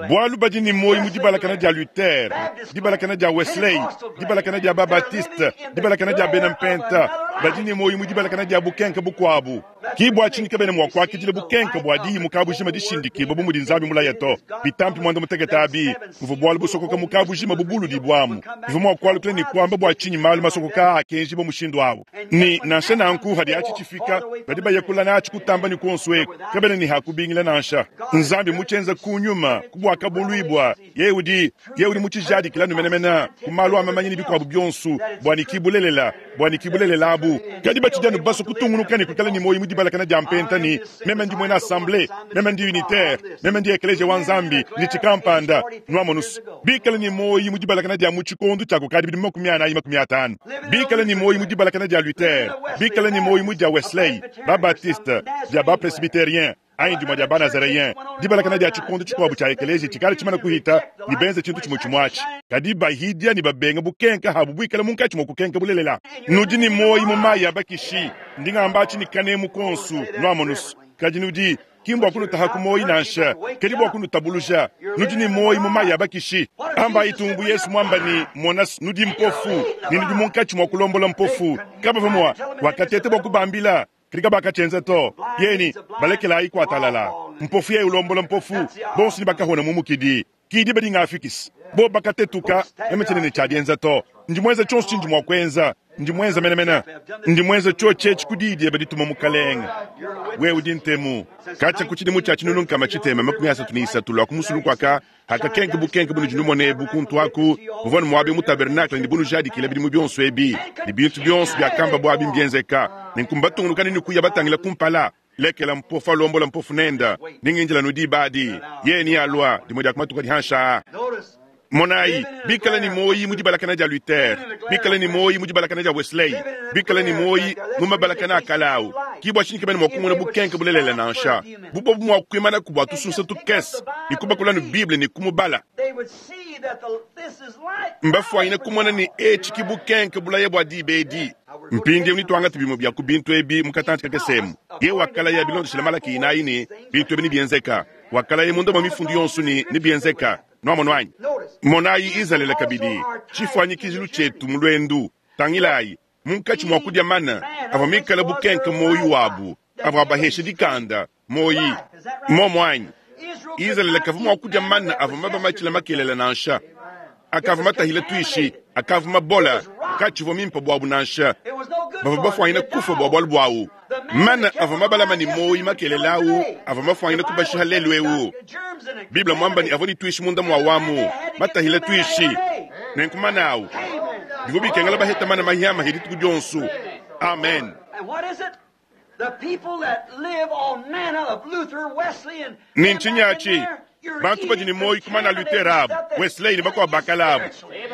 Bualu badi ne muoyo mu dibalakana dia Luther, dibalakana dia Wesley, dibalakana dia ba-Baptiste, dibalakana dia bena Mpenta. Badi ne muoyo mu dibalakana dia bukenke bukuabu. Ki bua tshinyi kabena mua kuakidila bukenke bua diyi mu kabujima dishindikibua bu mudi Nzambi mulaye to. Bitampi muanda-mutekete abi buvua bualu busokoka mu kabujima bubuludibuamu. Bivua mua kualukila ne kuamba bua tshinyi malu masokoka aa akenjibua mushindu au. Ne nansha nanku, hadi atshi tshifika, badi baya kula natshi kutamba ne kuonso eku, kabena ne ha kubingila nansha. Nzambi mutshienza ku nyuma, ku buakabuluibua, yeye udi, yeye udi mutshijadikilanu menemene ku malu a mamanya ne bikuabu bionso, bua ne ki bulelela, bua ne ki bulelela abu. Kadi batshidi anu basue kutungunuka ne kuikala ne muoyo mu dibalakana dia mpenta ne, Meme ndi muena assemblee, meme ndi unitaire, meme ndi ekeleziya wa Nzambi, ndi tshikampanda. Nuamonu's, bikale ne muoyo mu dibalakana dia mu tshikondo tshia kukadi bidimu 40 50, bikale ne muoyo mu dibalakana dia Luther, bikale ne muoyo mu dia Wesley, ba-Baptiste, dia ba-Presbyterien. anyi dimue dia Banazareyen, dibalakana dia tshikondo tshikuabo tshia ekeleziya tshikale tshimane kuhita, ne benze tshintu tshimue tshimue atshi. Kadi bahidia ne babenga bukenka habu buikale munkatshi mua kukenka bulelela. Nudi ne muoyi mu mayi a bakishi, ndi ngamba atshi ne kanemu konsu, nuamonusu. Kadi nudi, ki mbua kunutaha ku muoyi nansha, kadi bua kunutabuluja. Nudi ne muoyi mu mayi a bakishi. Ambayi tung bu Yesu muamba ne, Mona, nudi mpofu, ne nudi munkatshi mua kulombola mpofu. Kabavua mua, wakateta bua kubambila, kadi kabakatshienza to. Yeye ne, Balekelayi kuatalala. Mpofu yeye ulombola mpofu, bonso ne bakahona mu mukidi. Ki diba dingafikisa bo bakatetuka, meme tshiena ne tshia dienza to. Ndi muenza tshionso tshindi mua kuenza, ndi muenza menemene. Ndi muenza tshiotshi etshi ku diyi diebe dituma, Mukalenge. Wewe udi ntemu. Katshia ku tshidimu tshia 1333 lua ku musulu kuaka hakakenka bukenke bunudi numona ebu kuntu aku, buvua ne muaba mu tabernakle ne bunujadikila bidimu bionso ebi, ne bintu bionso biakamba buabi mbienzeka. Nenku mbatungunukane ne kuya batangila kumpala. Lekela mpofu alombola mpofu nenda, ne ngindila nu diba adi yeye nealua dimue dia ku matuku adi hanshi aa. Monayi, bikale ne muoyi mu dibalakana dia Luther, bikale ne muoyi mu dibalakana dia Wesley, bikale ne muoyi mu mabalakana a kale au, ki bua tshinyi kabena mua kumona bukenke bulelela nansha. Bu bobu mua kuimanaku bua tusunsa tukese ne kubakula nu Bible ne kumubala, mbafuanyine kumona ne etshi ki bukenke bulaya bua diba edi. Mpindieu netuangate bimue bia ku bintu ebi mu katantshi kakese emu. Yeye wakalaya bilondeshile Malaki inayi ne, bintu ebi nebienzeka. Wakalaya munda mua mifundu yonso ne, nebienzeka. Nuamonu anyi? Monayi Izalele kabidi, tshifuanyikijilu tshietu mu luendu. Tangilayi, munkatshi mua kudia mana avua mikale bukenke muoyo wabu, avua abahesha dikanda, muoyi. Mmuomu anyi? Izalele kavua mua kudia mana avua mabamatshila makelela nansha. Akavua matahile tuishi, akavua mabola, katshivua mimpe buabu nansha. Bavua bafuanyine kufua bua bualu buawu. Mana avua mabalama ne muoyi makelela au avua mafuanyine kubashiha lelu eu. Bible muamba ne avua ne tuishi munda muawu amu, matahile tuishi. Nenku mana au, bivua bikengela baheta mana mahiamahi dituku dionso. Amen. Ne ntshinyi atshi? Bantu badi ne muoyo ku mana a Luther abu, Wesley ne bakuabu ba kale abu.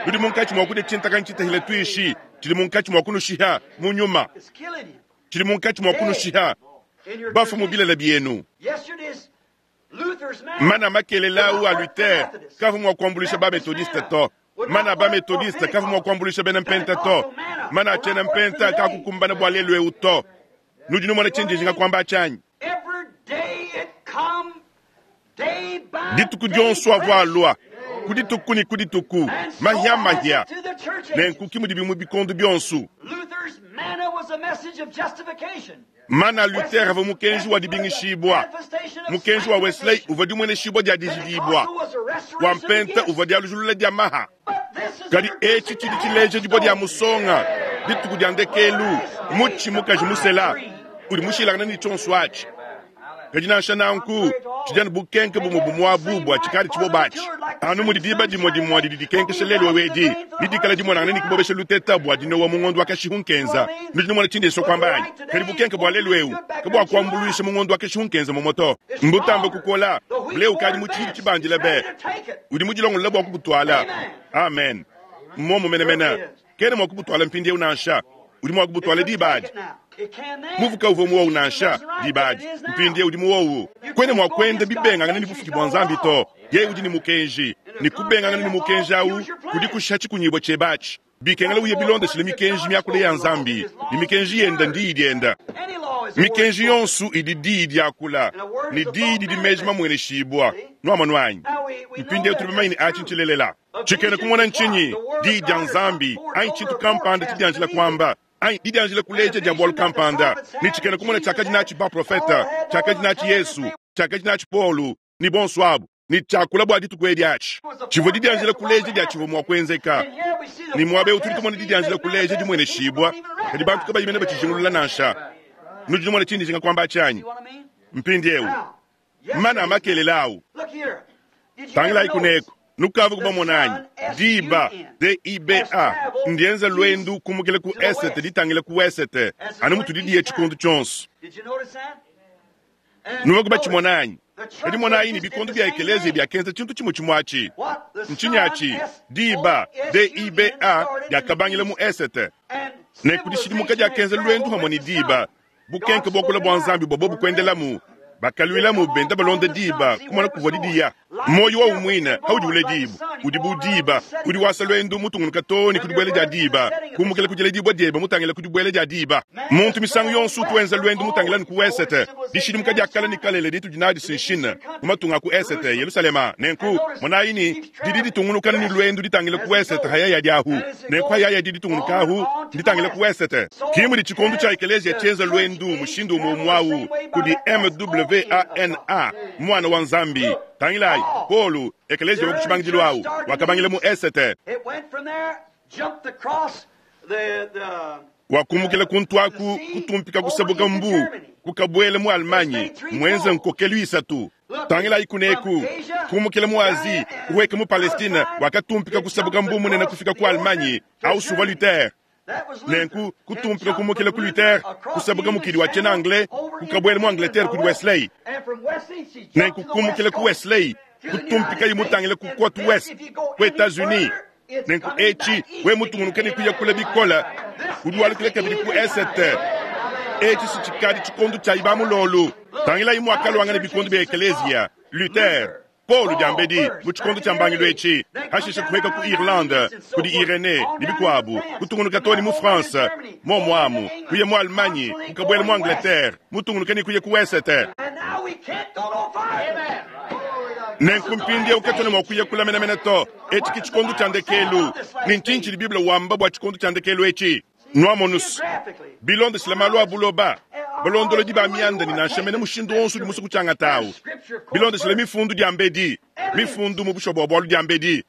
Nudi munkatshi mua kudia tshintakanyi tshitahile tuishi, tshidi munkatshi mua kunushiha mu nyuma, tshidi munkatshi mua kunushiha bafue mu bilele bienu. Mana makelela au a Luther kavua mua kuambuluisha ba-Methodiste to. Mana a ba-Methodiste kavua mua kuambuluisha bena Mpenta to. Mana a tshiena Mpenta kakukumbana bua lelu eu to. Nudi numona tshindi njinga kuamba atshi anyi? Dituku dionso avua alua, ku dituku ne ku dituku, mahia-mahia. Nenku ki mudibi mu bikondo bionso. Mana a Luther avua mukenji wa dibingishibua, mukenji wa Wesley uvua dimueneshibua dia dijidibua, wa Mpenta uvua dialujulula dia maha. Kadi etshi tshidi tshileja dibua dia musonga, dituku dia ndekelu, mutshi mukaji musela udi mushilangane ne tshionso atshi. Kadi nansha nanku, tshidi anu bukenke bumue bumue abu bua tshikadi tshiboba atshi. Anu mudi diba dimue dimue didi dikenkesha lelu eu edi, nedikale dimonangane ne kubobesha luteta bua dinowa mu ngondo wa kashihu nkenza. Nudi numona tshindi nsua kuamba anyi? Kadi bukenke bua lelu eu kabuakuambuluisha mu ngondo wa kashihu nkenza mumue to. Mbutambe kukola, ble ukadi mu tshidi tshibandile be. Udi mudilongolole bua kubutuala. Amen. Mmuomu menemene. Kena mua kubutuala mpindieu nansha. Udi mua kubutuala diba adi. Muvu kauvua muowu nansha diba adi, mpindieu udi muowu. Kuena mua kuenda bibengangane ne bufuki bua Nzambi to. Yeye udi ne mukenji, ne kubengangana ne mukenji au kudi kushiha tshikunyibua tshiebe atshi. Bikengela uye bilondeshile mikenji miakula ya Nzambi, ne mikenji yenda ndiyi dienda. Mikenji yonso idi diyi diakula, ne diyi didi meji mamueneshibua. Nuamonu anyi? Mpindieu tudi bamanye ne atshi ntshilelela. Tshikena kumona ntshinyi? Diyi dia Nzambi anyi tshintu kampanda tshidianjila kuamba anyi didianjila kuleja dia bualu kampanda. Ne tshikena kumona tshiakadi natshi baprofete, tshiakadi natshi Yesu, tshiakadi natshi Paulo ne bonso abu, ne tshiakula bua dituku edi atshi tshivua didianjila kuleja dia tshivua mua kuenzeka. Ne muaba eu tudi tumona didianjila kuleja dimueneshibua, kadi bantu kabayi mene batshijingulula nansha. Nudi numona tshindi njinga kuamba atshi anyi? Mpindieu mana a makelela au. Tangilayi kuneku, nukavua kubamona anyi? Diba, D-I-B-A, ndienza luendu kumukila ku esete ditangila ku wesete, anu mutudi diya tshikondo tshionso. Nuvua kubatshimona anyi? Kadi monayi ne bikondo bia ekeleziya biakenza tshintu tshimue tshimue atshi. Ntshinyi atshi? Diba, D-I-B-A, diakabangila mu esete. Ne kudishidimuka diakenza luendu pamue ne diba, bukenke buakula bua Nzambi bua bobu kuendelamu. Bakaluilamu benda balonda diba, kumona kuvua diya. Muoyo wawu muine paudi uledibua udi bu diba, udi wasa luendu mutungunuka too ne ku dibuela dia diba, kumukila ku diledibua diebe mutangila ku dibuela dia diba. Muntu misangu yonso utu wenza luendu mutangila ne ku wesete. Dishidimuka dia kale ne kalele ditudi nadi si nshina mu matunga a ku esete, Yelusalema. Nenku monayi ne, didi ditungunuka ne luendu ditangila ku wesete hayayadi ahu. Nenku hayayadi ditungunuka ahu nditangila ku wesete. Ki mudi tshikondo tshia ekeleziya tshienza luendu mushindu umue umue au kudi MWANA, Muana wa Nzambi. Tangilayi, Paulo, ekeleziya wa ku tshibangidilu awu, wakabangila mu esete. Wakumukila kuntu aku, kutumpika kusabuka mbu, kukabuela mu Allemagne, muenze nkokelu isatu. Tangilayi kuneku, kumukila mu Asie, kuhueka mu Palestine, wakatumpika kusabuka mbu munene kufika ku Allemagne, au suvua Luther. Nenku kutumpika kumukila ku Luther, kusabuka mukidi wa tshiena Anglais, kukabuela mu Angleterre kudi Wesley. Nenku kumukila ku Wesley, kutumpikayi mutangile ku Cote Ouest, ku Etats-Unis. Nenku etshi, we mutungunuke ne kuya kule bikole, udi walukila kabidi ku esete. Etshi si tshikadi tshikondo tshia ibamulolu. Tangilayi muakaluangana bikondo bia ekeleziya, Luther, Paulo diambedi mu tshikondo tshia mbangilu etshi, hashishe kuheka ku Irlande kudi Irenee ne bikuabu, kutungunuka too ne mu France, muomu amu kuya mu Allemagne, kukabuela mu Angleterre, mutungunuke ne kuya ku wesete. Nenku mpindieu katuena mua kuya kule menemene to. Etshi ke tshikondo tshia ndekelu. Ne ntshinyi tshidi Bible wamba bua tshikondo tshia ndekelu etshi? Nuamonus, bilondeshile malu a buloba, balondolodi ba mianda ne nansha mene mushindu wonso udi musue kutshiangata awu, bilondeshile mifundu diambedi, mifundu mu bushuwa bua bualu diambedi,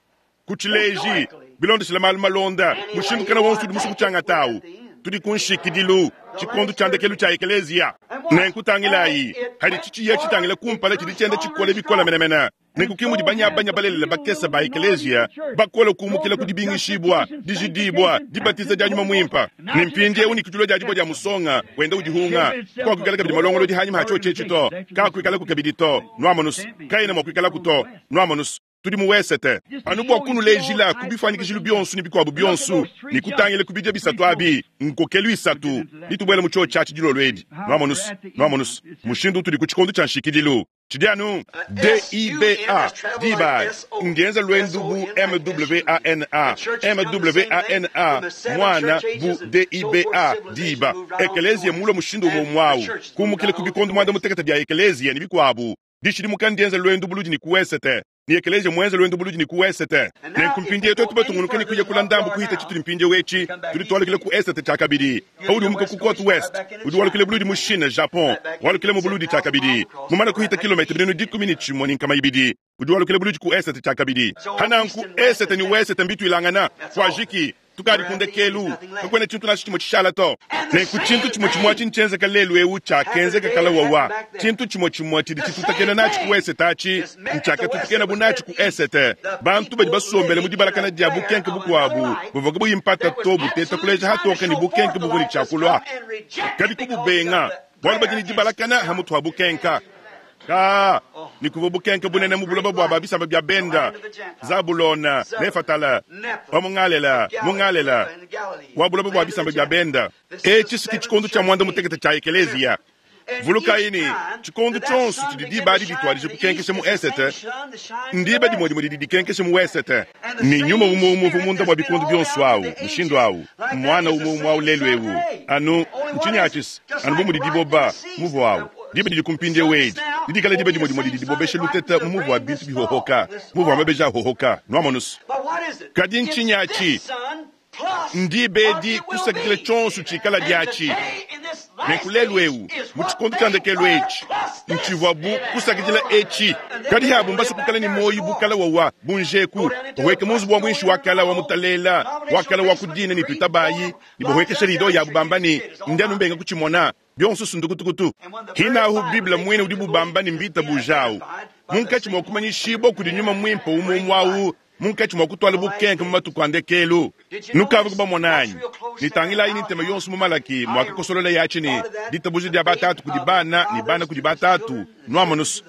ku tshileji, bilondeshile malu malonda, mushindu kena wonso udi musue kutshiangata awu, tudi ku nshikidilu, tshikondo tshia ndekelu tshia ekeleziya. Nenku tangilayi, hadi tshitshiya tshitangila kumpala tshidi tshienda tshikole bikole menemene. Nenku ke mudi banyabanya balelela bakese ba ekeleziya bakole kumukila ku dibingishibua, dijidibua, dibatiza dia Nyuma Muimpe. Ne mpindieu ne kudilua dia dibua dia musonga wenda udihunga, kakuikala kabidi malongolodi hanyima ha tshiotshi etshi to, kakuikalaku kabidi to. Nuamonus, kaena mua kuikalaku to. Nuamonus, tudi mu wesete. Anu bua kunulejila ku bifuanyikijilu bionso ne bikuabu bionso, ne kutangila ku bidia bisatu abi, nkokelu isatu, ditubuela mu tshiotshi atshi dilolo edi. Nuamonus, nuamonus mushindu utudi ku tshikondo tshia nshikidilu. Tshidi anu DIBA, diba, ndienza luendu bu MWANA, MWANA, muana, bu DIBA, diba. Ekeleziya mulue mushindu umue umue au, kumukila ku bikondo muanda mutekete bia ekeleziya ne bikuabu. Dishidimuka ndienza luendu buludi ne ku wesete, ne ekeleziya muenze luendu buludi ne ku wesete. Nenku mpindieu tuetu batungunuke ne kuya kula ndambu kuhita tshitudi mpindieu etshi, tudi tualukila ku esete tshiakabidi. Paudi umuka ku Cote Ouest, udi walukila buludi mu Chine, Japon, walukila mu buludi tshiakabidi. Mumane kuhita kilometa binunu 12, udi walukila buludi ku esete tshiakabidi. Pananku, esete ne wesete mbituilangana. Kuajiki, tukadi ku ndekelu, kakuena tshintu nansha tshimue tshishala to. Nenku tshintu tshimue tshimue atshi ntshienzeka lelu eu tshiakenzeka kale wawa. Tshintu tshimue tshimue tshidi tshitutakena natshi ku esete atshi ntshiakatutakena bu natshi ku esete. Bantu badi basombele mu dibalakana dia bukenke bukuabu buvua kabuyi mpata to buteta kuleja hatoke ne bukenke buvua ne tshiakulua, kadi kububenga bualu badi ne dibalakana ha mutu ha bukenka. Ka ne kuvua bukenke bunene mu buloba bua ba bisamba bia benda, Zabulona, Nefatala, wa mu Ngalela, mu Ngalela, wa buloba bua bisamba bia benda. Etshi si ke tshikondo tshia muanda mutekete tshia ekeleziya. Vulukayi ne, tshikondo tshionso tshidi diba adi dituadija kukenkesha mu esete, ndiba dimue dimue didi dikenkesha mu wesete. Ne nyuma umue umue uvua munda mua bikondo bionso au, mushindu au, muana umue umue au lelu eu. Anu, ntshinyi atshi? Anu bu mudi diboba muvu au, diba didi ku mpindieu edi, didikale diba dimue dimue didi dibobesha luteta mu muvu wa bintu bihohoka, muvu wa mabeji ahohoka. Nuamonus? Kadi ntshinyi atshi? Ndiba edi kusakidila tshionso tshikala diatshi. Nenku lelu eu mu tshikondo tshia ndekelu etshi, ntshivua bu kusakidila etshi. Kadi abu mbasue kuikala ne muoyo bu kala wawa bu njeku, bahueke mu nzubu wa muinshi wa kala wa mutalela wa kala wa ku dina ne tuitabayi ne bahuekesha rido yabu bamba ne, Ndi anu mbenga kutshimona. Bionso sundukutukutu. Hinahu Bible muine udi bubamba ne mbitabujawu munkatshi mua kumanyishibua kudi Nyuma Muimpe umue umue au munkatshi mua kutuala bukenke mu matuku a ndekelu. Nukavua kubamona anyi? Ne tangilayi ne ntema yonso mu Malaki muakakosolola yatshi ne ditabuja dia batatu kudi bana ne bana kudi batatu. Nuamonus,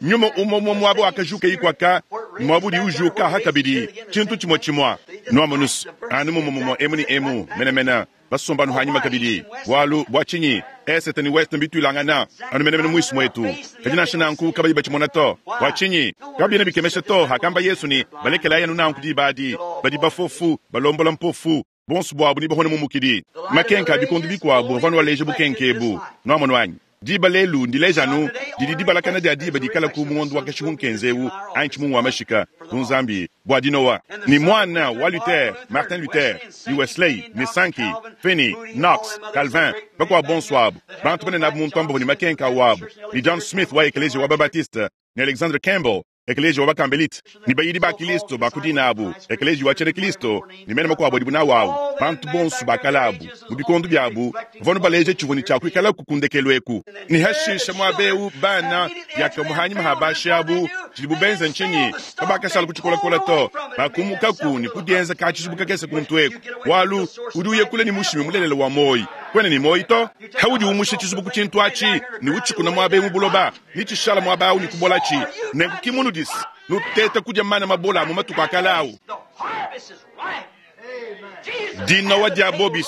nyuma umue umue muaba wakajuka ikwaka muaba udi ujuka aha kabidi tshintu tshimue tshimue. Nuamonus, anu mumue mumue emu ne emu menemene basomba anu hanyima kabidi. Bualu bua tshinyi? Esete ne weste mbituilangana anu menemene muisu muetu. Kadi nansha nanku kabayi batshimona to. Bua tshinyi? Kabiena bikemesha to hakamba Yesu ne, Balekelayi anu nanku diba adi, badi bafofu, balombola mpofu, bonso buabu nebahone mu mukidi. Makenka a bikondo bikuabu avua anu aleja bukenke ebu. Nuamonu anyi? Diba lelu ndileja anu didi dibalakana dia diba dikalaku mu ngondo wa kashihu-nkenza eu anyi tshimungu wa mashika ku Nzambi bua dinowa. Ne muana wa Luther, Martin Luther, ne Wesley, ne Sankey, Finney, Knox, Calvin, bakuabu bonso abu, bantu banene abu mu ntombo ne makenka awu abu, ne John Smith wa Ekeleziya wa ba-Baptiste, ne Alexander Campbell, Ekeleziya wa ba-Kambelite, ne bayidi ba Kilisto ba ku dina abu, Ekeleziya wa tshiena Kilisto, ne mena makuabu adibu nawu awu, bantu bonso ba kale abu, mu bikondo biabu, bavua anu baleja tshivua ne tshia kuikalaku ku ndekelu eku. Ne hashisha muaba eu, bana, diakamue hanyima ha bashi abu, tshidibu benza ntshinyi? Kabakashala ku tshikolakola to, bakumukaku ne kudienza ka tshizubu kakese kuntu eku, bualu udi uya kule ne mushimi mulelela wa muoyo, kuena ne muoyo to. Haudi umusha tshizubu ku tshintu atshi ne utshikuna muaba eu mu buloba, ne tshishala muaba au ne kubolatshi. Nenku ki munudis nuteta kudia mana mabola a mu matuku a kale au. Dinowa dia bobis.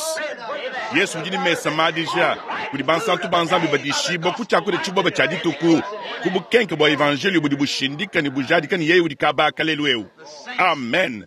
Yesu udi ne mesa madija kudi bansantu ba Nzambi badishibua ku tshiakudia tshiboba tshia dituku ku bukenke bua evanjelio budi bushindika ne bujadika ne yeye udi kaba lelu eu. Amen.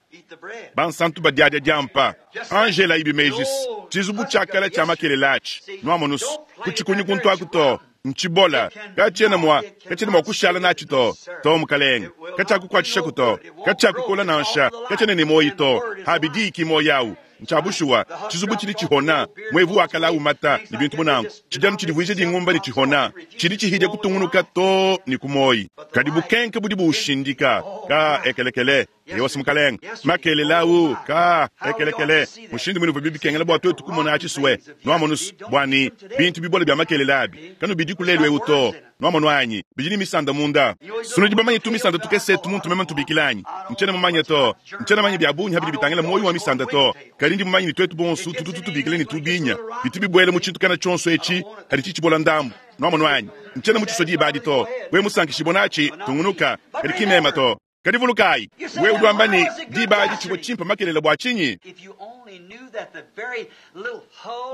Bansantu badiadia diampa. Angela ibi mejis. Tshizubu tshia kale tshia makelela atshi. Nuamonus kutshikunyi kuntu aku to. Ntshibola. Katshiena mua, katshiena mua kushala natshi to. To, mukalenge. Katshiakukuatshishaku to. Katshiakukola nansha. Katshiena ne muoyi to. Abi diyi ki muoyi awu. Ntshia bushuwa. Tshizubu tshidi tshihona, muevu wa kala umata, ne bintu bu nanku. Tshidi anu tshidivuija dingumba ne tshihona. Tshidi tshihidia kutungunuka too ne ku muoyi. Kadi bukenke budi buushindika. Ka ekelekele. Eyowa, mukalenge. Makelela awu, ka ekelekele. Mushindu muine uvua bikengela bua tuetu kumona atshi sue. Nuamonu bua ne, bintu bibole bia makelela abi kanubidiku lelu eu to. Nuamonu anyi? Bidi ne misanda munda. Sunudi bamanye tumisanda tukese etu muntu meme ntubikila anyi? Ntshiena mumanye to. Ntshiena manye bia bungi habidi bitangila muoyo wa misanda to. Kadi ndi mumanye ne tuetu bonso tutu tutubikila ne tubinya. Bitu bibuela mu tshintu kana tshionso etshi hadi tshitshibola ndambu. Nuamonu anyi? Ntshiena mutshisue diba adi to. Wewe musankishibue natshi, tungunuka. Kadi ki meme to. Kadi vulukayi, wewe udi wamba ne, diba adi tshivua tshimpe makelela bua tshinyi?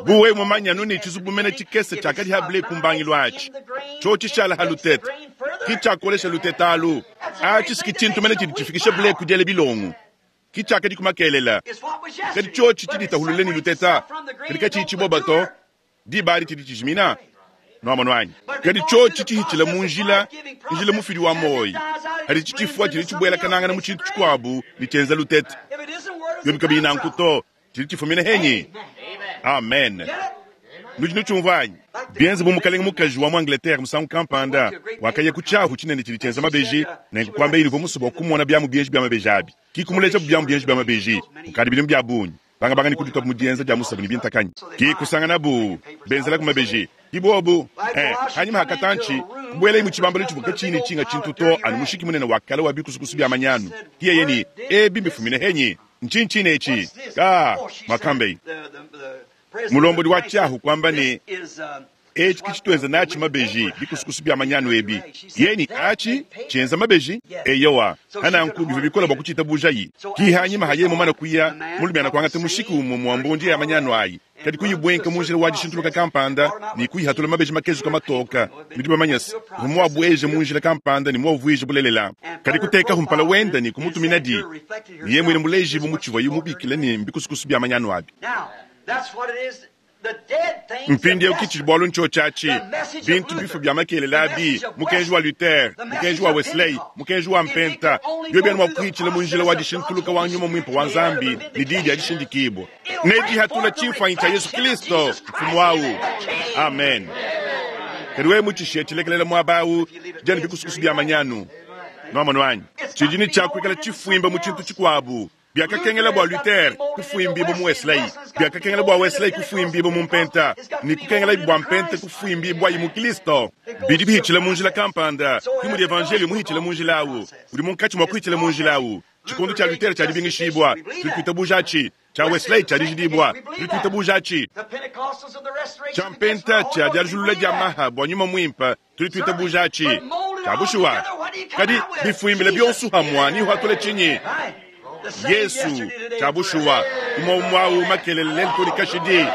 Bu wewe mumanye anu ne tshizubu mene tshikese tshiakadi ha ble ku mbangilu atshi, tshiotshi tshishala ha lutete, ki tshiakolesha lutete alu. Atshi si ki tshintu mene tshidi tshifikisha ble ku diela bilongo, ki tshiakadiku makelela. Kadi tshiotshi tshiditahulule ne luteta, kadi katshiyi tshiboba to, Diba adi tshidi tshijimina. Nuamonu anyi? Kadi tshiotshi tshihitshila mu njila, njila mufidi wa muoyo, hadi tshitshifua tshidi tshibuelakanangana mu tshintu tshikuabu ne tshienza lutete. Biobi kabiyi nanku to, tshidi tshifumina henyi? Amen. Nudi nutshiumvua anyi? Bienze bu mukalenge mukaji wa mu Angleterre musangu kampanda wakaya ku tshiahu tshinene tshidi tshienza mabeji, nenku kuambaye ne uvua musue bua kumona biamu bienji bia mabeji abi. Ki kumulejabu biamu bienji bia mabeji kukadi bidimu bia bungi. Bangabanga ne kudituabu mu dienza dia musabu ne bintakanyi, ki kusanganabu benzelaku mabeji. Ki buobu eh, hanyima ha katantshi, kubuelayi mu tshibambalu tshivua katshiyi ne tshinga tshintu to anu mushiki munene wa kale wa bikusukusu bia manyanu. Ki yeye ne, Ebi mbifumine henyi? Ntshinyi tshine etshi? Ka, muakambeyi. Mulombodi wa tshiahu kuamba ne, Etshi ke tshituenza natshi mabeji, bikusukusu bia manyanu ebi. Yeye atshi tshienza mabeji? Eyowa. Hananku bivua bikole bua kutshitabujayi. Ki hanyima ha yeye mumane kuya, mulumiana kuangata mushiki umue mua mbundi ya manyanu ayi, kadi kuyibuenka mu njila wa dishintuluka kampanda ne kuyihatula mabeji makezuka matoka. Nudi bamanye se, uvua muabueje mu njila kampanda ne muavuije bulelela. Kadi kutekahu mpala wende ne kumutuminadi, ne yeye muine mulejibu mu tshivuaye mubikile ne mbikusukusu bia manyanu abi. Mpindieu ki tshidi bualu ntshiotshi atshi, bintu bifue bia makelela abi, mukenji wa Luther, mukenji wa Wesley, mukenji wa Mpenta, biobi anu mua kuhitshila mu njila wa dishintuluka wa Nyuma Muimpe wa Nzambi ne Diyi dia dishindikibua, nedihatula tshimfuanyi tshia Yesu Kristo, Mfumu au. Amen. Kadi wewe mutshishiye tshilekelela muaba au, tshidi anu bikusukusu bia manyanu. Nuamonu anyi? Tshidi ne tshia kuikala tshifuimba mu tshintu tshikuabu. Biakakengela bua Luther kufuimbibua mu Wesley, biakakengela bua Wesley kufuimbibua mu Mpenta, ne kukengelabi bua Mpenta kufuimbibuayi mu Kristo. Bidi bihitshila mu njila kampanda, ke mudi Evanjeliyo muhitshile mu njila au. Udi munkatshi mua kuhitshila mu njila au. Tshikondo tshia Luther tshia dibingishibua, tudi tuitabuja atshi. Tshia Wesley tshia dijidibua, tudi tuitabuja atshi. Tshia Mpenta tshia dialujulula dia maha bua Nyuma Muimpe, tudi tuitabuja atshi. Tshia bushuwa. Kadi bifuimbila bionso hamua nihuatule tshinyi? Yesu, tshia bushuwa, umue umue au makelele lelu too ne kashidi.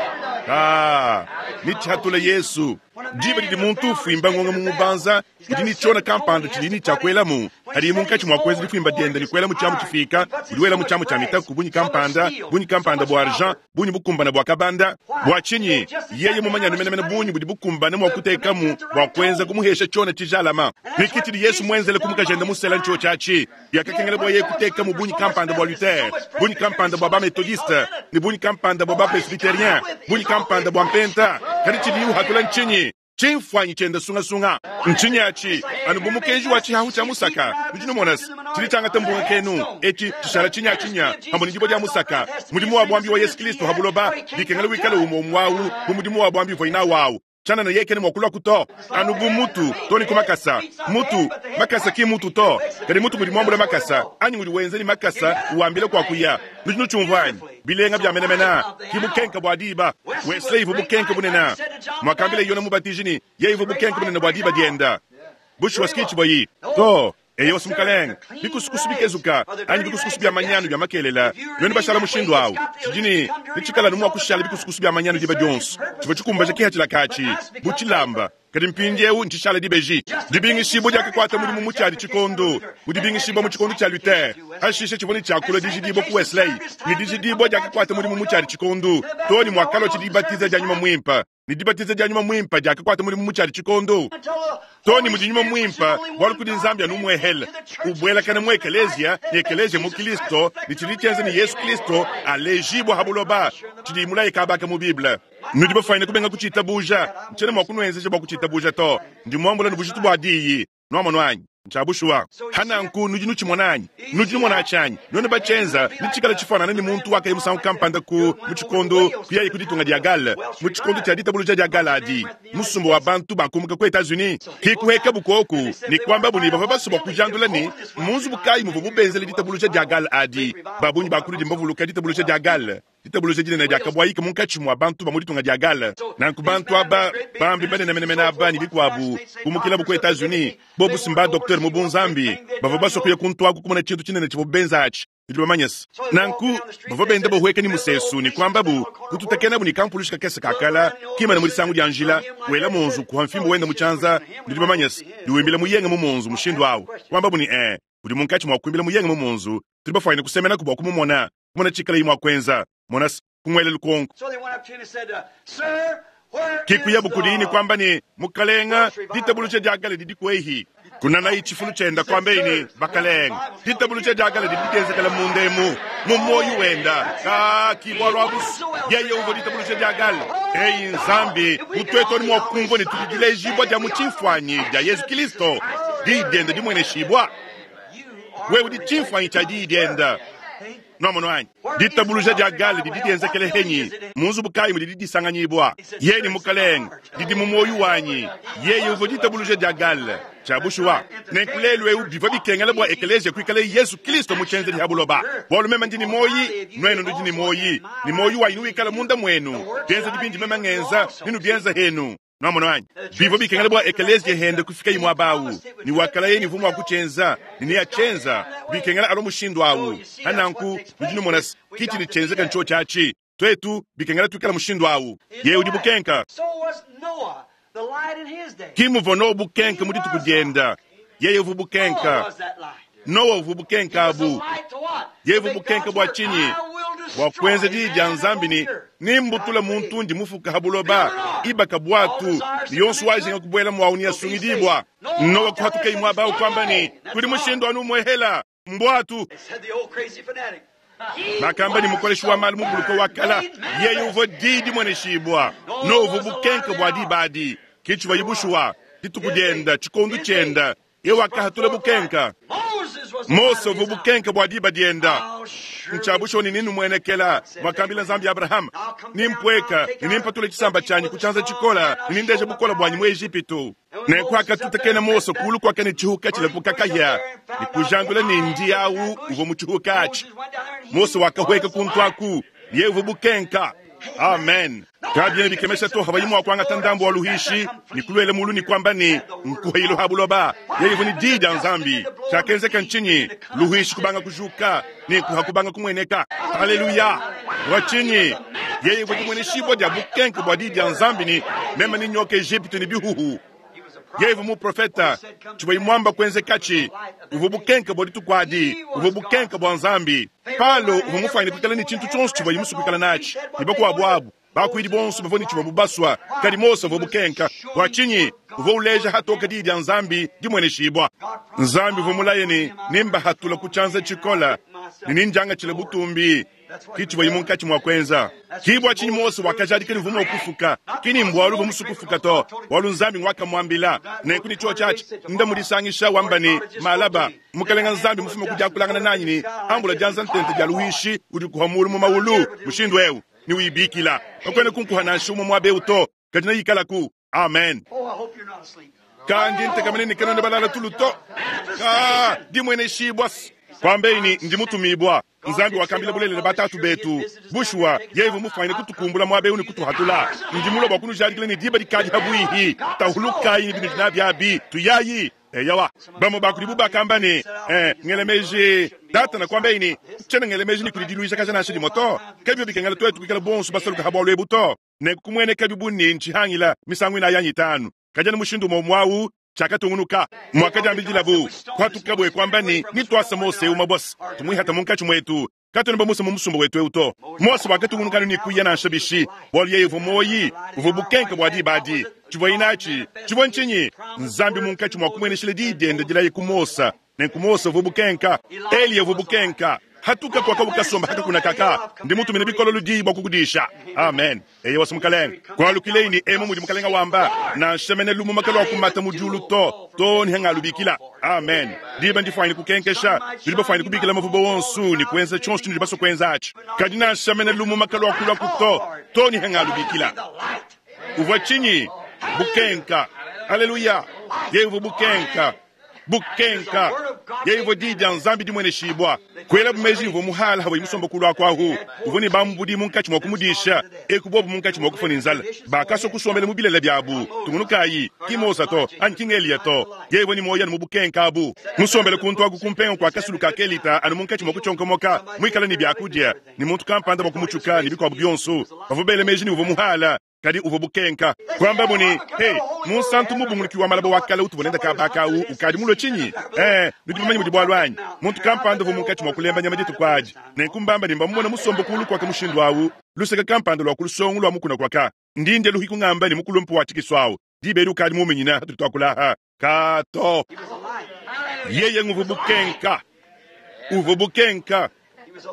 Kaa. Netshihatule Yesu. Diba didi muntu ufwimba ngonga mu mubanza, udi ne tshiona kampanda tshidi ne tshia kuelamu. Hadiye munkatshi mua kuenza difwimba diende ne kuelamu tshiamu tshifika, udi welamu tshiamu tshia mitaku bungi kampanda, bungi kampanda bua argent, bungi bukumbane bua kabanda. Bua tshinyi? Yeye mumanye anu menemene bungi budi bukumbane mua kutekamu bua kuenza kumuhesha tshiona tshijalama. Ne ke tshidi Yesu muenzele ku mukajende musela ntshiotshi atshi. Biakakengela bua yeye kutekamu bungi kampanda bua Luther, bungi kampanda bua ba-Methodiste, ne bungi kampanda bua ba-Presbyterien, bungi kampanda bua Mpenta. Kadi tshidiye uhatula ntshinyi? Tshimfuanyi tshiende sungasunga. Ntshinyi atshi? Anu bu mukenji wa tshihahu tshia musaka. Nudi numona se, tshidi tshiangata mbunga kenu etshi tshishala tshinyatshinya pamue ne dibue dia musaka. Mudimu wa buambi wa Yesu Kristo ha buloba bikengela wikale umue umue au bu mudimu wa buambi uvuaye nawu au. Tshianana yeye kena mua kuluaku to, anu bu mutu to ne ku makasa. Mutu, makasa ki mutu to, kadi mutu ngudi muambule makasa, anyi ngudi wenza ne makasa uambila kua kuya. Nudi nutshiumvua anyi? Bilenga bia menemene, ki bukenka bua diba. Wesley ivua bukenka bunene. Muakambila Yone Mubatiji ne, yeye ivua bukenka bunene bua diba dienda. Bushuwa si tshivua yi to. Eyowa, Mukalenge, bikusukusu bikezuka anyi bikusukusu bia manyanu bia makelela, nuenu bashala mushindu au, tshidi ne netshikala anu mua kushala bikusukusu bia manyanu diba dionso. Tshivua tshikumbaja kihatshila katshi bu tshilamba, kadi mpindieu ntshishala dibeji. Dibingishibua diakakuata mudimu mu tshiadi tshikondo, mu dibingishibua mu tshikondo tshia Luther, pashishe tshivua ne tshiakula dijidibua ku Wesley, ne dijidibua diakakuata mudimu mu tshiadi tshikondo too ne muakalua tshidibatiza dia Nyuma Muimpe. Ne dibatiza dia Nyuma Muimpe diakakuata mudimu mu tshiadi tshikondo too ne mudi Nyuma Muimpe, bualu kudi Nzambi anu umuehele ubuelakana mu ekeleziya ne ekeleziya mu Kristo, ne tshidi tshienza ne Yesu Kristo alejibua ha buloba, tshidi mulaye kabaka mu Bible. Nudi bafuanyine kubenga kutshitabuja, ntshiena mua kunuenzeja bua kutshitabuja to. Ndi muambula ne bujitu bua diyi. Nuamonu anyi? Ntshia bushuwa. Ha nanku nudi nutshimona anyi? Nudi numona atshi anyi? Nuenu batshienza, netshikale tshifuanana ne muntu wakaya musangu kampanda ku, mu tshikondo, kuyaye ku ditunga dia Galles, mu tshikondo tshia ditabuluja dia Galles adi, musumba wa bantu bakumuka ku Etats-Unis. Ke kuhekabu kuoku ne kuambabu ne bavua basue bua kujandula ne, mmu nzubu kayi muvuabu benzele ditabuluja dia Galles adi. Ba bungi ba kunudi mbavuluka ditabuluja dia Galles. Ditabuja dinene diakabuayika munkatshi mua bantu ba mu ditunga dia Galles. Nanku bantu aba, bambi banene menemene aba ne bikuabu, kumukilabu ku Etats-Unis, bobu si mba-doktere mu bunzambi, bavua basue kuya kuntu aku kumona tshintu tshinene tshivuabu benza atshi. Nudi bamanye se, nanku bavua benda bahueka ne musesu ne kuambabu, kututakenabu ne kampulushi kakese ka kala, kimana mu disangu dia njila, wela monzu kuha mfimbu wenda mu tshianza, nudi bamanye se, ne wimbila muyenga mu monzu mushindu au. Kuambabu ne, ee, udi munkatshi mua kuimbila muyenga mu monzu, tudi bafuanyine kusemenaku bua kumumona. Kumona tshikalayi mua kuenza. Mona se, kumuela lukonko. Ke kuyabu kudiyi ne kuamba ne, Mukalenga, ditabuluja dia kale didi kuehi. Kunanayi tshifulu tshienda, kuambeyi ne, Bakalenga, ditabuluja dia kale didi dienzekela munda emu, mu muoyo wenda. Kaa, ki bualu abu's. Yeye uvua ditabuluja dia kale. Eyi Nzambi, bu tuetu anu mua kumvua ne tudi dilejibua dia mu tshimfuanyi dia Yezu Kilisto, Diyi diende dimueneshibua. Wewe udi tshimfuanyi tshia Diyi diende. Nuamonu anyi? Ditabuluja dia Gale didi dienzekele henyi? Mu nzubu kayi mudidi disanganyibua? Yeye ne Mukalenge, didi mu muoyo wanyi. Yeye uvua ditabuluja dia Gale. Tshia bushuwa. Nenku lelu eu bivua bikengela bua ekeleziya kuikalaye Yesu Kristo mu tshienzedi ha buloba. Bualu meme ndi ne muoyi, nuenu nudi ne muoyi, ne muoyi wanyi newikale munda muenu. Bienzedi bindi meme ngenza, nenubienza henu. Nuamonu anyi? Bivua bikengela bua ekeleziya hende kufikaye muaba au, ne wakalaye ne uvua mua kutshienza, ne neatshienza. Bikengela alua mushindu au. Pa nanku, nudi numona se, ki tshidi tshienzeka ntshiotshi atshi. Tuetu, bikengela tuikala mushindu au. Yeye udi bukenka. Ki muvua Noa bukenka mu dituku dienda. Yeye uvua bukenka. Noa uvua bukenka abu. Yeye uvua bukenka bua tshinyi? Bua kuenza diyi dia Nzambi ne, Nembutule muntu undi mufuka ha buloba, ibaka buatu, ne yonso wajinga kubuela muawu neasungidibua. Noa kuhatukayi muaba au kuamba ne, Kudi mushindu anu umuehela, mbuatu. Bakamba ne, Mukoleshi wa malu mubuluke wa kala, yeye uvua diyi dimueneshibua. Noa uvua bukenka bua diba adi. Ke tshivuaye bushuwa, dituku dienda, tshikondo tshienda. Yeye wakahatula bukenka. Mose uvua bukenka bua diba dienda. Ntshia bushuwa ne nenumuenekela, muakambila Nzambi Abrahama, Nempueka ne nempatule tshisamba tshianyi ku tshianza tshikola ne nendeje bukole buanyi mu Ejipitu. Nenku hakatutakena Mose kulu kuaka ne tshihuka tshilapuka kahia ne kujandula ne ndi au uvua mu tshihuka atshi. Mose wakahueka kuntu aku, yeye uvua bukenka. Amen. Kabiena bikemesha to habayi mua kuangata ndambu wa luhishi ne kuluela mulu ne kuamba ne, Nkuhailu ha buloba. Yeye uvua ne diyi dia Nzambi. Tshiakenzeka ntshinyi? Luhishi kubanga kujuka ne nkuha kubanga kumueneka. Haleluya! Bua tshinyi? Yeye uvua dimueneshibua dia bukenke bua diyi dia Nzambi ne, Meme nenyoke Ejipitu ne bihuhu. Yeye uvua muprofeta, tshivuaye muamba kuenzekatshi. Uvua bukenke bua dituku adi, uvua bukenke bua Nzambi. Palo uvua mufuanyine kuikala ne tshintu tshionso tshivuaye musue kuikala natshi, ne bakuabu abu bakuidi bonso bavua ne tshivuabu basua, kadi Mose uvua bukenka. Bua tshinyi? Uvua uleja hatoke diyi dia Nzambi dimueneshibua. Nzambi uvua mulaye ne, Nembahatula ku tshianza tshikole ne nendiangatshile butumbi. Ki tshivuaye munkatshi mua kuenza. Ki bua tshinyi Mose wakajadika ne uvua mua kufuka, ki ni mbualu uvua musue kufuka to, bualu Nzambi ngwakamuambila. Nenku ne tshiotshi atshi, nda mudisangisha wamba ne, Malaba, Mukalenga Nzambi mufume ku diakulangana nanyi ne, Ambula dianza ntente dia luishi udi kuha mulu mu maulu mushindu eu, ne uyibikila. Kakuena kunkuha nansha umue muaba eu to, kadi neyikalaku. Amen. Ka ndi ntekamene ne kanuena balala tulu to. Ka dimueneshibua kuambei ne ndi mutumibua. Nzambi wakambila bulelela batatu betu, bushuwa yeye uvua mufuanyine kutukumbula muaba eu ne kutuhatula. Ndi mulue bua kunujadikila ne diba dikadi habuihi. Tahulukayi ne binudi nabi abi, tuyayi. Eyowa, bamue ba kudibu bakamba ne, eh, ngela meji Datana kuambaye ne, tshiena ngela meji ne kudi diluijakaja nansha dimue to. Kabivua bikengela tuetu kuikala bonso basaluke ha bualu ebu to. Nenku kumuenekabi bu ne, ntshihangila misangu inayi anyi itanu, kadi anu mushindu umue umue au tshiakatungunuka. Muakadiambidilabu, kuatukabu e kuamba ne, Nituase Mose eu mabose, tumuihate munkatshi muetu, katuena bamuse mu musumba wetu eu to. Mose wakatungunuka anu ne kuya nansha bishi, bualu yeye uvua muoyi, uvua bukenke bua diba adi. Tshivuaye natshi tshivua ntshinyi? Nzambi munkatshi mua kumueneshila diyi diende dilaye ku Mose. Nenku Mose uvua bukenka, Eliya uvua bukenka. Hatuka kuaka ukasomba hakakuna kaka, ndi mutumine bikololo diyi bua kukudisha. Amen. Eyowa Mukalenge. Kualukilei ne emu mudi Mukalenge wamba, nansha mene lumuma kaluakumata mu diulu to, too ne hangalubikila. Amen. Diba ndifuanyine kukenkesha, nudi bafuanyine kubikila mavuba onso ne kuenza tshionso tshinudi basue kuenza atshi. Kadi nansha mene lumuma kaluakuluaku to, too ne hangalubikila. Uvua tshinyi? Bukenka. Haleluya. Yeye uvua bukenka. Bukenka. Yeye uvua diyi dia Nzambi dimueneshibua. Kuelabu meji uvua muhala hawayi musomba kulu aku ahu. Uvua ne bambudi munkatshi mua kumudisha, eku bobu munkatshi mua kufua ne nzala. Bakasua kusombela mu bilele biabu. Tungunukayi, ki Mose to, anyi ki ng'Eliya to. Yeye uvua ne muoyo anu mu bukenka abu. Musombele kuntu aku ku mpenga kua kasulu ka Kelita anu munkatshi mua kutshionkomoka, muikale ne biakudia, ne muntu kampanda bua kumutshuka ne bikuabu bionso. Bavua bela meji ne uvua muhala. Kadi uvua bukenka. Kuambabu ne, Hey, munsantu mubunguluki wa malaba wa kale utuvua nende kaba aka au ukadi mulue tshinyi? Ee, nudi bamanye mudi bualu anyi? Muntu kampanda uvua munkatshi mua kulemba nyama dituku adi. Nenku mbamba ne mbamumone musombe kuulu kuaka mushindu au, luseke kampanda lua ku lusongo lua mukuna kuaka. Ndi ndya luhiku ngamba ne mukulumpe wa tshikisu au, diba edi ukadi muuminyine hatudi tuakula aha. Ka to. Yeye nguvua bukenka. Uvua bukenka.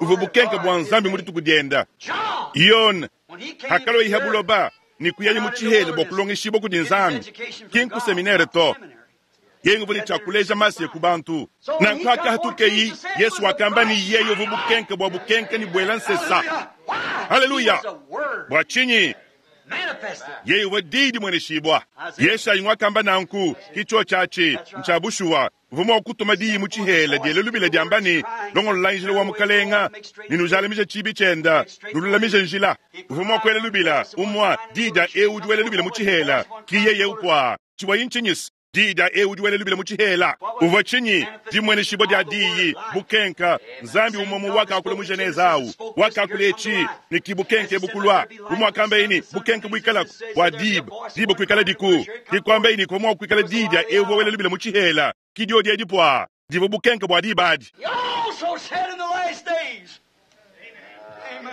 Uvua bukenka bua Nzambi mu dituku dienda. Yone Hakalua buloba ne kuyaye mu tshihela bua kulongeshibua kudi Nzambi, ki nku seminere to. Yeye uvua ne tshia kuleja Masiya ku bantu. Nanku hakahatukeyi, Yesu wakamba ne yeye uvua bukenke bua bukenke ne buela nsesa. Haleluya! Bua tshinyi? Yeye uvua diyi dimueneshibua. Yeshayi nguakamba nanku, ki tshiotshi atshi, ntshia bushuwa. Uvua mua kutuma diyi mu tshihela diela lubila diamba ne, Longololayi njila wa Mukalenga, ne nujalamije tshiibi tshienda, nululamije njila. Uvua mua kuela lubila umua, diyi dia eu udi wela lubila mu tshihela, ki yeye eu kua. Tshivuayi ntshinyis? Diyi dia eu udi wela lubila mu tshihela. Uvua tshinyi? Dimueneshibua dia diyi, bukenka. Nzambi umue umue wakakula mu Genese au, wakakula etshi, ne ki bukenke ebu kulua. Bu muakambaye ne, bukenke buikalaku, bua diba, diba kuikaladiku. Ki kuambaye ne, kuvua mua kuikala diyi dia eu uvua wela lubila mu tshihela, ki diodi edi puaa, divua bukenke bua diba adi.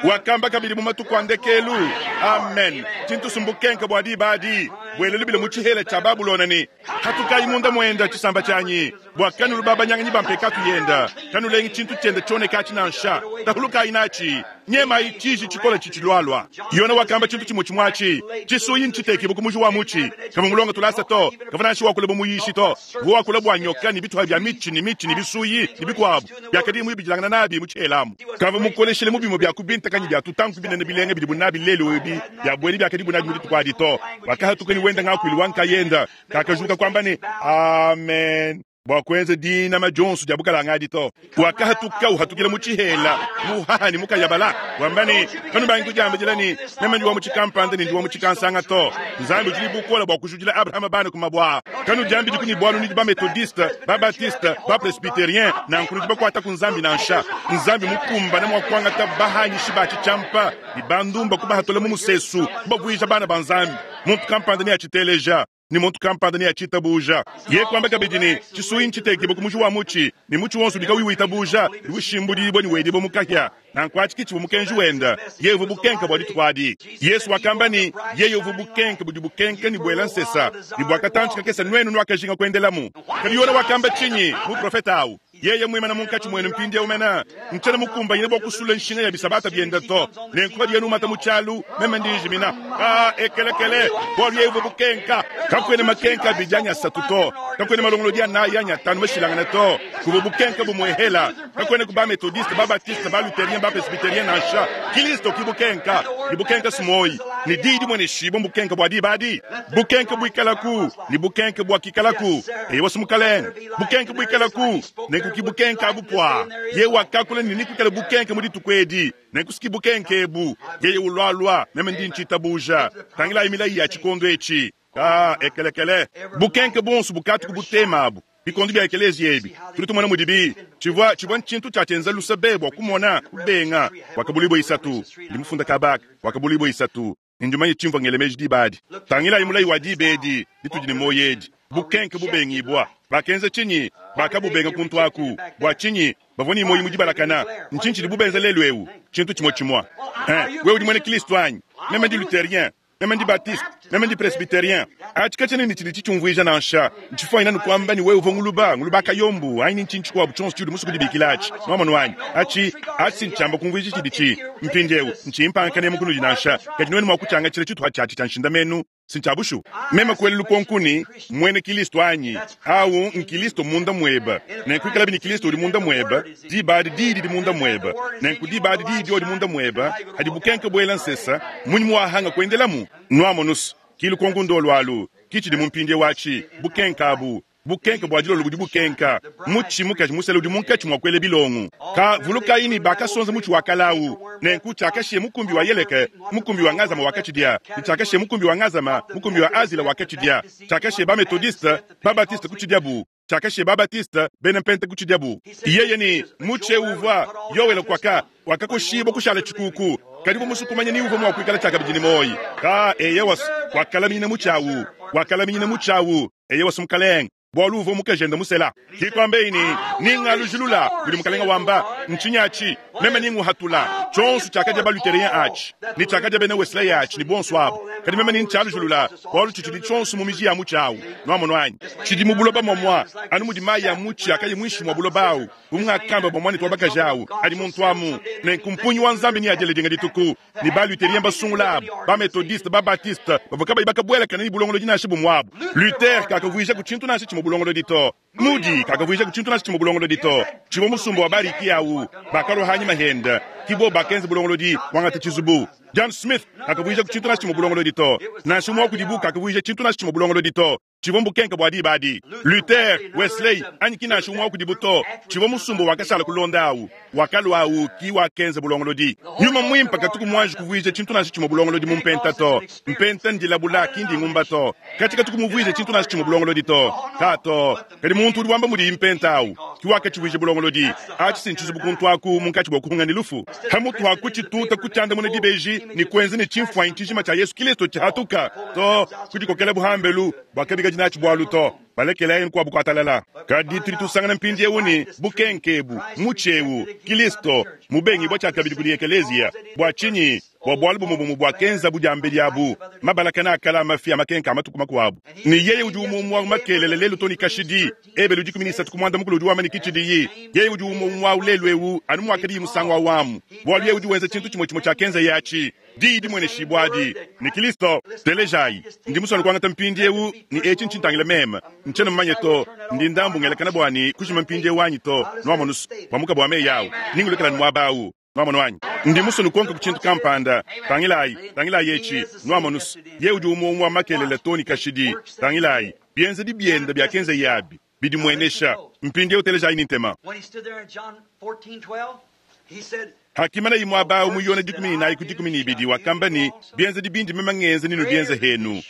Wakamba kabidi mu matuku a ndekelu, amen, tshintu mbukenke bua diba adi, buela lubila mu tshihela tshia Babulona ne, Hatukayi munda muenda, tshisamba tshianyi, bua kanulu babanyanganyi ba mpekatu yenda, kanulengi tshintu tshienda tshioneka atshi nansha, tahulukayi natshi, nyemayi tshiji tshikole tshitshilualua. Yona wakamba tshintu tshimue tshimue atshi, tshisuyi ntshitekibue ku muji wa mutshi. Kavua mulonge tulasa to, kavua nansha wakula bu muyishi to, uvua wakula bua nyoka ne bitupa bia mitshi ne mitshi ne bisuyi ne bikuabu biakadiye muibidilangana nabi mu tshihela amu. Kavua mukoleshile mu bimue bia ku bintakanyi bia tutanku binene bilenga bidibu nabi lelu ebi bia buena biakadibu nabi mu dituku adi to. Wakahatuka ne wenda ngakuilu wa nkayenda, kakajuka kuamba ne, Amen. Bua kuenza dinama dionso dia bukalanga adi to. Wakahatuka uhatukila mu tshihela, muhaha ne mukayabala, wamba ne, Kanubangi kudiambidila ne, Meme ndi wa mu tshikampanda ne ndi wa mu tshikansanga to. Nzambi udi ne bukole bua kujudila Abrahama bana ku mabue aa. Kanudiambidiku ne bualu nudi ba-Methodiste, ba-Baptiste, ba-Presbyterien, nanku nudi bakuata ku Nzambi nansha. Nzambi mukumbane mua kuangata bahanyishi ba tshitshiampa ne bandumba kubahatula mu musesu, kubavuija bana ba Nzambi. Muntu kampanda neatshiteleja. Ne muntu kampanda neatshitabuja. Yeye kuamba kabidi ne, Tshisuyi ntshitekibue ku muji wa mutshi, ne mutshi wonso udi kauyi witabuja udi ushimbudibua ne wedibua mu kahia. Nanku atshi ke tshivua mukenji wende. Yeye uvua bukenke bua dituku adi. Yezu wakamba ne, Yeye uvua bukenke budi bukenka ne buela nsesa, ne bua katantshi kakese nuenu nuakajinga kuendelamu. Kadi Yone wakamba tshinyi? Muprofete au Yeye muimane munkatshi muenu mpindieu mene, ntshiena mukumbanyine bua kusula nshinga ya bisabata biende to. Nenku padiye numata mu tshialu, meme ndi njimina. Aa, ekelekele, bualu yeye uvua bukenka. Kakuena makenka abidi anyi asatu to, kakuena malongolodi anayi anyi atanu mashilangane to. Kuvua bukenka bumuehela. Kakuena ku ba-Methodiste, ba-Baptiste, ba-Lutherien, ba-Presbyterien nansha. Kilisto ki bukenka, ne bukenka s'muoyi, ne Diyi dimueneshibua mbukenka bua diba adi. Bukenka buikalaku, ne bukenka buakikalaku. Eyowa, Mukalenge. Bukenke buikalaku, nenku ki bukenke abu pua. Yeye wakakula ne nekuikale bukenke mu dituku edi, nenku si ki bukenke ebu. Yeye ulualua, meme ndi ntshitabuja. Tangilayi milayi ya tshikondo etshi. Kaa, ekelekele. Bukenke buonso bukatu ku butema abu. Bikondo bia ekeleziya ebi, tudi tumona mudibi. Tshivua, tshivua ntshintu tshia tshienza luse be bua kumona, kubenga. Wakabuluibua isatu. Ndi mufunda kaba aka. Wakabuluibua isatu. Ne ndi mumanye tshimvua ngela meji diba adi. Tangilayi mulayi wa diba edi ditudi ne muoyo edi, bukenke bubengibua. Bakenza tshinyi? Bakabubenga kuntu aku. Bua tshinyi? Bavua ne muoyo mu dibalakana. Ntshinyi tshidibu benza lelu eu? Tshintu tshimue tshimue. Eh, wewe udi muena Kristo anyi? Meme ndi Lutherien. Meme ndi Baptiste. Meme ndi Presbyterien. Atshi katshiena ne tshidi tshitshiumvuija nansha. Ntshifuanyine anu kuamba ne wewe uvua nguluba, nguluba kayombu, anyi ntshinyi tshikuabu tshionso tshiudi musue kudibikila atshi. Nwamonu anyi? Atshi, atshi si ntshiamba kumvuija tshiditshi. Mpindieu, ntshiyi mpanga kanemu kunudi nansha, kadi nuenu mua kutshiangatshila tshituha tshiatshi tshia nshindamenu, si ntshia bushuwa? Meme kuela lukonko ne, Mmuena Kilisto anyi? Au n'Kilisto munda muebe. Nenku ikalabi ne Kilisto udi munda muebe, diba adi Diyi didi munda muebe. Nenku diba adi Diyi diodi munda muebe, hadi bukenke buela nsesa, munyi muwahanga kuendelamu? Nwamonu's, ki lukonko ndolu alu, ki tshidi mu mpindieu atshi, bukenke abu. Bukenke bua dilolo budi bukenka. Mutshi mukaji musela udi munkatshi mua kuela bilongo. Ka vulukayi ne bakasonza mutshi wa kale au. Nenku tshiakashiya mukumbi wa Yeleke, mukumbi wa Ngazama wakatshidia, ne tshiakashiya mukumbi wa Ngazama, mukumbi wa Azila wakatshidia. Tshiakashiya ba-Methodiste, ba-Baptiste kutshidiabu. Tshiakashiya ba-Baptiste, bena Mpenta kutshidiabu. Yeye ne, Mutshi eu uvua Yoele kuaka, wakakoshibua kushala tshikuku. Kadi uvua musue kumanya ni uvua mua kuikala tshiakabidi ne muoyo. Ka, eyowa, wakalaminyina mutshi au. Wakalaminyina mutshi au. Eyowa, Mukalenge, bualu uvua mukajende musela. Ke kuambeyi ne, Ningalujilula, mudi Mukalenge wamba. Ntshinyi atshi? Meme ninguhatula tshionso tshiakadia ba-Lutherien atshi, ne tshiakadia bena Wesley atshi, ne buonso abu. Kadi meme nintshialujilula, bualu tshitshidi tshionso mu miji ya mutshi awu. Nwamonu anyi? Tshidi mu buloba muamua, anu mudi mayi a mutshi akayi muinshi mua buloba awu, bu mungakamba bua muanetu wa bakaji awu, adi muntu amu. Nenku mpungi wa Nzambi neadiele dinga dituku. Ne ba-Lutherien basungula abu, ba-Methodiste, ba-Baptiste, bavua kabayi bakabuelakana ne bulongolodi nansha bumue abu. Luther kakavuijaku tshintu nansha tshimue bulongolodi to. Moody kakavuijaku tshintu nansha tshimue bulongolodi to. Tshivua musumba wa ba-Ricky awu, bakalua hanyima hende, ki bobu bakenza bulongolodi, kuangata tshizubu. John Smith kakavuijaku tshintu nansha tshimue bulongolodi to. Nansha umue wa kudibu kakavuija tshintu nansha tshimue bulongolodi to. Tshivua mbukenke bua diba adi. Luther, Wesley, anyi ki nansha umue wa kudibu to. Tshivua musumba wakashala kulonda awu, wakalua awu ki wakenza bulongolodi. Nyuma Muimpe katuku muanji kuvuija tshintu nansha tshimue bulongolodi mu mpenta to. Mpenta ndilabula, ki ndingumba to. Katshi katuku muvuije tshintu nansha tshimue bulongolodi to. Ka to. Kadi muntu udi wamba mudiyi mpenta awu ki wakatshivuija bulongolodi. Atshi si ntshizubu kuntu aku munkatshi bua kuhunga ne lufu. Pamutu ha kutshituta kutshiandamuna dibeji ne kuenza ne tshimfuanyi tshijima tshia Yesu Kilisto tshihatuka to, kudikokela bu hambelu bua kabikadi natshi bualu to. Balekelayi nkuabu kuatalala. Kadi tudi tusangana mpindiewu ne, bukenke ebu, mutshi ewu, Kilisto, mubengibua tshiakabidi kudi ekeleziya. Bua tshinyi? Bua bualu bumue bumue buakenzabu diambedi abu, mabalakana a kale a mafi a makenka a matuku makuabu. Ne yeye udi umue umue awu makelela, lelu to ne kashidi. Ebelu 13 ku muanda-mukulu udi wamba ne, Ki tshidiyi. Yeye udi umue umue awu lelu ewu, anu muakadiyi musangu awu amu, bualu yeye udi wenza tshintu tshimue tshimue tshiakenzaye atshi. Diyi dimueneshibua adi ne Kilisto. Telejayi, ndi musue kuangata mpindiewu, ne etshi ntshintangila meme. Ntshiena mumanye to, ndi ndambu ngelakana bua ne kujima mpindiewu anyi to, nuamonu's, bua mukabu wa meyi awu. Ningulekela anu muaba awu. Nwamonu anyi? Ndi musue nukonke ku tshintu kampanda. Tangilayi, tangilayi etshi. Nwamonu's, yeye udi umue umue wa makelela too ne kashidi. Tangilayi, bienzedi biende biakenzaye abi. Bidimuenesha. Mpindieu telejayi ne ntema. Hakimana muaba awu mu Yone 14 ku 12, wakamba ne, Bienzedi bindi meme ngenza nenubienze henu.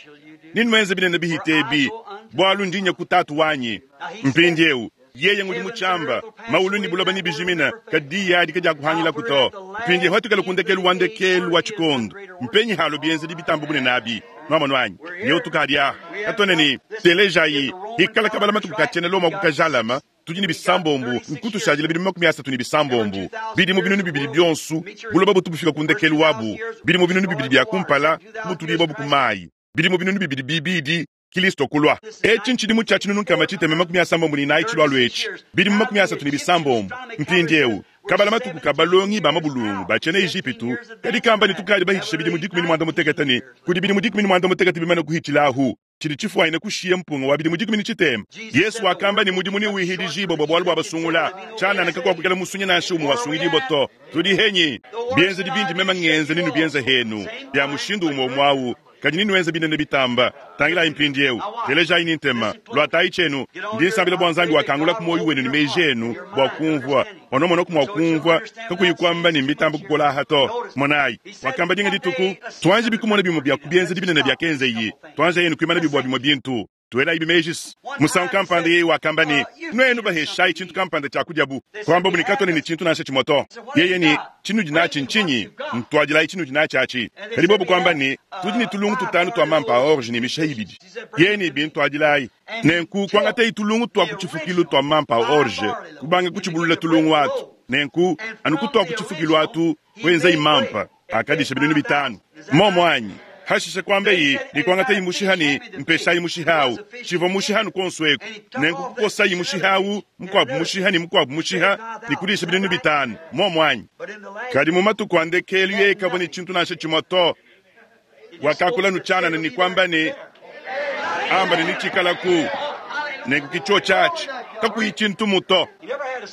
Nenuenze binene bihite ebi, bualu ndi nya ku Tatu wanyi. Mpindieu, yeye ngudi mutshiamba, maulu ne buloba nebijimine, kadi diyi adi kadiakuhangilaku to. Mpindieu hatukale ku ndekelu wa ndekelu wa tshikondo, mpenyi halo bienzedi bitamba bunene abi. Nwamonu anyi? Yeu tukadi aha. Katuena ne, Telejayi, hikala kabala matuku ka tshiena Lomo kukajalama, tudi ne bisambombu, nkutushadila bidimu 36, bidimu 2000 bionso, buloba butu bufika ku ndekelu wabu, bidimu 2000 bia kumpala, kubutudibua bu ku mayi, bidimu 2000 bibidi, Kilisto kulua. Etshi ntshidimu tshia 1694 tshilualua etshi, bidimu 36. Mpindieu, kabala matuku ka balongi ba mabulungu ba tshiena Ejipitu, kadi kamba ne tukadi bahitshisha bidimu 16 ne kudi bidimu 16 bimane kuhitshilahu, tshidi tshifuanyine kushiya mpunga wa bidimu 60. Yesu wakamba ne mudimu newihidijibue bua bualu bua basungula, tshianana kakuakukela musunyi nansha umue wasungidibua to. Tudi henyi? Bienzedi bindi meme ngenza nenubienze henu, bia mushindu umue umue au, kadi nenuenze binene bitamba. Tangilayi mpindieu, telejayi ne ntema, luatayi tshienu. Ndi nsambila bua Nzambi wakangulaku muoyo wenu ne meji enu bua kumvua, onomonoku mua kumvua, kakuyi kuamba ne mbitamba kukola aha to. Monayi, wakamba dinga dituku, tuanji bikumona bimue bia ku bienzedi binene biakenzeyi, tuanji yenu kuimana bibua bimue bintu, tuelayi bimeji. Musangu kampanda yeye wakamba ne, nuenu baheshayi tshintu kampanda tshia kudiabu, kuambabu ne katuena ne tshintu nansha tshimue to. Yeye ne, tshinudi natshi ntshinyi? Ntuadilayi tshinudi natshi atshi. Kadi bobu kuamba ne, tudi ne tulungu tutanu tua mampa a orge ne misha ibidi. Yeye ne, bintuadilayi. Nenku kuangatayi tulungu tua ku tshifukilu tua mampa a orge, kubanga kutshibulula tulungu atu. Nenku anu kutua ku tshifukilu atu, kuenzayi mampa akadisha 5000. Momo anyi? Hashishe kuambayi ne kuangatayi mushiha ne mpeshayi mushiha au. Tshivua mushiha nukonso eku. Nenku kukosayi mushiha au, mukuabu mushiha ne mukuabu mushiha, ne kudisha 5000. Momo anyi? Kadi mu matuku a ndekelu yeye kavua ne tshintu nansha tshimue to. Wakakula nutshianana ne kuamba ne, amba ne nitshikalaku. Nenku kitsho tshiatshi, kakuyi tshintu mu to.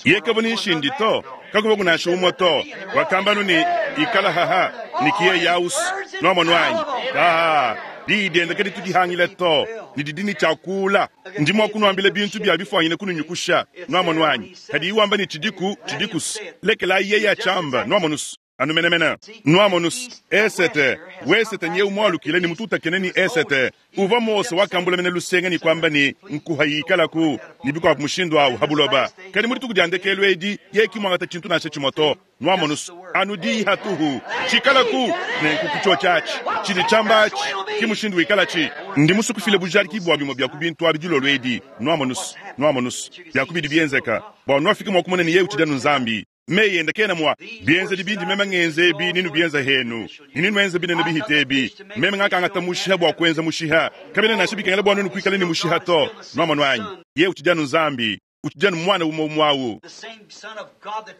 Yeye kavua ne nshindi to, kakuvua kunansha umue to. Wakamba nu ne, ikala haha, ne kiye yausu. Nwamonu anyi? Ah, diyi diende kadi tudihangile to, ne didi ne tshiakula. Ndi mua kunuambila bintu bia bifuanyine kununyukusha. Nwamonu anyi? Kadi iwamba ne tshidiku, tshidikus. Lekelayi yeye atshiamba, nwamonus. Anu menemene. Nwamonus, esete, wesete nyeu mwalukile ne mututakene ni esete. Uva Mose wakambula mene lusenga ni kwamba ni nkuha yikalaku, ni bikwabu mushindu awu habuloba. Kadi mu dituku dia ndekelu edi, yeye kimwangata tshintu nansha tshimue to. Nwamonus, anu diyi hatuhu. Tshikalaku, nenku kutsho tshiatshi. Tshidi tshiamba atshi, ki mushindu wikalatshi. Ndi musukufile bujadiki bua bimue bia ku bintu abi dilolo edi. Nwamonus, nwamonus, bia ku bidi bienzeka, bua nwafike mua kumona ne yeye utshidi anu Nzambi. Meyi ende kena mua bienzedi bindi meme ngenze ebi nenubienze henu, ne nenuenze binene bihite ebi. Meme ngakangata mushiha bua kuenza mushiha, kabena nansha bikengela bua nuenu kuikala ne mushiha to. Nwamonu anyi? Yeye utshidi anu Nzambi, utshidi anu mwana umue umue awu.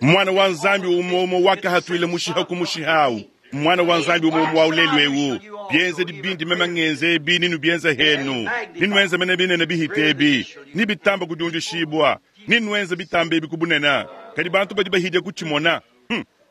Mwana wa Nzambi umue umue wakahatuila mushiha ku mushiha awu. Mwana wa Nzambi umue umue awu lelu ewu. Bienzedi bindi meme ngenze ebi nenubienze henu, nenuenze mene binene bihite ebi, nibitamba kudiundishibua, nenuenze bitamba ebi ku bunene. Kadi bantu badi bahidia kutshimona.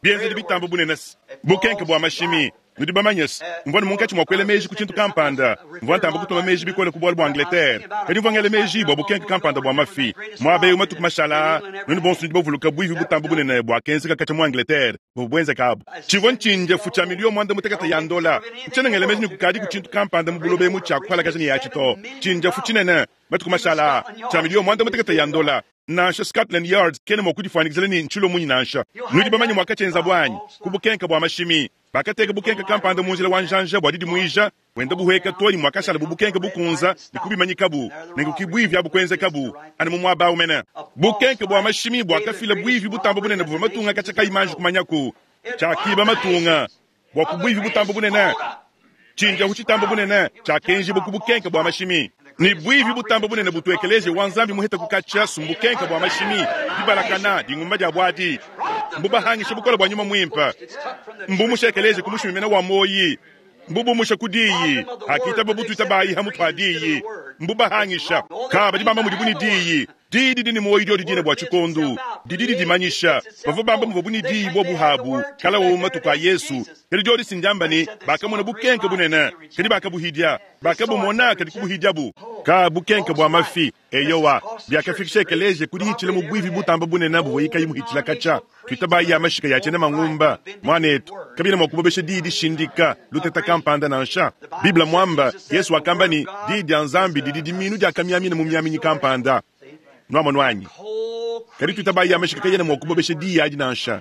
Bienzedi bitamba bunene bukenke bua mashimi. Nudi bamanye se, mvua ne munkatshi mua kuela meji ku tshintu kampanda. Mvua ntamba kutuma meji bikole ku bualu bua Angleterre. Kadi mvua ngela meji bua bukenke kampanda bua mafi. Muaba eu matuku mashala aa, nuenu bonso nudi bavuluka buivi butamba bunene buakenzeka katshia mu Angleterre buvua buenzeka abu. Tshivua ntshindiefu tshia miliyo 16 ya ndola. Ntshiena ngela meji ne kukadi ku tshintu kampanda mu buloba emu tshia kuhalakaja ne yatshi to. Tshindiefu tshinene matuku mashala aa tshia miliyo 16 ya ndola. Nansha Scotland Yard kena mua kudifuanyikizila ne ntshilo munyi nansha. Nudi bamanye muakatshienzabu anyi? Ku bukenke bua mashimi. Bakateka bukenke kampanda mu njila wa njanja bua didimuija, buenda buhueka to ne muakashala bu bukenke bukunza ne kubimanyikabu, nenku ki buivi abu kuenzekabu anu mu muaba awu mene. Bukenke bua mashimi buakafila buivi butamba bunene buvua matunga katshia kayi manji kumanyaku. Tshiakiba matunga bua ku buivi butamba bunene. Tshindiahu tshitamba bunene tshiakenjibua ku bukenke bua mashimi. Ne buivi butamba bunene butu ekeleziya wa Nzambi muheta kukatshia sumbukenke bua mashimi, dibalakana, dingumba dia buadi. Mbubahangisha bukole bua nyuma muimpe. Mbumusha ekeleziya ku mushimi mene wa moyi. Mbubumusha ku diyi, akitaba butuita bayi ha mutu ha diyi. Mbubahangisha. Ka badi bamba mudibu ne diyi. Diyi didi ne moyi diodi dine bua tshikondu. Didi didimanyisha. Bavua bamba muvuabu ne diyi bobu habu, kala wowu matuku a Yesu. Kadi diodi sindiamba ne, bakamona bukenke bunene, kadi bakabuhidia. Bakabumona, kadi kubuhidiabu. Ka bukenke bua mafi. Eyowa, biakafikisha ekeleziya ku dihitshila mu buivi butamba bunene buvuaye kayi muhitshila katshia. Tuitabayi ya mashika ya tshiena mangumba, muanetu, kabiena mua kubobesha diyi dishindika luteta kampanda nansha. Bible muamba, Yesu wakamba ne, Diyi dia Nzambi didi dimiinu diakamiamina mu miaminyi kampanda. Nuamonu anyi? Kadi tuitabayi ya mashika kayena mua kubobesha diyi adi nansha.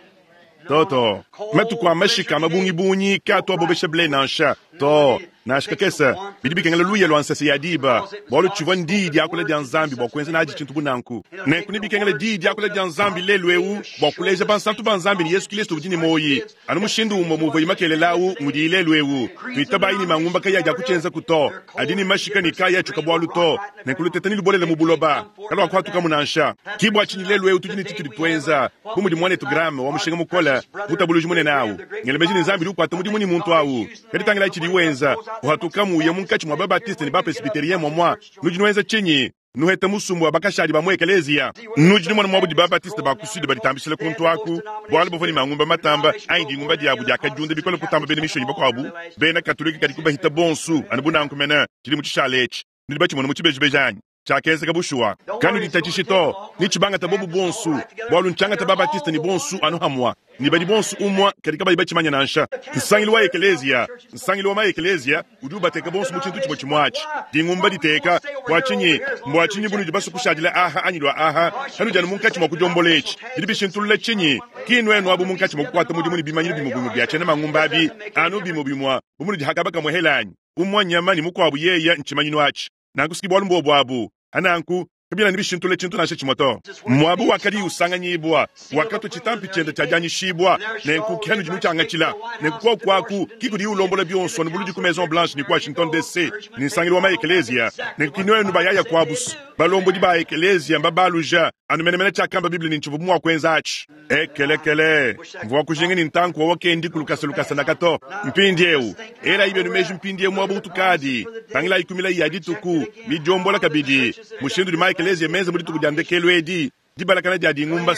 To, to. Matuku a mashika a mabungibungi kaatu abobesha ble nansha. To, nansha kakese. Bidi bikengela luya lua nsese ya diba, bualu tshivua ndiyi diakula dia Nzambi bua kuenza nadi tshintu bu nanku. Nenku nebikengela diyi diakula dia Nzambi lelu eu bua kuleja bansantu ba Nzambi ne Yesu Kilisto udi ne muoyi, anu mushindu umue muvuayi makelela au ngudiyi lelu eu. Tuitabayi ne mangumba kayi adi akutshienzaku to, adi ne mashika ne kaayi atshuka bualu to. Nenku luteta nelubolele mu buloba, kaluakuhatukamu nansha. Ki bua tshinyi lelu eu tudi ne tshitudi tuenza, bu mudi muanetu Graham wa mushinga mukole, mutabuluji munene au. Ngela meji ne Nzambi udi ukuata mudimu ne muntu au. Kadi tangilayi tshidiye wenza, uhatukamu uya munkatshi mua ba-Baptiste ne ba-Presbyterien muamua. Nudi nuenza tshinyi? Nuheta musumba wa bakashadi ba mu ekeleziya. Nudi numona muaba udi ba-Baptiste ba ku Sud baditambishila kuntu aku, bualu bavua ne mangumba matamba, anyi dingumba diabu diakadiunda bikole kutamba bena mishonyi bakuabu bena Katolike kadi kubahita bonso, anu bu nanku mene tshidimu tshishale etshi. Nudi batshimone mu tshibejibeji anyi? Tshiakenzeka bushuwa. Kanuditatshishi to, netshibangate bobu bonso, bualu ntshiangata ba-Baptiste ne bonso anu hamua, ne badi bonso umua, kadi kabayi batshimanya nansha. Nsangilu wa ekeleziya, nsangilu wa ma-ekeleziya udi ubateka bonso mu tshintu tshimue tshimue atshi, dingumba diteka. Bua tshinyi? Mbua tshinyi bunudi basue kushadila aha anyi lua aha? Kanudi anu munkatshi mua kudiombola etshi. Bidi bishintulula tshinyi? Ki nuenu abu munkatshi mua kukuata mudimu ne bimanyinu bimue bimue bia tshiena mangumba abi, anu bimue bimue bu munudi hakaba kamue hela anyi? Umue nyama ne mukuabu yeya ntshimanyinu atshi. Nanku siki bualu mbuobu abu. Nanku kabiena ne bishintulule tshintu nansha tshimue to. Muaba wakadiye usanganyibua, wakatua tshitampi tshiende tshia dianyishibua, nenku ke anudi nutshiangatshila. Nenku kuoku aku ki kudiye ulombola bionso anu buludi ku Maison Blanche ne ku Washington DC. ne nsangilu wa ma-ekeleziya. Nenku ki nuenu bayaya kuabu. Balombodi ba ekeleziya mbabaluja anu menemene tshiakamba Bible ne ntshivua mua kuenza atshi. Ekelekele, mvua kujinga ne ntanku wa wakendiku lukasa lukasa naka to. Mpindieu, elayi bienu meji mpindieu muaba utukadi. Tangilayi ku milayi ya dituku, midiombola kabidi, mushindu udi ma-ekeleziya menza mu dituku dia ndekelu edi. Dibalakana dia dingumba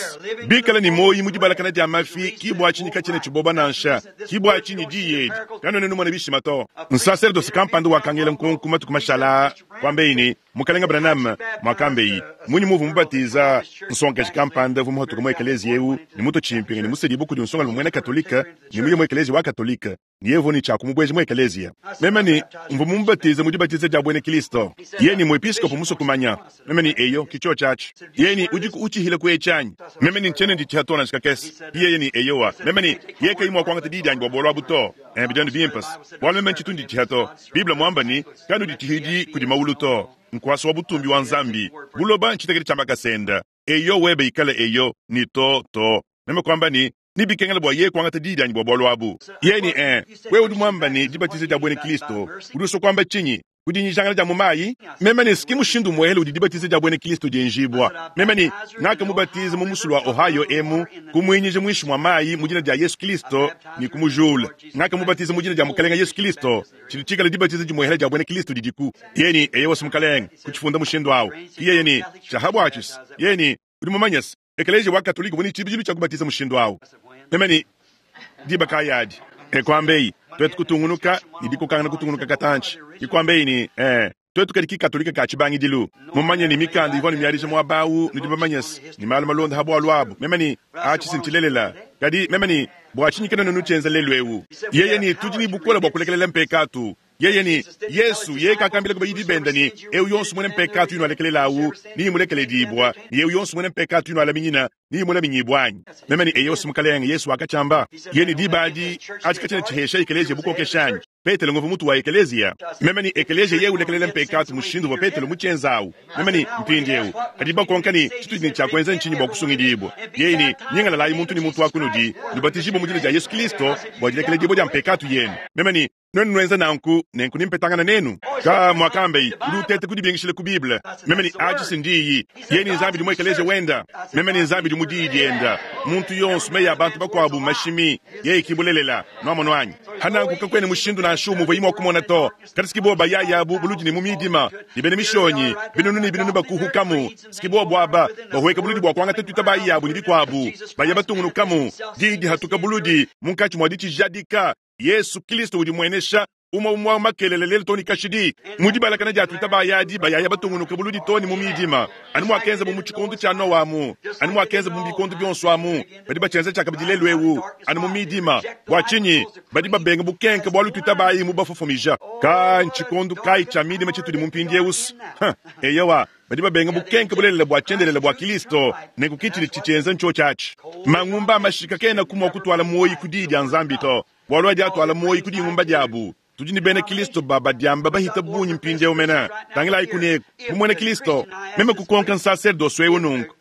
bikale ne muoyo mu dibalakana dia mafi, ki bua tshinyi katshiena tshiboba nansha. Ki bua tshinyi diyi edi kanuena numona bishima to. Nsaserdose kampanda wakangela nkonko matuku mashala aa, kuambeyi ne, Mukalenge Branham, muakambeyi, munyi muuvua mubatiza nsongakaji kampanda uvua muhatuke mu ekeleziya eu ne mutue tshimpinga ne musedibue kudi nsongalume muena Katolike ne muye mu ekeleziya wa Katolike? Ne yeye uvua ne tshia kumubueja mu ekeleziya. Meme ne, Mvua mumubatize mu dibatiza dia buena Kristo. Yeye ne, Muepiskopo musue kumanya. Meme ne, Eyo, ki tshiotshi atshi. Yeye ne, Udiku utshihila ku etshi anyi? Meme ne, Ntshiena nditshiha to nansha kakese. Yeye ne, Eyowa. Meme ne, Yeye kayi mua kuangata diyi dianyi bua bualu abu to. Eh, bidi anu bimpe bualu meme ntshitu nditshiha to. Bible muamba ne, Kanuditshihidi kudi mawulu to. Nkuasa wa butumbi wa Nzambi. Buloba ntshitekete tshia makasa ende. Eyo webe ikale eyo, ne to, to. Meme kuamba ne, Nebikengele bua yeye kuangata diyi dianyi bua bualu abu. Yeye ne, Ee, wewe udi muamba ne, dibatiza dia buena Kristo, udi usua kuamba tshinyi? Ku dinyijangana dia mu mayi? Meme ne, S'ki mushindu umuehele udi dibatiza dia buena Kristo dienjibua. Meme ne, Ngakamubatiza mu musulu wa Ohio emu, kumuinyija muinshi mua mayi mu dina dia Yesu Kristo ne kumujula. Ngakamubatiza mu dina dia Mukalenge Yesu Kristo, tshidi tshikale dibatiza dimuehele dia buena Kristo didiku. Yeye ne, Eyowa, Mukalenge, kutshifunda mushindu au. Yeye ne, Tshiahabuatshis. Yeye ne, Udi mumanye-se, Ekeleziya wa Katolike uvua ne tshibidilu tshia kubatiza mushindu au. Meme ne, Diba kayi adi? E kuambeyi, tuetu kutungunuka ne dikokangana kutungunuka katantshi. Ke kuambeyi ne, Ee, tuetu kadi ki Katolike ka tshibangidilu. Mumanye ne mikanda ivua ne miadija muaba au, nudi bamanye se, ne malu malonda ha bualu abu. Meme ne, Atshi si ntshilelela. Kadi, meme ne, bua tshinyi kanuena nutshienza lelu eu? Yeye ne, Tudi ne bukole bua kulekelela mpekatu. Yeye ne, Yesu, yeye kakambila bayidi bende ne, eu yonso muena mpekatu inualekelelawu, neyimulekeledibua, ne eu yonso muena mpekatu inualaminyina, neyimulaminyibua anyi? Meme ne, Eyo, Mukalenge, Yesu wakatshiamba. Yeye ne, Diba adi, atshi katshiena tshihesha ekeleziya bukokeshi anyi? Petelo nguvua mutu wa ekeleziya. Meme ne, Ekeleziya yeye ulekelela mpekatu mushindu uvua Petelo mutshienza awu. Meme ne, Mpindieu, kadi bakonka ne, tshitudi ne tshia kuenza ntshinyi bua kusungidibua? Yeye ne, Nyingalalayi muntu ne muntu wa kunudi, nubatijibue mu dina dia Yesu Kristo bua dilekeledibua dia mpekatu yenu. Meme ne, Nuenu nuenza nanku, nenku nempetangana nenu. Ka muakambeyi, udi uteta kudibingishila ku Bible. Meme ne, Atshi si ndiyi. Yeye ne Nzambi udi mu ekeleziya wenda. Meme ne Nzambi udi mu Diyi dienda. Muntu yonso, meyi a bantu bakuabu mmashimi. Yeye ki bulelela. Nuamonu anyi? Pa nanku kakuena mushindu nansha umue uvuayi mua kumona to. Kadi siki bobo bayaya abu buludi ne mu midima, ne bena mishonyi binunu ne binunu bakuhukamu. Siki bobo aba bahueka buludi bua kuangata tuitabayi yabu ne bikuabu, baya batungunukamu. Diyi dihatuka buludi munkatshi mua ditshijadika. Yesu Kilisto udi muenesha. Umue umue wa makelela lelu too ne kashidi. Mu dibalakana dia tuita bayadi bayaya batungunuka buludi too ne mu midima, anu muakenzabu mu tshikondo tshia Noa amu, anu muakenzabu mu bikondo bionso amu, badi batshienza tshiakabidi lelu eu, anu mu midima. Bua tshinyi? Badi babenga bukenke bualu tuitabayi mubafofomija. Ka ntshikondo kayi tshia midima tshitudi mu mpindieu? Huh, eyowa, badi babenga bukenke bulelela bua tshiendelele bua Kilisto, nenku ki tshidi tshitshienza ntshiotshi atshi. Mangumba a mashika kenaku mua kutuala muoyo ku Diyi dia Nzambi to, bualu adi atuala muoyo ku dingumba diabu. Tudi ne bena Kilisto ba badiamba bahita bungi mpindieu mene. Tangilayi kuneku, bu muena Kilisto, meme kukonka nsaserdose eu nunku,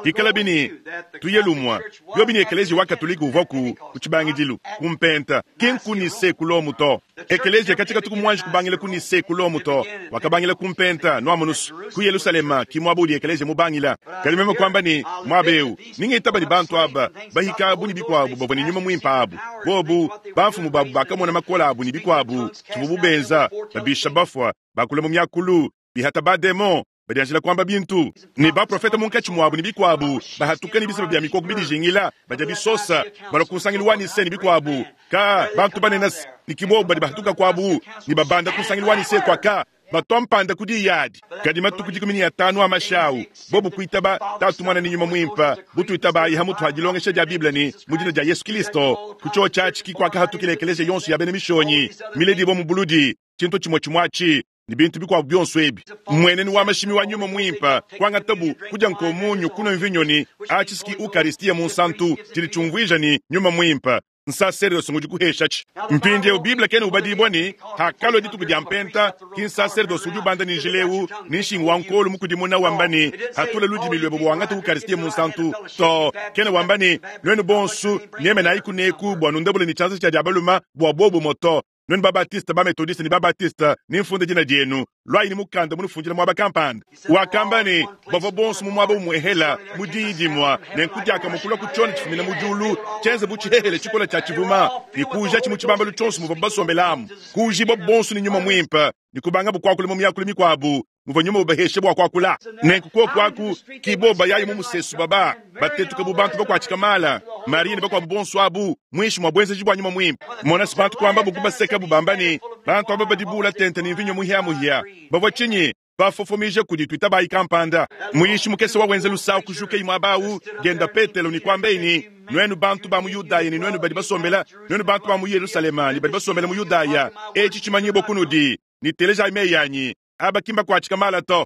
Pikalabi ne, tuye lumue, biobi ne ekeleziya wa Katolike uvuaku ku tshibangidilu, ku Mpenta, ki nku Nicee ku Lomo to. Ekeleziya katshia katuku muanji kubangila ku Nicee ku Lomo to, wakabangila ku Mpenta, nuamonu's, ku Yelusalema ki muaba udi ekeleziya mubangila. Kadi meme kuamba ne, Muaba eu, ne ngitaba ne bantu aba, bahika abu ne bikuabu bavua ne Nyuma Muimpe abu, bobu, bamfumu babu bakamona makole abu ne bikuabu, tshivuabu benza, babisha bafua, bakula mu miakulu, bihata ba-demon, badianjila kuamba bintu, ne baprofete munkatshi muabu ne bikuabu, bahatuka ne bisamba bia mikoko bidijingila, badia bisosa, balua ku nsangilu wa Nicee ne bikuabu, ka bantu banene ne ki bobu badi bahatuka kuabu ne babanda ku nsangilu wa Nicee kua ka batua mpanda ku diyi adi. Kadi matuku 15 a mashi au, bobu kuitaba Tatu, Muana ne Nyuma Muimpe, butuitabayi ha mutu ha dilongesha dia Bible ne mu dina dia Yesu Kilisto. Ku tshiotshi atshi ki kuakahatukila ekeleziya yonso ya bena mishonyi miledibua mu buludi, tshintu tshimue tshimue atshi ne bintu bikuabu bionso ebi. Mmuenenu wa mashimi wa Nyuma Muimpe, kuangatabu, kudia nkomunyo, kunua mvinyo ne atshi ski Ukaristia Munsantu, tshidi tshiumvuija ne, Nyuma Muimpe nsaserdosi ngudi kuheshatshi. Mpindieu Bible kena ubadibua ne, hakalua dituku dia Mpenta, ki nsaserdosi udi ubanda ne njila eu ne nshingu wa nkolu mukudimuna wamba ne, Hatula ludimi luebe bua wangate Ukaristia Munsantu. To, kena wamba ne, Nuenu bonso nyemenayi kuneku bua nundabule ne tshianza tshia dia balume bua buobumue to. Nuenu ba-Batiste, ba-Metodiste ne ba-Batiste, nemfunde dina dienu. Luayi ne mukanda munufundila muaba kampanda. Wakamba ne, bavua bonso mu muaba umuehela, mu diyi dimue, nenku diakamue kulua ku tshiona tshifumina mu diulu, tshienze bu tshihehele tshikole tshia tshivuma, ne kuujatshi mu tshibambalu tshionso muvuabu basombelamu. Kuujibua bonso ne Nyuma Muimpe, ne kubangabu kuakula mu miakulu mikuabu, muvua nyuma ubahesha bua kuakula. Nenku kuoku aku ki bobu bayayi mu musesu baba batetuka bu bantu bakuatshika mala, Mariya ne bakuabu bonso abu muinshi mua buenzeji bua nyuma muimpe. Mona se bantu kuambabu kubasekabu bamba ne, bantu aba badi buula tente ne mvinyo muhiamuhia. Bavua tshinyi? Bafofomija kudi tuitabayi kampanda. Muyishi mukese wa wenza lusawu kujukayi muaba au, dienda Petelo ne kuambaye ne, Nuenu bantu ba mu Yudaya ne nuenu badi basombela, nuenu bantu ba mu Yelushalema ne badi basombela mu Yudaya, etshi tshimanyibua kunudi, ne telejayi meyi anyi. Aba ki mbakuatshika mala to.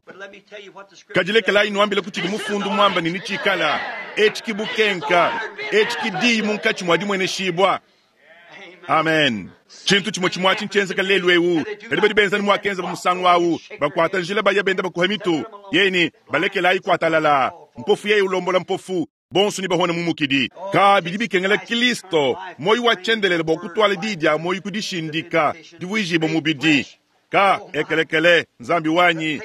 Kadi lekelayi nuambile ku tshidi mufundu muamba ne netshikala. Etshi ki bukenka. Etshi ki diyi munkatshi mua dimueneshibua. Amen. Tshintu tshimue tshimue atshi ntshienzeka lelu eu, kadi badi benza ne muakenzabo musangu au, bakuata njila baya benda bakuha mitu. Yeye ne, balekelayi kuatalala. Mpofu yeye ulombola mpofu, bonso nebahone mu mukidi. Ka bidi bikengela Kilisto, muoyo wa tshiendelele, bua kutuala diyi dia muoyo ku dishindika, divuijibua mubidi. Ka ekelekele, Nzambi wanyi,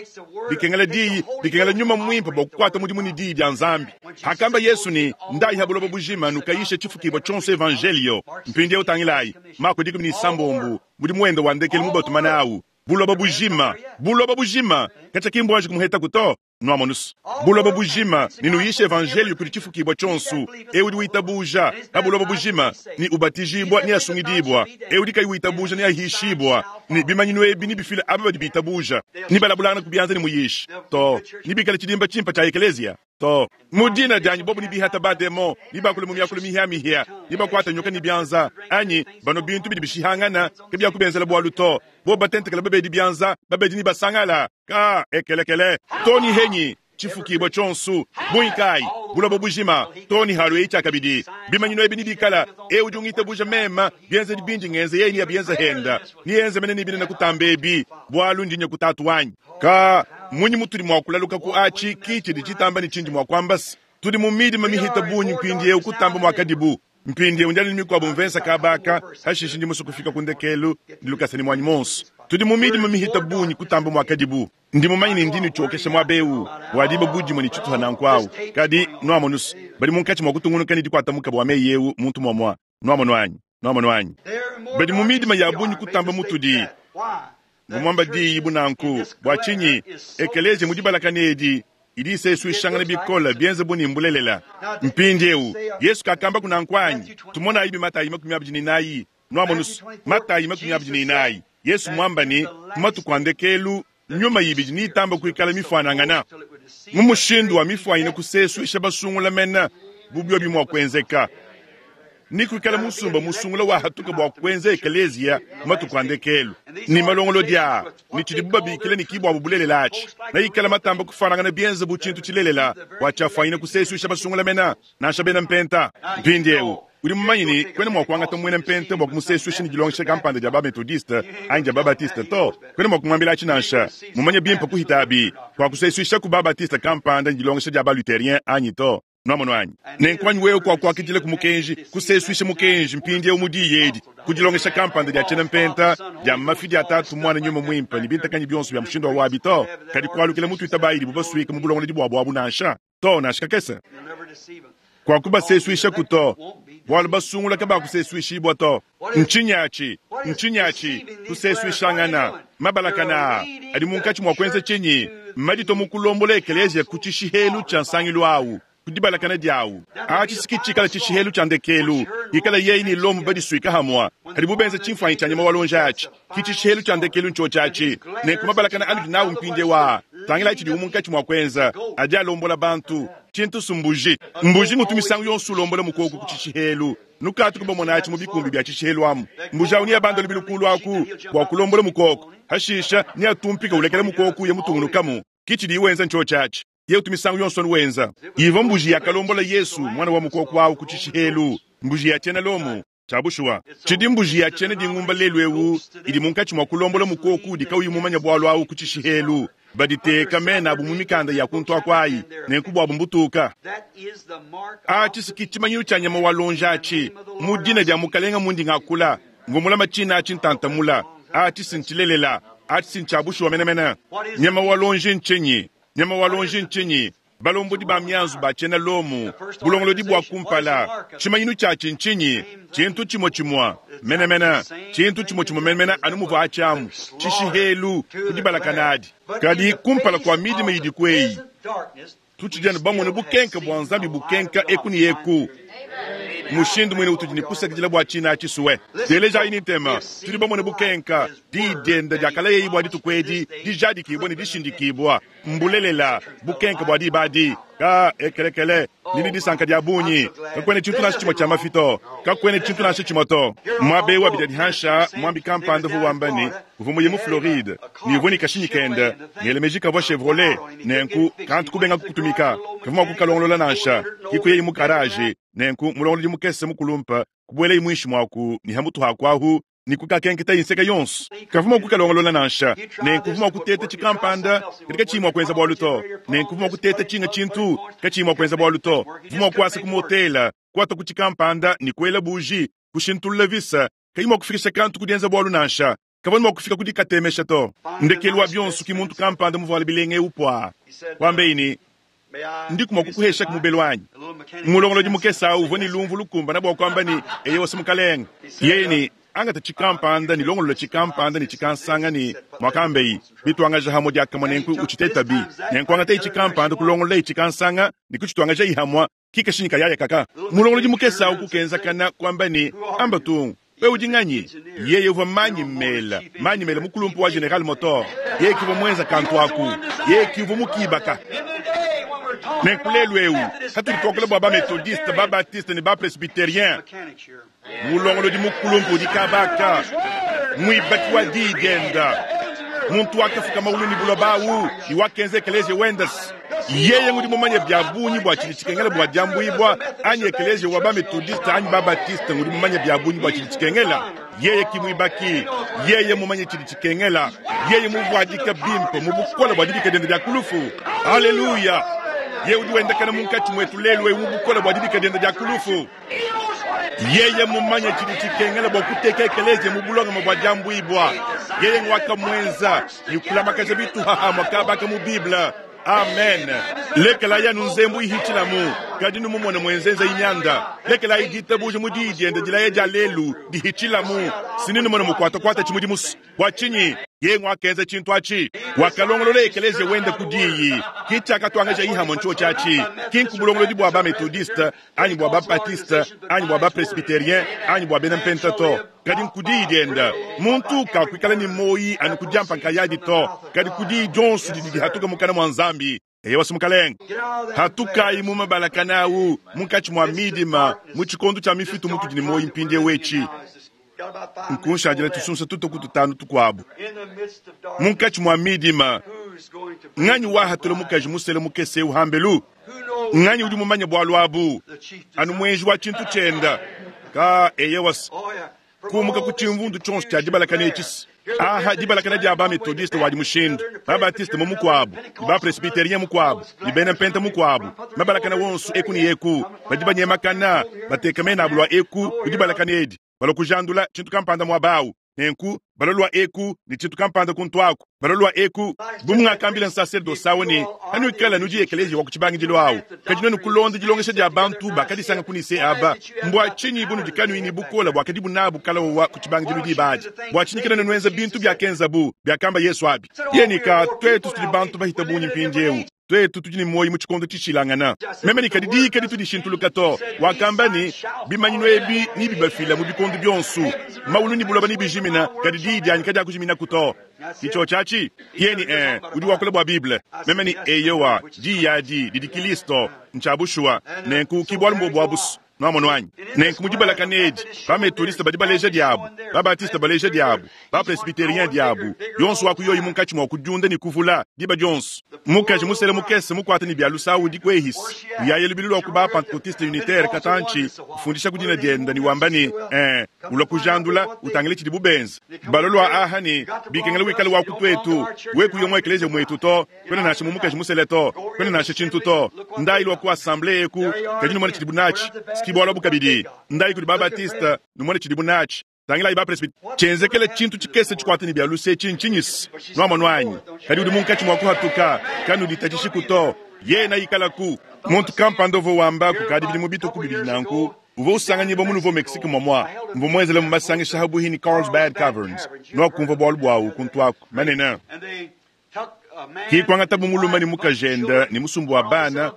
bikengela diyi, bikengela Nyuma Muimpe bua kukuata mudimu ne diyi dia Nzambi. Hakamba Yesu ne, Ndayi ha buloba bujima, nukayishe tshifukibua tshionso evanjelio. Mpindieu tangilayi, Mako 16, mudimu wende wa ndekelu mubatuma nawu, buloba bujima, buloba bujima, katshia ki mbuanji kumuhetaku to. Nuamonus, buloba bujima, ne nuyishe evanjeliyo kudi tshifukibua tshionso. Eu udi witabuja pa buloba bujima ne ubatijibua neasungidibua, eu udi kayi witabuja neahishibua. Ne bimanyinu ebi nebifile aba badi bitabuja. Nebalabulangane ku bianza ne muyishi to, nebikale tshidimba tshimpe tshia ekeleziya to. Mu dina dianyi bobu nebihata bademon, nebakule mu miakulu mihia-mihia, nebakuate nyoka ne bianza, anyi banua bintu bidi bishihangana, kabiakubenzela bualu to. Bobu batentekela babedi bianza, babedi nebasangala. Ka ekelekele to ni henyi tshifukibua tshionso bungi kayi buloba bujima to ni halu eyi tshiakabidi. Bimanyinu ebi nibikala eu udi ungitabuja mema, bienzedi bindi ngenza yeye neabienza henda, neyenze mene ne binene kutamba ebi, bualu ndi nya ku Tatu wanyi. Ka munyi mutudi mua kulaluka ku atshi ki tshidi tshitamba ne tshindi mua kuamba se tudi mu midima mihita bungi mpindieu kutamba muakadibu Mpindieu ndi anu ne mikuabu mvensa kaba aka, hashishe ndi musue kufika ku ndekelu ne lukasa ne muanyi muonso. Tudi mu midima mihita bungi kutamba muakadibu. Ndi mumanye ne ndi nutshiokesha muaba eu bua diba bu dimue ne tshituha nanku au, kadi nuamonus, badi munkatshi mua kutungunuka ne dikuata mukaba wa meyi eu muntu muamua. Nuamonu anyi? Nuamonu anyi? Badi mu midima ya bungi kutamba mutudi. Mvua muamba diyi bu nanku. Bua tshinyi? Ekeleziya mu dibalakana edi idi isesuishangana bikole, bienze bu ne mbulelela. Mpindieu, Yesu kakambaku nanku anyi? Tumonayibi Matayi 24. Nuamonus, Matayi 24. Yesu mwamba ne, mu matuku a ndekelu, nyuma yibidi neyitambe kuikala mifuanangana mu mushindu wa mifuanyine kusesuisha basungula mena bu biobi mua kuenzeka, ne kuikala musumba musungula wahatuka bua kuenza ekeleziya mu matuku a ndekelu, ne malongolodi aa ne tshidibu babikila ne kibuabu bulelela atshi neikala matamba kufuanangana bienza bu tshintu tshilelela bua tshiafuanyine kusesuisha basungula mena nansha bena mpenta. Mpindieu udi mumanye ne, kuena mua kuangata muena mpenta bua kumusesuisha ne dilongesha kampanda dia ba-Methodiste anyi dia ba-Baptiste to. Kuena mua kumuambila atshi nansha. Mumanye bimpe kuhita abi, kuakusesuishaku ba-Baptiste kampanda ne dilongesha dia ba-Lutherien anyi to. Nwamonu anyi? Nenku anyi wewe kuakuakidila ku mukenji, kusesuisha mukenji mpindieu mu diyi edi, ku dilongesha kampanda dia tshiena mpenta, dia mafi dia Tatu, Muana, Nyuma Muimpe, ne bintakanyi bionso bia mushindu wa wabi to, kadi kualukila mu tuitabayi idibu basuika mu bulongolodi buabu abu nansha. To, nansha kakese. Kuakubasesuishaku to, bualu basungula kabakusesuishibua to. Ntshinyi atshi? Ntshinyi atshi? Kusesuishangana. Mabalakana aa adi munkatshi mua kuenza tshinyi? Mmaditue mu kulombola ekeleziya ku tshishihelu tshia nsangilu au, ku dibalakana diawu. Atshi si ki tshikala tshishihelu tshia ndekelu, ikala yeye ne Lomo badisuika hamua, hadibu benza tshimfuanyi tshia nyama wa luonji atshi. Ki tshishihelu tshia ndekelu ntshiotshi atshi. Nenku mabalakana anudi nawu mpindieu aa, tangilayi tshidiwu munkatshi mua kuenza, adi alombola bantu. Tshintu s'mbuji. Mbuji ngutu misangu yonso ulombola mukoko ku tshishihelu. Nukatu kubamona atshi mu bikumbi bia tshishihelu amu. Mbuji au neabande lubilu kulu aku bua kulombola mukoko. Hashisha neatumpike ulekela mukoko uya mutungunukamu. Ki tshidiyi wenza ntshiotshi atshi. Yeye utu misangu yonso anu wenza. Ivua mbuji yakalombola Yesu, muana wa mukoko au ku tshishihelu, mbuji ya tshiena Lomo. Tshia bushuwa, tshidi mbuji ya tshiena dingumba lelu eu idi munkatshi mua kulombola mukoko udi kauyi mumanye bualu au ku tshishihelu. Baditeka mena abu mu mikanda ya kuntu aku ayi, nenku buabu mbutuka. Atshi si ki tshimanyinu tshia nyama wa luonji atshi. Mu dina dia Mukalenga mundi ngakula, mvua mulama tshina atshi ntantamula. Atshi si ntshilelela. Atshi si ntshia bushuwa menemene. Nyama wa luonji ntshinyi? Nyama wa luonji ntshinyi? Balombodi ba mianzu ba tshiena Lomo, bulongolodi bua kumpala, tshimanyinu tshiatshi ntshinyi? Tshintu tshimue tshimue menemene, tshintu tshimue tshimue menemene anu muvua atshi amu, tshishihelu ku dibalakana adi. Kadi kumpala kua midima idiku eyi, tutshidi anu bamone bukenka bua Nzambi bukenka eku ne eku. Mushindu muine utudi ne kusakidila bua tshina atshi sue. Telejayi ne ntema, tudi bamone bukenka, diyi diende diakalayeyi bua dituku edi dijadikibua ne dishindikibua. Mbulelela, bukenke bua diba adi, ka ekelekele, ndi ne disanka dia bungi. Kakuena tshintu nansha tshimue tshia mafi to, kakuena tshintu nansha tshimue to. Muaba eu wa bidia-dihansha, muambi kampanda uvua wamba ne, uvua muye mu Floride ne uvua ne kashinyi kende, ngela meji kavua Chevrolet, nenku kantu kubenga kukutumika, kavua mua kukalongolola nansha. Ke kuyaye mu karaje, nenku mulongolodi mukese mukulumpe kubuelaye muinshi muaku ne ha mutu haku ahu ne kukakenketaye nseke yonso. Kavua mua kukalongolola nansha. Nenku uvua mua kuteta tshikampanda, kadi katshiyi mua kuenza bualu to. Nenku uvua mua kuteta tshinga tshintu, katshiyi mua kuenza bualu to. Uvua mua kuasa ku motela, kuata ku tshikampanda ne kuela buji, kushintulula visa, kayi mua kufikisha kantu ku dienza bualu nansha. Kavua ne mua kufika ku dikatemesha to. Ndekelu wa bionso ki muntu kampanda muvuale bilenga eu puaa, kuambeyi ne, Ndiku mua kukuheshaku mubelu anyi? Mulongolodi mukese au uvua ne lumvu lukumbane bua kuamba ne, Eyowa, mukalenge. Yeye ne, Angata tshikampanda ne longolola tshikampanda ne tshikansanga ne muakambeyi, bituangaja hamue diakamue nenku utshitetabi. Nenku angatayi tshikampanda kulongololayi tshikansanga ne kutshituangajayi hamue, ki kashinyi kayaya kaka. Mulongolodi mukese au kukenzakana kuamba ne, Amba tung, wewe udi nganyi? Yeye uvua manyi mela, manyi mela mukulumpe wa General Motors. Yeye ki uvua muenza kantu aku, yeye ki uvua mukibaka. Nenku lelu eu, patudi tuakula bua ba-Methodiste, ba-Baptiste ne ba-Presbyterien, Mulongolodi mukulumpe udi kaba aka, muibaki wa diyi dienda, muntu wakafuka maulu ne buloba awu ne wakenza ekeleziya wenda. Yeye ngudi mumanye bia bungi bua tshidi tshikengela bua diambuibua, anyi ekeleziya wa ba-Methodiste anyi ba-Baptiste ngudi mumanye bia bungi bua tshidi tshikengela. Yeye ki muibaki, yeye mumanye tshidi tshikengela, yeye muvuadika bimpe mu bukole bua dibika diende dia ku lufu. Aleluya! Yeye udi wendakana munkatshi muetu lelu eu mu bukole bua dibika diende dia ku lufu. Yeye mumanye tshidi tshikengela bua kuteka ekeleziya mu bulongame bua diambuibua. Yeye ngwakamuenza ne kulamakaja bituha hamue kaba aka mu Bible. Amen. Lekelayi anu nzembu ihitshilamu. Kadi numumone muenzenza mianda. Lekelayi ditabuja mu diyi diende dilaya dia lelu dihitshilamu. Si numone mukuatakuata tshimudimu. Bua tshinyi? Yeye wakenza tshintu atshi. Wakalongolola ekeleziya wende ku diyi. Ki tshiakatuangaja ihamo ntshiotshi atshi. Ki nku bulongolodi bua ba-methodiste, anyi bua ba-baptiste, anyi bua ba-presbyterien, anyi bua bena mpenta to. Kadi nku diyi diende. Muntu kakuikala ne muoyi anu ku diampa nkayadi to, kadi ku diyi dionso didi dihatuka mukana mua Nzambi. Eyowa Mukalenge, hatukayi mu mabalakana awu munkatshi mua midima mu tshikondo tshia mifitu mutudi ne muoyi mpindieu etshi. Nkunshadila tusunsa tutue ku tutanu tukuabu munkatshi mua midima. Nganyi wahatula mukaji musele mukese eu hambelu? Nganyi udi mumanye bualu abu? Anu muenji wa tshintu tshienda. Ka eyowa kumuka ku tshimvundu tshionso tshia dibalakana etshi. Aha dibalakana dia ba methodiste wadi mushindu, ba baptiste mu mukuabu, ne ba presbyterien mukuabu, ne bena mpenta mukuabu, mabalakana wonso eku ne eku, badi banyemakana, bateka mena abu lua eku ku dibalakana edi, balua kujandula tshintu kampanda muaba awu. Nenku balua lua eku ne tshintu kampanda kuntu aku, balua lua eku. Bu mungakambila nsaserdose awu ne, Hanuikala nudi ekeleziya wa ku tshibangidilu awu, kadi nuenu kulonda dilongesha dia bantu bakadisanga ku Nicee aba, mbua tshinyi bunudi kanuyi ne bukole buakadibu nabu kalawowa ku tshibangidilu diba adi? Bua tshinyi kena nuenza bintu biakenzabu, biakamba Yesu abi? Yeye ne, Ka tuetu tudi bantu bahita bungi mpindieu. Tuetu tudi ne muoyo mu tshikondo tshishilangana. Meme ne, Kadi diyi kaditu dishintuluka to. Wakamba ne, Bimanyinu ebi nebibafila mu bikondo bionso. Maulu ne buloba nebijimina, kadi diyi dianyi kadiakujiminaku to. Ke tshiotshi atshi? Yeye ne, Ee, udi wakula bua Bible. Meme ne, Eyowa, diyi adi didi Kilisto. Ntshia bushuwa. Nenku ki bualu mbuobu abu's. Nwamonu anyi? Nenku mu dibalakana edi, ba-Methodiste badi baleja diabu, ba-Baptiste baleja diabu, ba-Presbyterien diabu, yonso wa ku yoyi munkatshi mua kudiunda ne kuvula, diba dionso. Mukaji musele mukese mukuata ne bia lusa udi ku ehisi, uyaya lubilu lua ku ba-Pentecotiste unitaire katantshi, ufundishaku dina diende ne wamba ne, Ee, ulua kujandula, utangile tshidibu benza. Balua lua aha ne, Bikengela wikale wa ku tuetu, we kuya mu ekeleziya muetu to. Kwena nansha mu mukaji musele to, kwena nansha tshintu to. Ndayi lua ku assemblee eku, kadi numone tshidibu natshi. S'ki bualu abu kabidi. Ndayi kudi ba-Baptiste, numone tshidibu natshi. Tangilayi ba-Presbyte. Tshienzekela tshintu tshikese tshikuate ne bia luse etshi ntshinyi-se? Nwamonu anyi? Kadi udi munkatshi mua kuhatuka. Kanuditatshishiku to. Yena ikalaku. Muntu kampanda uvua wamba kukadi bidimu bitue ku bibidi nanku, uvua usanganyibua mu Nouveau Mexique muamua. Mvua muenzelamu masangisha habuihi ne Carlsbad Caverns. Nuakumvua bualu buawu kuntu aku. Manene. Ki kuangatabu mulume ne mukajende ne musumba wa bana,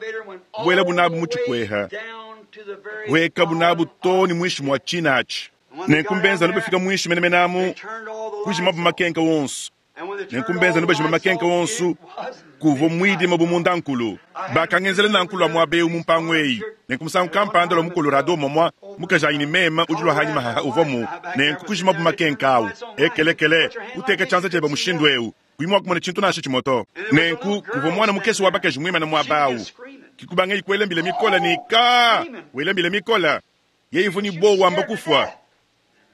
kubuelabu nabu mu tshikueha, kuhuekabu nabu too ne muinshi mua tshina atshi. Nenku mbenza anu bafika muinshi menemene amu, kujimabu makenka wonso. Nenku mbenza anu bajima makenka wonso, kuvua muidima bu mundankulu. Bakangenzela nanku lua muaba eu mu mpangu eyi. Nenku musangu kampanda lua mu Colorado momua, mukajanyi ne meme udi lua hanyima haha uvuamu. Nenku kujimabu makenka awu. Ekelekele, uteka tshianza tshiebe mushindu eu, kuyi mua kumona tshintu nansha tshimue to. Nenku kuvua muana mukese wa bakaji muimane muaba awu. Ki kubangayi kuela mbila mikole ne, Kaa! Wela mbila mikole. Yeye uvua ne buowa wamba kufua.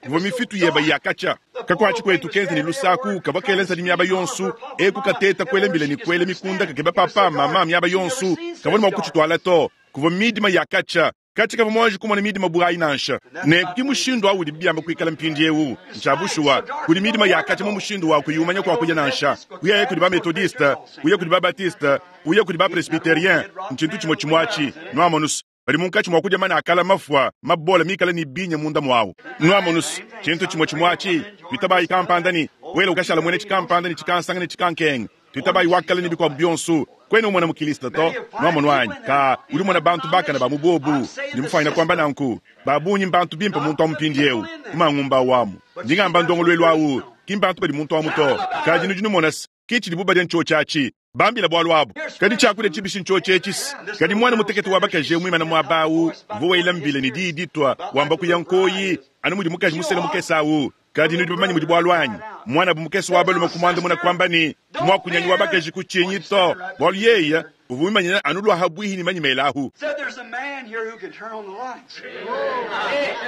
Kuvua mifitu yeba ya katshia. Kakuatshi kuetu kenza ne lusaku kavua kela nsadi miaba yonsu, eku kateta kuela mbila ne kuela mikunda kakeba papa, mama miaba yonsu. Kavua ne mua kutshituala to. Kuvua midima ya katshia. Katshia kavua muanji kumona midima bu ayi nansha. Nenku ki mushindu au udibi biamba kuikala mpindiewu. Ntshia bushuwa, kudi midima ya katshia mu mushindu wa kuyi umanya kua kuya nansha. Uyaye kudi ba-Methodiste, uye kudi ba-Baptiste, uye kudi ba-Presbyterien, ntshintu tshimue tshimue atshi. Nuamonu's, badi munkatshi mua kudia mana a kala mafua mabole mikale ne binya munda muawu. Nuamonu's, tshintu tshimue tshimue atshi. Tuitabayi kampanda ne, wela ukashala muena tshikampanda ne tshikansanga ne tshikankenga. Tuitabayi wa kale ne bikuabu bionso. Kuena umona mu Kilisto to. Nwamonu anyi? Kaa, udi umona bantu bakane ba mu bobu. Ndi mufwanyine kuamba nanku. Ba bungi mbantu bimpe muntu amu mpindiewu, mu mangumba awu amu. Ndi ngamba ndongoluelu awu, ki mbantu badi muntu amu to. Kadi nudi numona se, ki tshidibu badia ntshiotshi atshi. Bambila bualu abu. Kadi tshiakudia tshibishi ntshiotshi etshi-se. Kadi muana mutekete wa bakaji eu muimane muaba awu, uvua wela mbila ne diyi ditua, wamba kuya nkoyi, anu mudi mukaji musele mukese awu. Kadi nudi bamanye mudi bualu anyi? Muanabu mukese wa balume kumuandamuna kuamba ne, Muakunyanyi wa bakaji kutshinyi to, bualu yeye uvua wimanyina anu lua habuihi ne manyi mela ahu.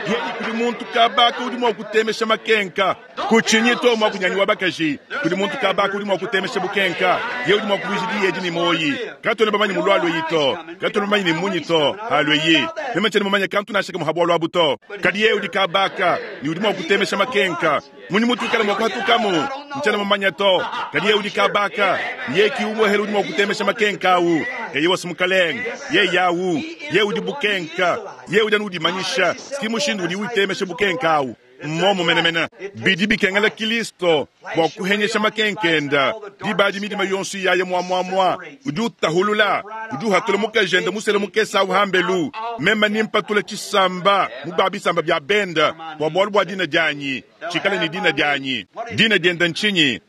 Yeye kudi muntu kabaka udi mua kutemesha makenka. Kutshinyi to, muakunyanyi wa bakaji, kudi muntu kabaka udi mua kutemesha bukenka. Yeye udi mua kuvuija diyi edi ne muoyi. Katuena bamanye mulualua to, katuena bamanye ne munyi to halueyi. Meme tshiena mumanye kantu nansha kamue ha bualu abu to. Kadi yeye udi kabaka ne udi mua kutemesha makenka. bukenka. Mmunyi mutuikala mua kuhatukamu? Ntshiena mumanye to. Kadi yeye udi kaba aka. Yeye ki umuehele udi mua kutemesha makenka awu. Eyowa, Mukalenge. Yeye awu. Yeye udi bukenka. Yeye udi anu udimanyisha. Ki mushindu udi utemesha bukenka awu. Mmomu menemene. Bidi bikengela Kilisto bua kuhenyesha makenka enda. Diba adi midima yonso iyaya muamuamua. Udi utahulula. Udi uhatula mukajende musele mukese awu hambelu. Meme nimpatula tshisamba mu ba bisamba bia benda bua bualu bua dina dianyi. Tshikale ne dina dianyi. Dina diende ntshinyi?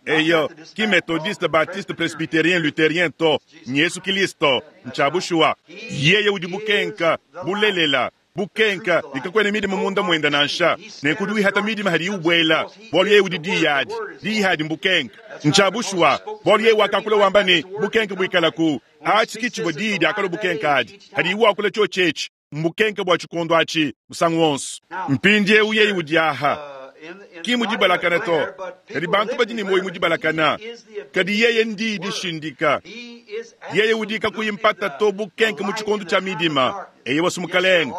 Eyo, ki Methodiste, Baptiste, Presbyterien, Lutherien to. Nyesu Kilisto. Ntshia bushuwa. Yeye udi bukenka, bulelela. Bukenka, ne kakuena midima munda muende nansha. Nenku udi wihata midima hadiye ubuela, bualu yeye udi diyi adi. Diyi adi mbukenka. Ntshia bushuwa, bualu yeye wakakula wamba ne, Bukenka buikalaku. Atshi ki tshivua diyi diakalua bukenka adi. Hadiye wakula tshiotshi etshi, mbukenka bua tshikondo atshi, musangu wonso. Mpindieu yeye udi aha. Ki mu dibalakana to, kadi bantu badi ne muoyo mu dibalakana. Kadi yeye ndiyi dishindika. Yeye udi kakuyi mpata to bukenka mu tshikondo tshia midima. Eyowa, Mukalenge.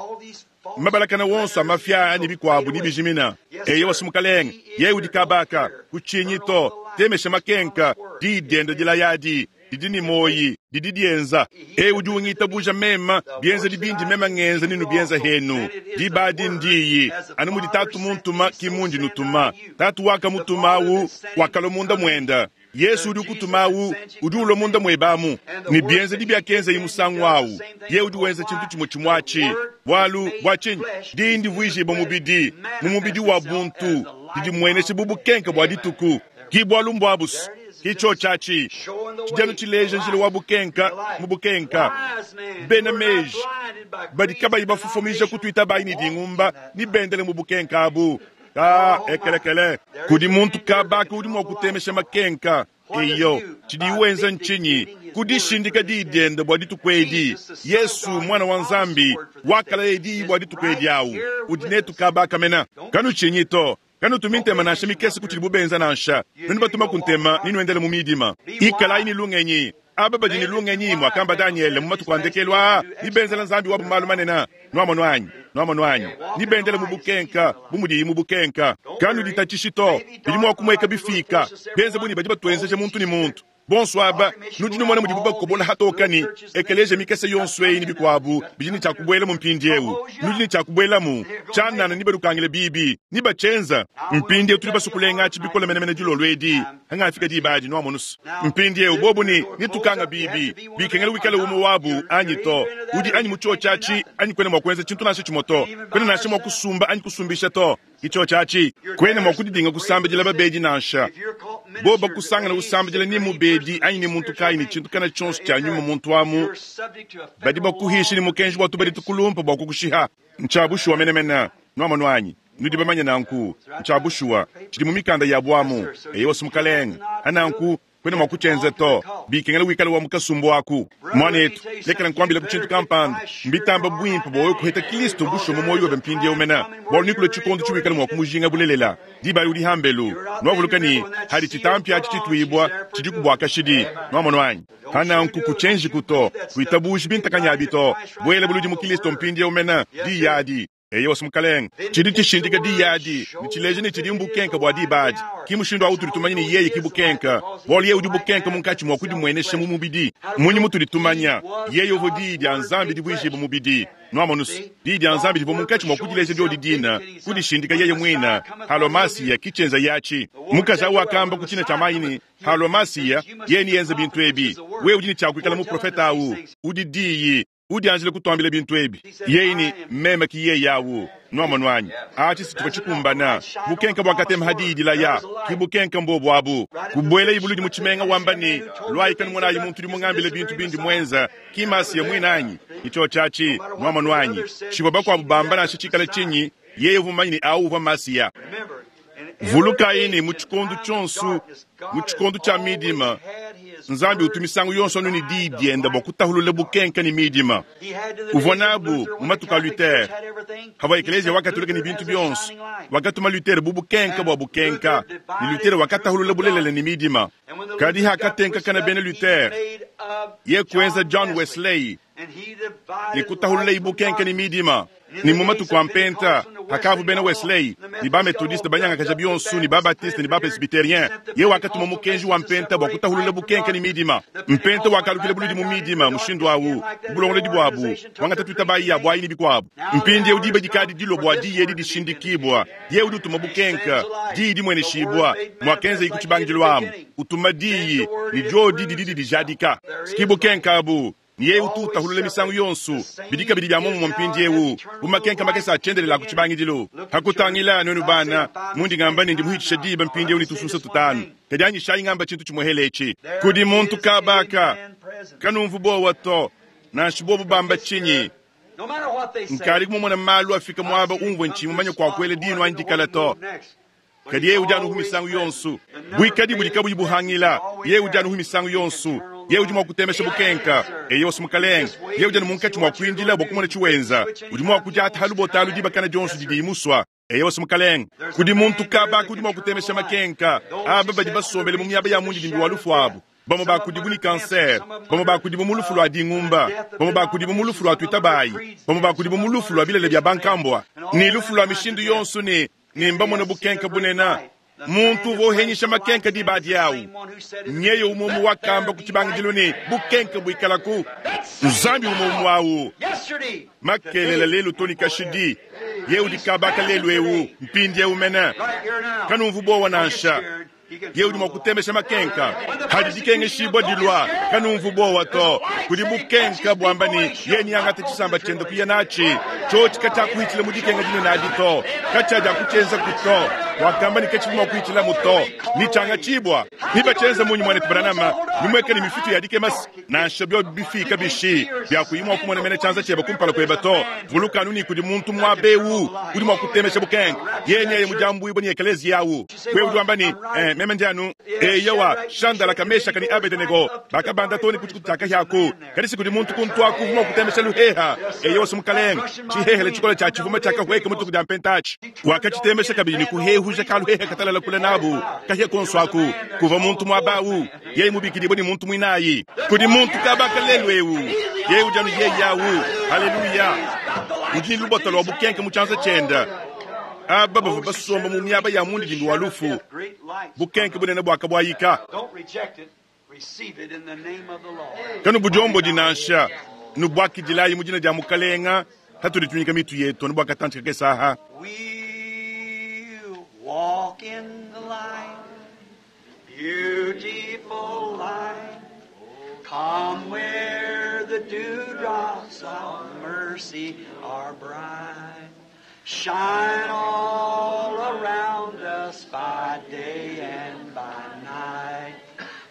Mabalakana wonso a mafia ne bikuabu ne bijimina. Eyowa, Mukalenge. Yeye udi kabaka. Kutshinyi to. Temesha makenka. Diyi diende dilaya adi didi ne muoyi, didi dienza. Eyi udi ungitabuja mema, bienzedi bindi mema ngenza ne nubienza henu. Diba adi ndiyi, anu mudi Tatu muntuma ki mundi nutuma. Tatu wakamutuma awu, wakalua munda muenda. Yesu udi ukutuma awu, udi ulua munda muebe amu. Ne bienzedi biakenzaye musangu awu, yeye udi wenza tshintu tshimue tshimue atshi. Bualu, bua tshinyi? Diyi ndivuijibua mubidi, mu mubidi wa buntu, didimuenesha bu bukenke bua dituku. Ki bualu mbuabusu. Ki tshiotshi atshi. Tshidi anu tshileja njila wa bukenka mu bukenka. Bena meji badi kabayi bafofomija kutuitabayi ne dingumba ne bendele mu bukenka abu. Ka ekelekele. Kudi muntu kabaka udi mua kutemesha makenka. Eyo, tshidiye wenza ntshinyi? Kudishindika diyi diende bua dituku edi. Yesu, Muana wa Nzambi, wakalaya diyi bua dituku edi awu. Udi netu kabaka mena. Kanutshinyi to. Kanutumi ntema nansha mikese ku tshidibu benza nansha. Nuenu batumaku ntema, nenuendele mu midima. Ikalayi ne lungenyi. Aba badi ne lungenyi, muakamba Danyele mu matuku a ndekelu aa, nebenzele Nzambi wabu malu manene. Nuamonu anyi? Nuamonu anyi? Nebendele mu bukenka, bu mudiyi mu bukenka. Kanuditatshishi to. Bidi mua kumueka bifika, bienze bu ne badi batuenzeja muntu ne muntu. Bonso aba, nudi numona mudibu bakobola hatoka ne ekeleziya mikese yonso eyi ne bikuabu bidi ne tshia kubuelamu mpindieu. Nudi ne tshia kubuelamu. Tshianana nebalukangile bibi, ne batshienza. Mpindieu tudi basue kulenga atshi bikole menemene dilolo edi, hangafika diba adi, nuamonu's. Mpindieu bobu ne, netukanga bibi. Bikengela wikale umue wabu anyi to. Udi anyi mu tshiotshi atshi anyi kuena mua kuenza tshintu nansha tshimue to. Kuena nansha mua kusumba anyi kusumbisha to. Ki tshiotshi atshi. Kuena mua kudidinga kusambidila babedi nansha. Bobu bakusangana usambidila ni mubedi anyi ni muntu kayi ne tshintu kana tshionso tshia nyuma muntu amu, badi bakuhisha ne mukenji wa tubadi tukulumpa bua kukushiha. Ntshia bushuwa menemene. Nuamonu anyi? Nudi bamanye nanku. Ntshia bushuwa. Tshidi mu mikanda yabu amu. Eyowa, Mukalenge. Hananku, kuena mua kutshienza to. Bikengela wikale wa mu kasumbu aku. Muanetu, lekela nkuambilaku tshintu kampanda. Mbitamba buimpe bua wewe kuheta Kilisto bushuwa mu muoyo webe mpindieu mena, bualu nekulue tshikondo tshiwikala mua kumujinga bulelela. Diba adi udi hambelu. Nuavuluka ne, hadi tshitampi atshi tshituibua, tshidiku bua kashidi. Nuamonu anyi? Hananku kutshienjiku to. Kuitabuji bintakanyi abi to. Buela buludi mu Kilisto mpindieu mena, diyi adi. Eyowa, Mukalenge. Tshidi tshishindika diyi adi ne tshileja ne tshidi mbukenka bua diba adi. Ki mushindu awu utudi tumanya ne yeye ki bukenka, bualu yeye udi bukenka munkatshi mua kudimuenesha mu mubidi. Mmunyi mutudi tumanya? Yeye uvua Diyi dia Nzambi divuijibua mubidi. Nuamonu's, Diyi dia Nzambi divua munkatshi mua kudileja diodi dina, kudishindika yeye muine. Halua Masiya, ki tshienzaye atshi. Mukaji awu wakamba ku tshina tshia mayi ne, Halua Masiya, yeye neyenze bintu ebi. Wewe udi ne tshia kuikala muprofete awu. Udi Diyi. Udianjile kutuambila bintu ebi. Yeye ne, Meme ki yeye awu. Nuamonu anyi? Atshi si tshivua tshikumbana. Bukenka buakatema ha diyi dilaya. Ki bukenka mbuobu abu. Kubuela ibuludi mu tshimenga wamba ne, Luayi kanumonayi muntu udi mungambile bintu bindi muenza. Ki Masiya muine anyi? Ki tshiotshi atshi. Nuamonu anyi? Tshivua bakuabu bamba nansha tshikale tshinyi, yeye uvua mumanye ne awu uvua Masiya. Vulukayi ne, mu tshikondo tshionso, mu tshikondo tshia midima, Nzambi utu misangu yonso anu ne diyi diende bua kutahulula bukenka ne midima. Uvua nabu mu matuku a Luther, havua ekeleziya wa Katolika ne bintu bionso. Wakatuma Luther bu bukenka bua bukenka, ne Luther wakatahulula bulelela ne midima. Kadi hakatenkakana bena Luther, ye kuenza John Wesley ne kutahululayi bukenka ne midima. Ne mu matuku a Mpenta, Hakavua bena Wesley ne ba-Methodiste banyangakaja bionso ne ba-Baptiste ne ba-Presbyterien, yeye wakatuma mukenji wa mpenta bua kutahulula bukenke ne midima. Mpenta wakalukila buludi mu midima mushindu au, mu bulongolodi buabu, kuangata tuitabayi ya buayi ne bikuabu. Mpindieu diba dikadi dilua bua diyi edi dishindikibua. Yeye udi utuma bukenke, diyi dimueneshibua, muakenzeyi ku tshibangidilu amu. Utuma diyi, ne diodi didi didijadika. Ki bukenke abu. Ne yeye utu utahulula misangu yonso. Bidi kabidi bia muomumue mpindieu, bu makenka makese a tshiendelele a ku tshibangidilu. Hakutangila, nuenu bana, mundi ngamba ne ndi muhitshisha diba mpindieu ne tusunsa tutanu, kadi anyishayi ngamba tshintu tshimuehele etshi. Kudi muntu kabaka, kanumvu buowa to, nansha bobu bamba tshinyi. Nkadi kumumona malu afika muaba umvue ntshiyi mumanye kua kuela dinu anyi dikala to. Kadi yeye udi anuhu misangu yonso, buikadi budi kabuyi buhangila. Yeye udi anuhu misangu yonso, yeye udi mua kutemesha bukenka. Eyo mukalenge, yeye udi anu munkatshi mua kuindila bua kumona tshiwenza. Udi mua kudiata ha lubota alu dibakana dionso didi musua. Eyo mukalenge, kudi muntu kabaka udi mua kutemesha makenka. Aba badi basombele mu miaba ya mundidimbi wa lufu abu, bamue bakudibu ne kanser, bamue bakudibu mu lufu lua dingumba, bamue bakudibu mu lufu lua tuitabayi, bamue bakudibu mu lufu lua bilele bia bankambua, ne lufu lua mishindu yonso ne mbamone bukenka bunene. Muntu uvua uhenyisha makenka diba diawu nyeye umwe wakamba ku tshibangidilu ne bukenka buikalaku. Nzambi umwe umwe awu makelela lelu to ne kashidi. Ye udi kabaka lelu ewu mpindiewu mene. Kanumvu bowa nansha. Ye udi mua kutemesha makenka hadi dikengeshibua dilua. Kanumvu bowa to. Kudi bukenka buamba ne ye niangata tshisamba tshiende kuya natshi. Tshiotshi katshiakuhitshila mu dikenga dinene adi to, katshiadiakutshienza kuto. Wakamba ne katshivu mua kuhitshila muto ni tshiangatshibua. Nibatshienza munyi mwanetu Branham nimweka ne mifitu ya dikemasi nansha biobi bifika bishi biakuyi mua kumona mene tshianza tshiebe kumpala kuebe to. Vulukanu ni kudi muntu muaba ewu udi mua kutemesha bukenke. Yeye nyeye mudiambuibua ni ekelezia awu. Wewe udi wamba ni meme ndi anu eyowa Shandala kameshaka ni Abedenego bakabanda to ni kutshikutu tshia kahyaku. Kadi si kudi muntu kuntuaku mua kutemesha luheha. Eyowa mukalenge tshihehele tshikola tshia tshivuma tshia kahweka mutuku dia mpentachi. Wakatshitemesha kabidi ni kuhehuja kaluheha katalala kula nabu kahya konso aku kuva muntu muaba awu. Yeye mubikidibwa ni muntu mwinayi. Kudi muntu kabaka lelu ewu. Yeye udi anu yeye awu. Haleluya. Udi ni lubota lwa bukenke mu tshianza tshiende. Aba bavua basomba mu miaba ya mundidimbi wa lufu. Bukenke bunene buakabwayika. Kanu budiombo dinansha nubwakidilayi mu dina dia mukalenga hatudi tunyika mitu yetu nubwakatanthika kesaha. We walk in the light, beautiful light. Come where the dewdrops of mercy are bright. Shine all around us by day and by night.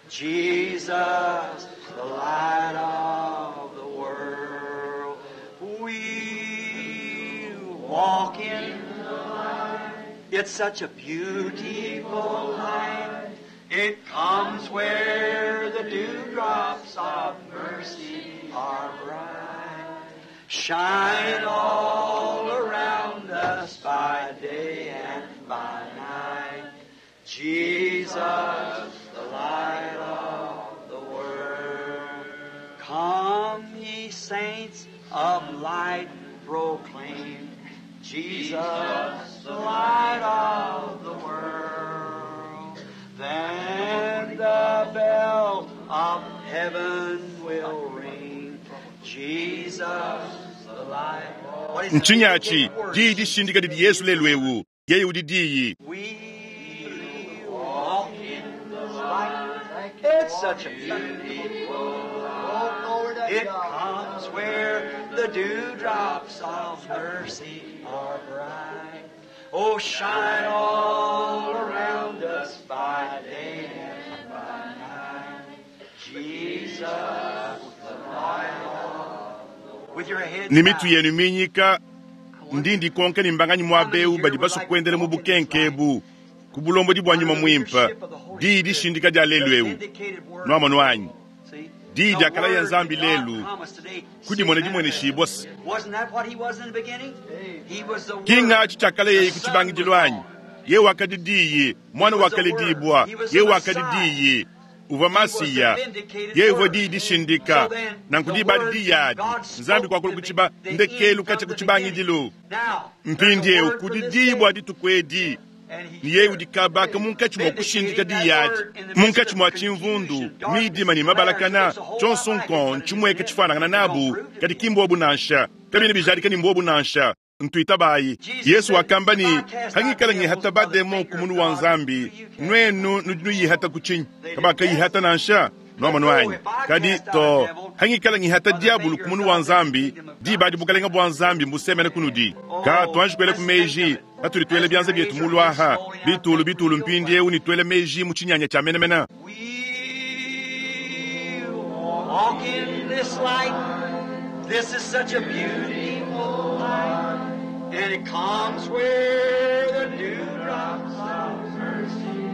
Jesus, the light of the world. We walk in the light. It's such a beautiful light. It comes where the dewdrops of mercy are bright. Shine all around us by day and by night. Jesus, the light of the world. Come, ye saints of light, proclaim Jesus, the light of the world. Then the bell of heaven will ring. Jesus, the light. What is the Ntshinyachi diyi dishindika didi Yesu lelu ewu. Yeye udi diyi. We walk in the light. It's such a beautiful light. It comes where the dewdrops of mercy are bright. Oh, shine all around us by day and by night. Jesus, the light of the With your head Ni mitu bowed. yenu minyika ndindi konke ni mbanganyi muaba ewu badi basua kuendela mu bukenke ebu ku bulombodi bua nyuma muimpe diyi dishindika dia lelu ewu. Nuamonu anyi diyi dia kala ya Nzambi lelu kudimona dimueneshibua se kinga tshi tshiakala yeye ku tshibangidilu anyi. Ye wakadi diyi, mwana wakaledibua, ye wakadi diyi. Uvwa Masiya. Yeye uvwa Diyi dishindika. Nanku diba adi Diyi adi, Nzambi kwakula ku ciba, ndekeelu kacya ku cibangidilu. Mpindyewu kudi Diyi bwa dituku edi, ne Yeye udi kabaaka munkaci mwa kushindika Diyi adi, munkaci mwa cimvundu, miidima ne mabalakana, cyonso nkong ncimweka cifwanangana nabu, kadi ki mbwobu nansha. Kabyena bijadika ne mbwobu nansha. Ntuitabayi. Yesu wakamba ne, Hangikala ngihata bademon ku munu wa Nzambi, nuenu nudi nuyihata ku tshinyi? Kabakayihata nansha, nuamonu anyi? Kadi to, hangikala ngihata diabulu ku munu wa Nzambi, diba adi bukalenga bua Nzambi mbusemena kunudi. Ka tuanji kuelaku meji, patudi tuela bianza bietu mulu aha, bitulu bitulu mpindieu ne tuela meji mu tshinyanya tshia menemene. We walk in this light. This is such a beautiful light. And it comes where the dewdrops of mercy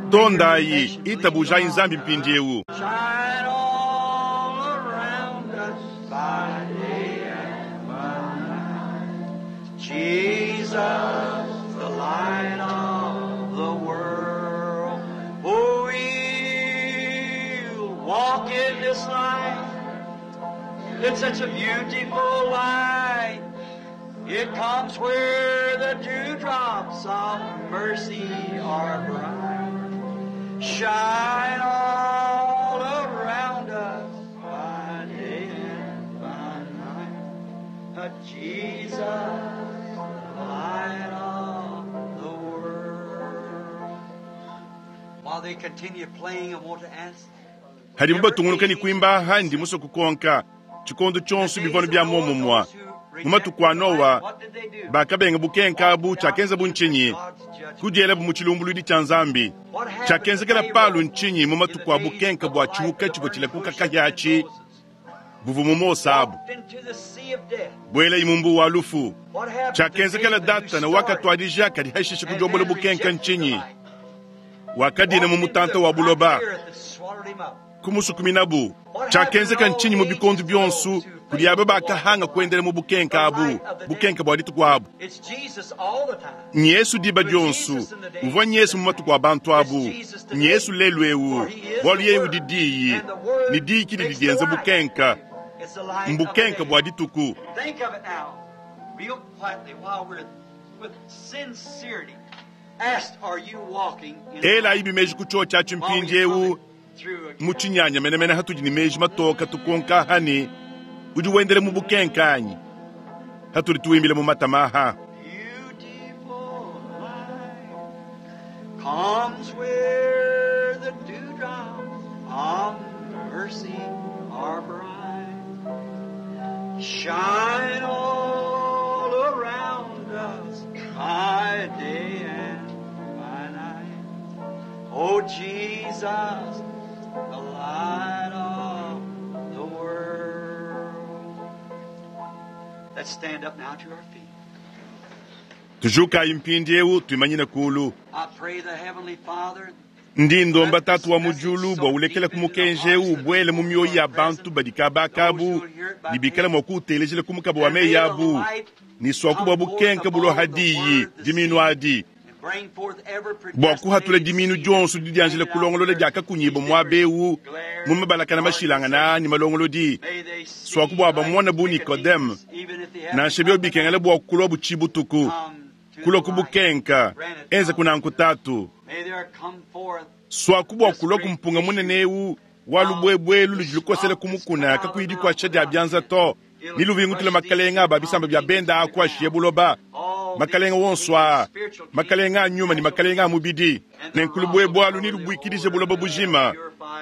Tondayi, itabujayi Nzambi mpindieu. shine all around us by day and by night. Jesus, the light of the world. Oh, we'll walk in this light. It's such a beautiful light. It comes where the dewdrops of mercy are bright. Shine all around us by day and by night. Jesus, the light of the world. While they continue playing, I want to ask. Hadibu batungunuka ne kuimba aha ndi musue kukonka tshikondo tshionso bivua bia muomumue. Mu matuku a Nowa, bakabenga bukenka abu tshiakenza bu ntshinyi? Kudielabu mu tshilumbuluidi tshia Nzambi. Tshiakenzekela Paulo ntshinyi mu matuku a bukenka bua tshihuka tshivua tshilakuka kahia atshi buvua mu Mose abu? Buelayi mu mbuwa wa lufu. Tshiakenzekela Datana wakatuadija kadi hashishe kudiombola bukenka ntshinyi? Wakadina mu mutanta wa buloba, kumusukuminabu. Tshiakenzeka ntshinyi mu bikondo bionso kudi aba bakahanga kuendela mu bukenka abu, bukenka bua dituku abu? It's Jesus all the time. Nyesu diba dionso, uvua Nyesu mu matuku a bantu abu, Nyesu lelu eu, bualu yeye udi Diyi, ne Diyi ki didi dienza bukenka, It's the light of the mbukenka day. bua dituku. Think of it now, real quietly, while we're with sincerity. Asked, are you walking in the Elayi light? bimeji ku chio tshiatshi While we mpindiewu come through a mu tshinyanya menemene hatudi ne meji matoka tukonka hani udi wendele mu bukenka anyi hatudi tuwimbile mu matama aha. Beautiful light comes where the dewdrops of mercy are bright. Shine all around us by day and by night. Oh Jesus, the light of the world. Let's stand up now to our feet. Tujukayi mpindiewu tuimanyine kulu. I pray the Heavenly Father Ndi ndomba tatu wa mu diulu bua ulekela ku mukenji ewu ubwele mu mioyo ya bantu badi kabakabu ne bikale mua kuutelejela ku mukaba wa meyi abu ne swaku bua bukenka bulua diyi diminu adi and bring forth every bua kuhatula predestinated diminu seed dionso didianjila kulongolola diakakunyibwa muaba ewu mu mabalakana mashilangana ne malongolodi. May they see Swaku bua like bamona bu Nikodeme, Nicodemus, even if they have nansha byo bikengela bua kulua butshibutuku come to kulua the ku light. bukenka enza kunanku tatu. May there come forth Swaku bua kulua kumpunga munene ewu wa lubwebwelu ludi lukosela kumukuna kakuyi dikuatshisha dia bianza to ni luvingutula makalenga aba bisamba bia benda akuashiye buloba all makalenga these wonso aa kings, spiritual kings, makalenga a nyuma ne makalenga a mubidi nenkulu bwebwalu ni lubwikidije buloba bujima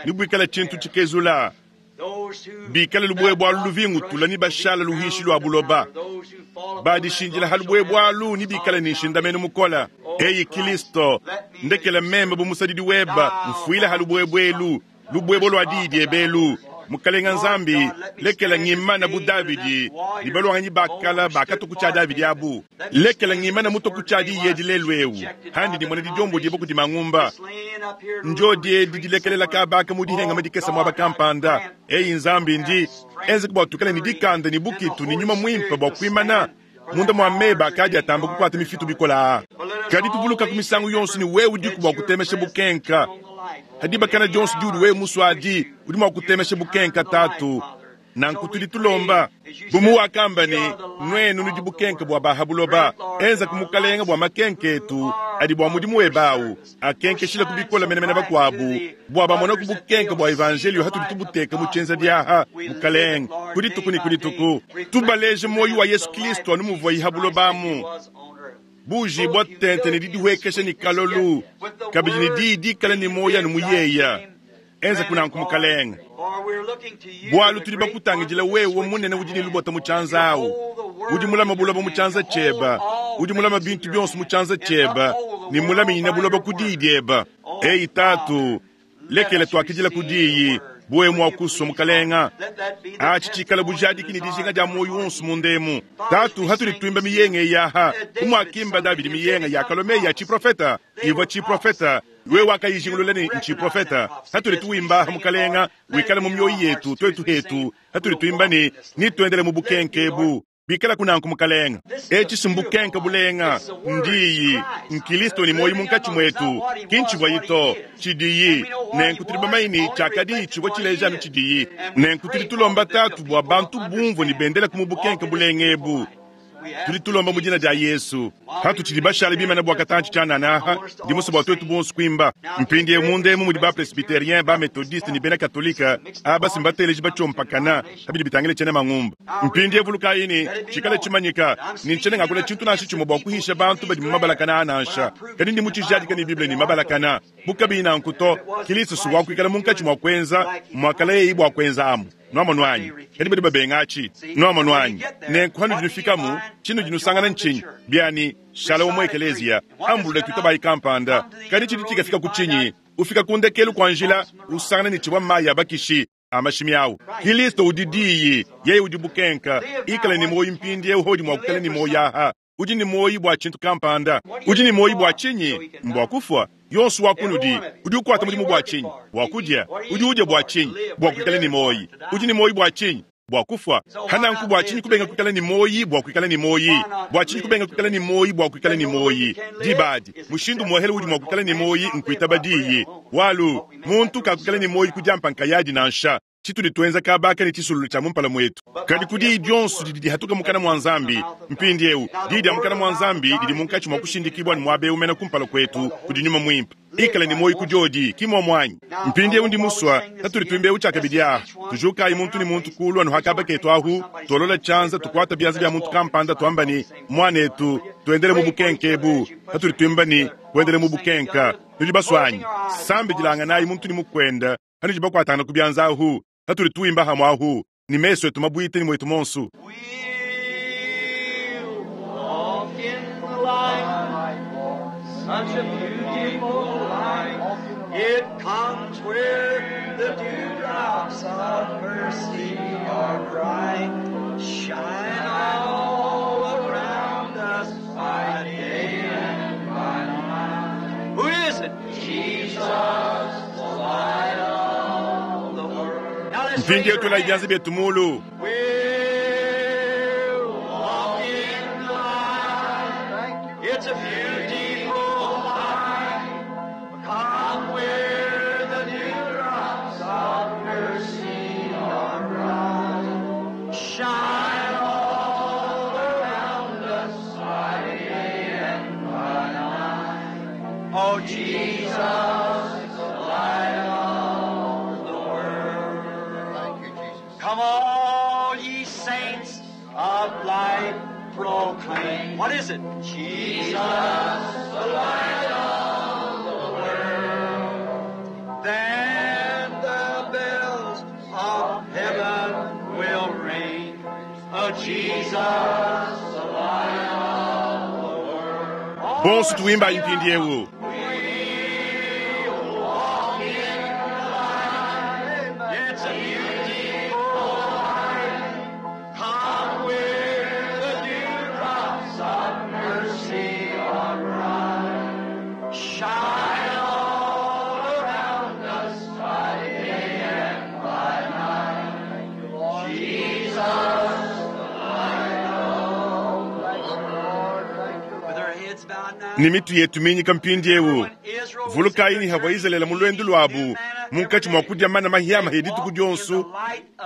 ni bwikala tshintu tshikezula those who bikale lubwebwalu luvingutula ni bashala luhishi lwa buloba those who fall upon badishinjila that ha rock shall have lubwebwalu ni bikale ni nshindameno mukola. Eyi Kristo, ndekela meme bu musadidi weba mfuile ha lubwebwelu lubwebo lwa diyi dyebelu. Mukalenga Nzambi lekela ngimana bu Davidi ni balwanganyi bakala bakatuku tshia Davidi abu lekela ngimana mutoku tshia diyi edi lelu ewu handi dimona didiombo diebo kudi mangumba njo diedi dilekelela kabaka mu dihengama dikesa muaba kampanda. Eyi Nzambi ndi enze bua tukale ni dikanda ni bukitu ni nyuma mwimpe bua kuimana munda mua meba akadi atamba kukwata mifitu bikola. Kadi tuvuluka ku misangu yonso ni wewe udiku bua kutemesha bukenka Ha dibakana dionso diudi wewe musue adi, udi mua kutemesha bukenka Tatu. Nanku tudi tulomba bu muwakamba ne, Nuenu nudi bukenka bua ba ha buloba. Enza ku Mukalenga bua makenka etu adi bua mudimu webe awu akenkeshile ku bikole menemene bakuabu, bua bamone ku bukenka bua evanjelio hatudi tubuteka mu tshienza diaha, Mukalenga, ku dituku ne ku dituku. Tubaleje muoyo wa Yesu Kristo anu muvuaye ha buloba amu, bujibua tente ne didihuekesha ne kalolu, kabidi ne diyi dikale ne muoyo anu mu yeya. Enza kunanku Mukalenga, bualu tudi bakutangidila wewe munene udi ne lubota mu tshianza awu, udi mulama buloba mu tshianza tshieba, udi mulama bintu bionso mu tshianza tshieba, ne mulaminyina buloba ku diyi dieba. Eyi Tatu, lekela tuakidila ku diyi, bu wewe mua kusua Mukalenga. Atshi tshikala bujadiki ne dijinga dia muoyo wonso mundemu. Tatu, hatudi tuimba miyenga eyi aha, bu muakimba Davidi miyenga yakalua meyi a tshiprofeta, ivua tshiprofeta, wewe wakayijingulula ne ntshiprofeta. Hatudi tuwimba aha Mukalenga, wikale mu mioyo yetu tuetu hetu, hatudi tuimba ne nituendele mu bukenke ebu. Bikala kunanku Mukalenga, etshi si mbukenka bulenga, ndiyi nkilisto ne muoyo munkatshi muetu, ki ntshivuayi to, tshidiyi. Nenku tudi bamanye ne tshiakadiyi tshivua tshileja anu tshidiyi. Nenku tudi tulomba Tatu bua bantu bumvue ne bendele ku mu bukenka bulenga ebu. Tudi tulomba mu dina dia Yesu. Hatutshidi bashale bimane bua katantshi tshianana aha, ndi musue bua tuetu bonso kuimba. Mpindieu munda emu mudi ba presbyterien, ba methodiste ne bena katolika, aba si mbateleji batshiompakana pa bidi bitangila tshiena mangumba. Mpindieu vulukayi ne, tshikale tshimanyika ne ntshiena ngakula tshintu nansha tshimue bua kuhisha bantu badi mu mabalakana aa nansha, kadi ndi mutshijadika ne Bible ne mabalakana. Bu kabiyi nanku to, Kilisto si wakuikala munkatshi mua kuenza muakalayeyi bua kuenza amu. Nuamonu anyi? Kadi badi babenga atshi. Nuamonu anyi? Nenku hanudi nufikamu, tshinudi nusangana ntshinyi? Biani, shala wa mu ekeleziya, ambulula tuitabayi kampanda. Kadi tshidi tshikafika ku tshinyi? Ufika ku ndekelu kua njila, usangana ne tshivua mayi a bakishi a mashimi awu. Kilisto udi Diyi, yeye udi bukenka. Ikala ne muoyo mpindieu hodi mua kuikala ne muoyo aha. Udi ne muoyo bua tshintu kampanda. Udi ne muoyo bua tshinyi? Mbua kufua. Yonso wa kunudi udi ukuata mudimu bua tshinyi? Bua kudia. Udi udia bua tshinyi? Bua kuikala ne muoyo. Udi ne muoyo bua tshinyi? Bua kufua. Hananku bua tshinyi kubenga kuikala ne muoyo bua kuikala ne muoyo? Bua tshinyi kubenga kuikala ne muoyo bua kuikala ne muoyo? Diba adi, mushindu muohele udi mua kuikala ne muoyo nkuitaba diyi. Bualu, muntu kakuikala ne muoyo ku diampa nkayadi nansha. Tshitudi tuenza kabaka ne tshisululu tshia mumpala muetu, kadi ku diyi dionso didi dihatuka mukana mua Nzambi. Mpindieu diyi dia mukana mua Nzambi didi munkatshi mua kushindikibua ne muaba eu mene kumpala kuetu kudi Nyuma Muimpe. Ikala ne muoyo ku diodi, ki muomu anyi? Mpindieu ndi musua patudi tuimba eu tshiakabidi aha, tujukayi muntu ne muntu kulu anu ha kaba ketu ahu, tuolola tshianza, tukuata bianza bia muntu kampanda, tuamba ne, Muanetu, tuendele mu bukenke ebu. Patudi tuimba ne, Kuendele mu bukenka, nudi basua anyi? Sambidilanganayi muntu ne mukuenda hanudi bakuatangana ku bianza ahu, hatudi tuimba hamue ahu ne mesu etu mabuite ne muetu monsu. We'll walk in the light, such a beautiful light. It comes where the dewdrops of mercy are bright, shine all around us by day and by night. Who is it? Jesus, the light of the world. Now let's raise Mpindieu your tuelayi hands. bianza bietu mulu. We'll walk in the light. It's a beautiful light. Come where the dewdrops of mercy are bright. Shine all around us by day and by night. Oh, Jesus, the light of the world. Thank you, Jesus. Come all ye saints of light, proclaim. What is it? Jesus, the light of the world. Then the bells of heaven will ring. Oh, Jesus, the light of the world. Bonsu tuimbayi mpindieu. We'll walk in the light. It's a beautiful light. Come where the dewdrops of mercy are bright. Shine all around us by day and by night. Jesus, the light of the world. With our heads bowed. Ne mitu yetu minyika mpindiewu. Vulukayi ne havua Izalele mu luendu luabu munkatshi mua kudia mana mahiamahi dituku dionso,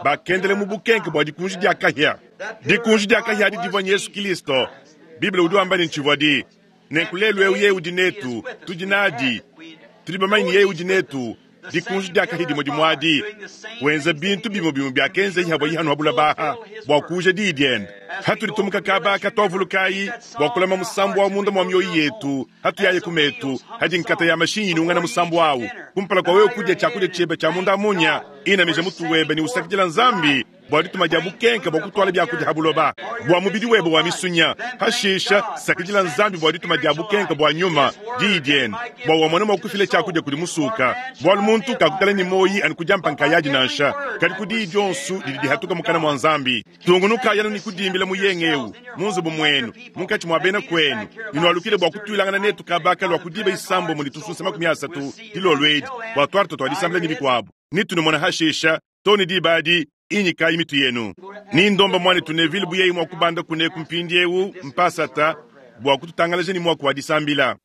bakendela mu bukenke bua dikunji dia kahia. Dikunji dia kahia adi divua Yesu Kilisto. Bible udi wamba ne ntshivua di. Nenku lelu eu yeye udi netu, tudi nadi. Tudi bamanye ne yeye udi netu. Dikunji dia kahia dimue dimue adi, wenza bintu bimue bimue biakenzeyi havuayi hanu ha bulaba aha bua kuuja diyi diende. Hatudi tumuka kaba aka, tuavulukayi bua kulama musambu wa munda mua mioyo yetu hatuyaye ku metu, hadi nkata ya mashinyi inungana musambu awu. Kumpala kua wewe kudia tshiakudia tshiebe tshia munda munya, inamija mutu webe ne usakidila Nzambi bua dituma dia bukenke bua kutuala biakudia ha buloba bua mubidi webe wa misunya. Hashisha sakidila Nzambi bua dituma dia bukenke bua nyuma, diyi diende, bua wamone mua kufila tshiakudia kudi musuka. Bualu muntu kakukala ne muoyi anu ku diampa nkayadi nansha, kadi ku diyi dionso didi dihatuka mukana mua Nzambi. Tungunukayi anu ne kudimbila muyenga eu mu nzubu muenu, munkatshi mua bena kuenu, ne nualukile bua kutuilangana netu kaba kalua ku diba isambombo ne tusunsa 30 dilolo edi bua tuarte tua disambila ne bikuabu. Ne tunumona hashisha too ne diba adi. Inyikayi mitu yenu. Ni ndomba muanetu Neville bu yeye mua kubanda kuneku mpindiewu, mpasata, bua kututangalaja ne muaku wa disambila.